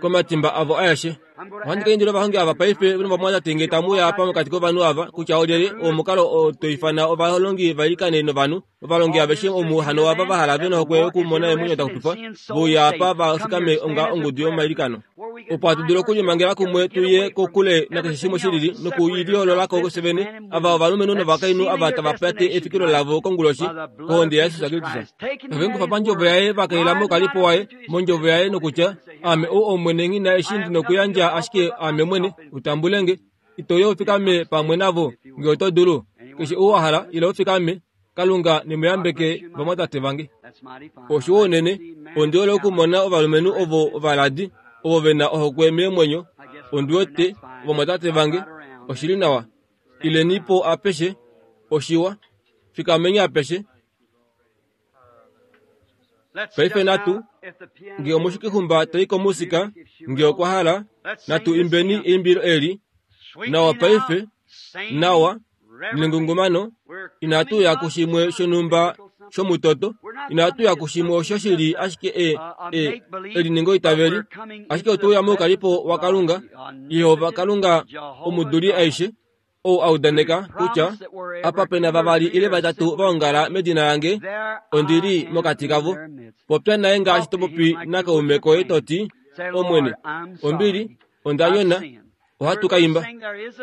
komatimba avo aeshe. Ohandi ka indila ovahongi ava paife novamwatate nge tamu uya apa mokati kovanhu ava kutya olyelye oo omukalo oo to ifana ovalongi va ilikane novanhu. Ovalongi aveshe omu hano ava va hala ve nohokwe yokumona eemwenyo da xupifwa ve uya apa va fikame onga ongudu yomailikano. Opo hatu dulu okulimangela kumwe tu ye kokule nakeshe shimwe shilili nokuliyoolola ko fye vene, ava ovalumenhu novakainhu ava tava pate efikilo lavo konguloshi kohonde yaJesus Kristus. Ove mu kufa pandjovo yaye va kaila moukalipo waye mondjovo yaye nokutya, Ame ou Omwene nghi na eshi ndi nokuyandja ashike aame mwene, u tambule nge. Ito uya u fikame pamwe navo nge oto dulu? Keshe ou wa hala, ila u fikame. Kalunga ne mu yambeke vamwatate vange. Oshiwa unene, ondi hole okumona ovalumenhu ovo ovaladi, ovo ve na ohokwe meemwenyo. Ondi wete, ovamwatate vange, oshi li nawa. Ileni po apeshe. Oshiwa. Fikameni apeshe. Paife natu, nge omushikihumba ta i komusika, nge okwa hala, natu imbeni eimbilo eli. Nawa paife, nawa, nengungumano, inatu ya kushimwe shonhumba shomutoto, inatu ya kushimwe osho shi li ashike e, e, eliningoitaveli, ashike otwe uya moukalipo waKalunga, Jehova Kalunga omuduli aishe, ou a udaneka kutya apa pe na vavali ile vatatu va ongala medina lange, ondi li mokati kavo. Popya naye ngaashi to popi nakaume koye to ti, Omwene, ombili, onda nyona. Ohatu ka imba.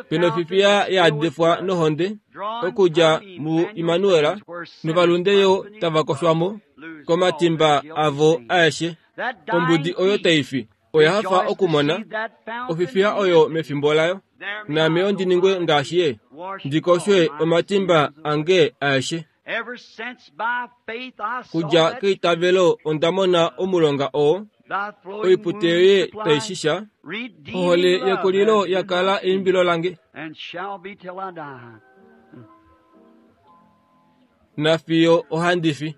Pe nofifiya ya adifwa nohonde okudja muImmanuel, novalunde yo tava koshwa mo komatimba avo aeshe. Ombudi oyo tai fi oya hafa okumona ofifiya oyo mefimbo layo. Naame yo ndi ningwe ngaashi ye, ndi koshwe omatimba ange aeshe. Kudja keitavelo onda mona omulonga oo, oipute yoye tai shisha, ohole yekulilo ya kala eimbilo lange. Nafiyo ohandi fi.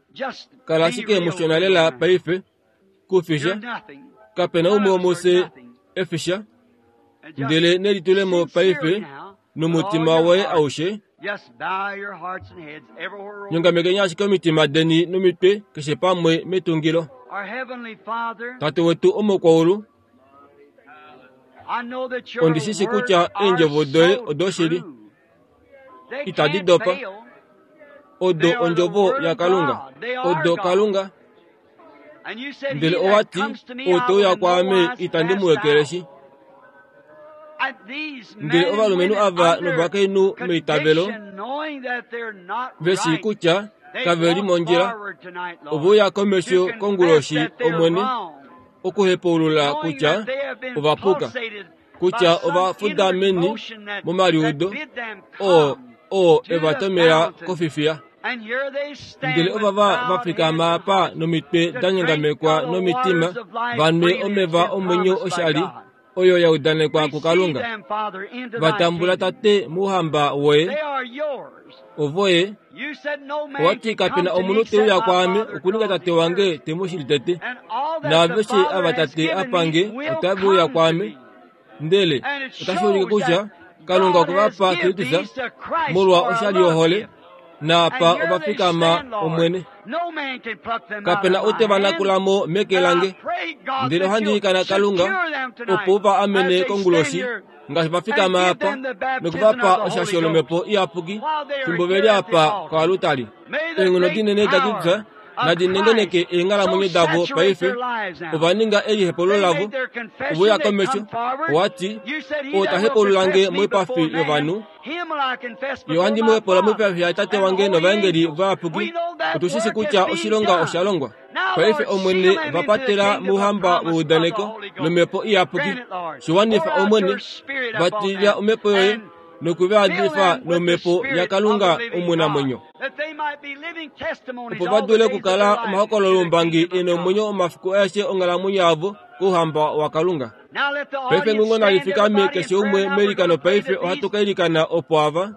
Kala ashike mushona lela paife. Kufisha. Kape na umwe womufye e fisha. Ndele nelitulemo paife nomutima woye aushe. Nyongamekeni ashike omitima deni nomitwe keshe pamwe metungilo. Tate wetu omokwaulu, ondi shi shi kutya eendjovo doye odoshili, itadi dopa. Odo ondjovo yaKalunga, odo Kalunga. Ndele owa ti, Ou te uya kwaame itandi mu ekeleshi. Ndele ovalumenhu ava novakainhu meitavelo ve shii kutya kave li mondjila, ove uya komesho konguloshi Omwene okuhepaulula kutya ova puka, kutya ova fuda meni momaliudo oo oo e va tomela kofifiya. Ndele ovava va fikama apa nomitwe da nyongamekwa nomitima va nwe omeva omwenyo oshali oyo ya udanekwa kuKalunga. Va tambula Tate mouhamba woye. Ovoye. Owa ti kape na omunhu te uya kwaame okuninga Tate wange te mu shili tete. Naaveshe ava Tate a pa nge otave uya kwaame. Ndele otashi ulike kutya Kalunga okwe va pa Kristus molwa oshali yohole, naapa ova fikama Omwene. Kape na ou te va nakula mo meke lange. Ndele ohandi ilikana Kalunga opo u va amene konguloshi ngaashi va fikama apa noku va pa oshasho lOmhepo Iyapuki fimbo ve li apa koalutali. Eenghono dinene daKristus. Nadi nengeneke eenghalamwenyo davo paife. Ova ninga elihepolo lavo. Ove uya komesho, owa ti, Oo ta hepulula nge moipafi yovanhu, Ye ohandi mu hepulula moipafi yaTate wange novaengeli vayapuki. Otu shi shi kutya oshilonga osha longwa. Paife Omwene va patela mouhamba weudaneko lOmhepo Iyapuki. Shi wanifa, Omwene. Va tilila Omhepo yoye noku va yadifa nOmhepo yaKalunga omunamwenyo. Opo va dule okukala omahokololoumbangi e na omwenyo omafiku aeshe onghalamwenyo yavo kouhamba waKalunga. Paife ngungo nali fikame keshe umwe meilikano paife ohatu ka ilikana opo ava.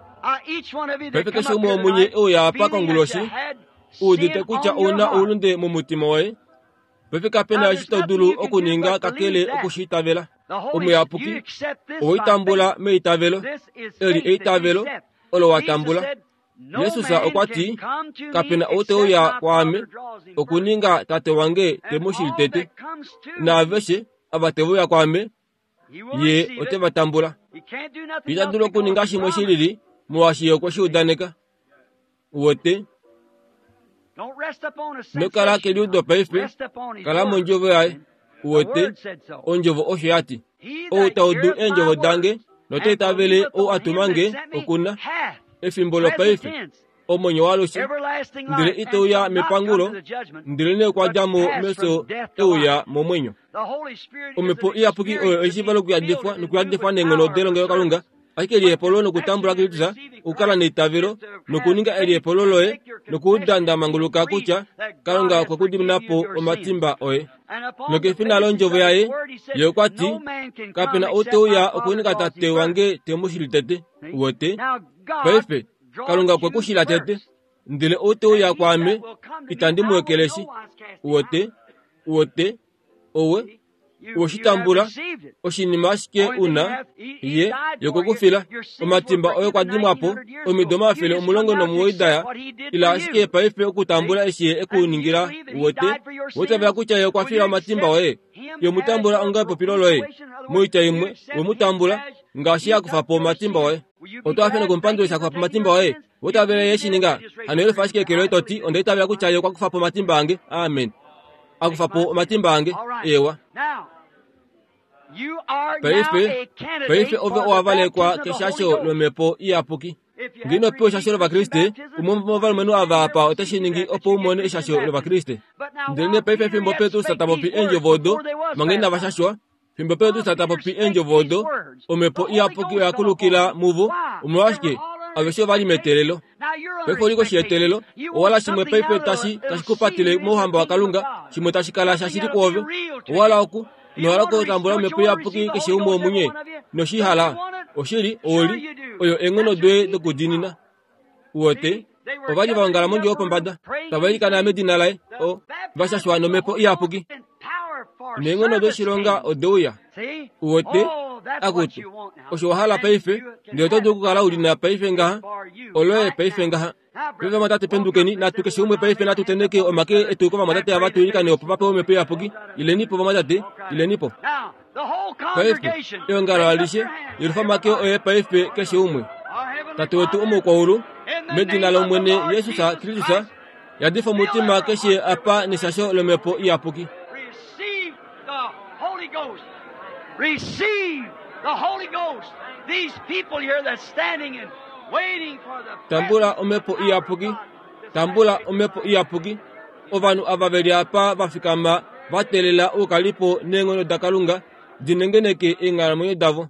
Paife keshe umwe womunye e uya apa konguloshi, u udite kutya ou na oulunde momutima woye. Paife kape na eshi to dulu okuninga kakele oku shi itavela. Omuyapuki, owe i tambula meitavelo. Eli eitavelo olo wa tambula. Jesus okwa ti, Kape na ou te uya kwaame okuninga Tate wange te mu shili tete. Naaveshe ava te uya kwaame, ye ote va tambula. Ita dulu okuninga shimwe shi lili molwaashi ye okwe shi udaneka. Uwete? Ino kala keliudo paife, kala mondjovo yaye. Uwete? Ondjovo osho ya ti. Ou ta udu eendjovo dange nota itavele ou a tuma nge, oku na efimbo lopaife, omwenyo waalushe, ndele ite uya mepangulo, ndelenee okwa dja mo mefyo e uya momwenyo. Omhepo Iyapuki oyo eshiivo lokuyadifwa nokuyadifwa neenghono delongelokalunga, ashike elihepolo nokutambula Kristus, okukala neitavelo nokuninga elihepolo loye nokuuda nda manguluka kutya Kalunga okwe ku dimina po omatimba oye. Nokefina londjovo yaye, ye okwa ti, Kape na ou te uya okuninga tate wange te mu shili tete. Uwete? Paife, Kalunga okwe ku shila tete. Ndele ou te uya kwaame, itandi mu ekeleshi. Uwete? Uwete? Owe, owe shi tambula, oshinima ashike u na, ye, ye okwe ku fila. Omatimba oye okwa dimwa po, omido 190 da ya. Ila ashike paife okutambula eshi ye e ku ningila, uwete. Owa itavela kutya ye okwa fila omatimba oye? Ye mu tambula onga epopilo loye. Moitya imwe, we mu tambula, ngaashi a kufa po omatimba oye. Oto hafe nokumupandula eshi a kufa po omatimba oye? Owa itavela ye shi ninga? Hano yelifa ashike eke loye to ti, Onda itavela kutya ye okwa kufa po omatimba ange. Amen. A kufa po omatimba ange. Eewa. Paife, paife ove owa valekwa keshasho lOmhepo Iyapuki. Ngee ino pewa eshasho lOvakriste, umwe womovalumenhu ava apa ote shi ningi opo u mone eshasho lOvakriste. Ndelenee paife fimbo Petrus ta popi eendjovo odo, manga inava shashwa, fimbo Petrus ta popi eendjovo odo, Omhepo Iyapuki oya kulukila muvo. Omolwashike? Aveshe ova li meteelelo. Paife oli koshi yeteelelo. Owala shimwe paife tashi, tashi ku patele mOuhamba waKalunga, shimwe tashi kala shashili kwoove. Owala oku, ino hala okutambula Omhepo Iyapuki keshe umwe womunye? Ino shi hala? Oshili, ouli, oyo eenghono doye dokudiinina. Uwete? Ova li va ongala mondjo yopombada, tava ilikana medina laye, o, va shashwa nomhepo iyapuki. Neenghono doshilonga ode uya. Uwete? Akutu, osho wa hala paife, ndele oto dulu okukala u li na paife ngaha, oloye paife ngaha. Paife vamwatate pendukeni, natu keshe umwe paife natu tenheke omake etu kovamwatate ava tu ilikane opo va pewe omhepo iyapuki. Ileni po vamwatate, ileni po. Paife, eongalo alishe, yelufa omake oye paife keshe umwe. Tate wetu omukwaulu, medina lOmwene Jesus Kristus, yadifa omutima keshe apa neshasho lomhepo iyapuki. Tambula omhepo iyapuki, tambula omhepo iyapuki. Ovanhu ava ve li apa va fikama va teelela oukalipo neenghono daKalunga di nengeneke eenghalamwenyo davo.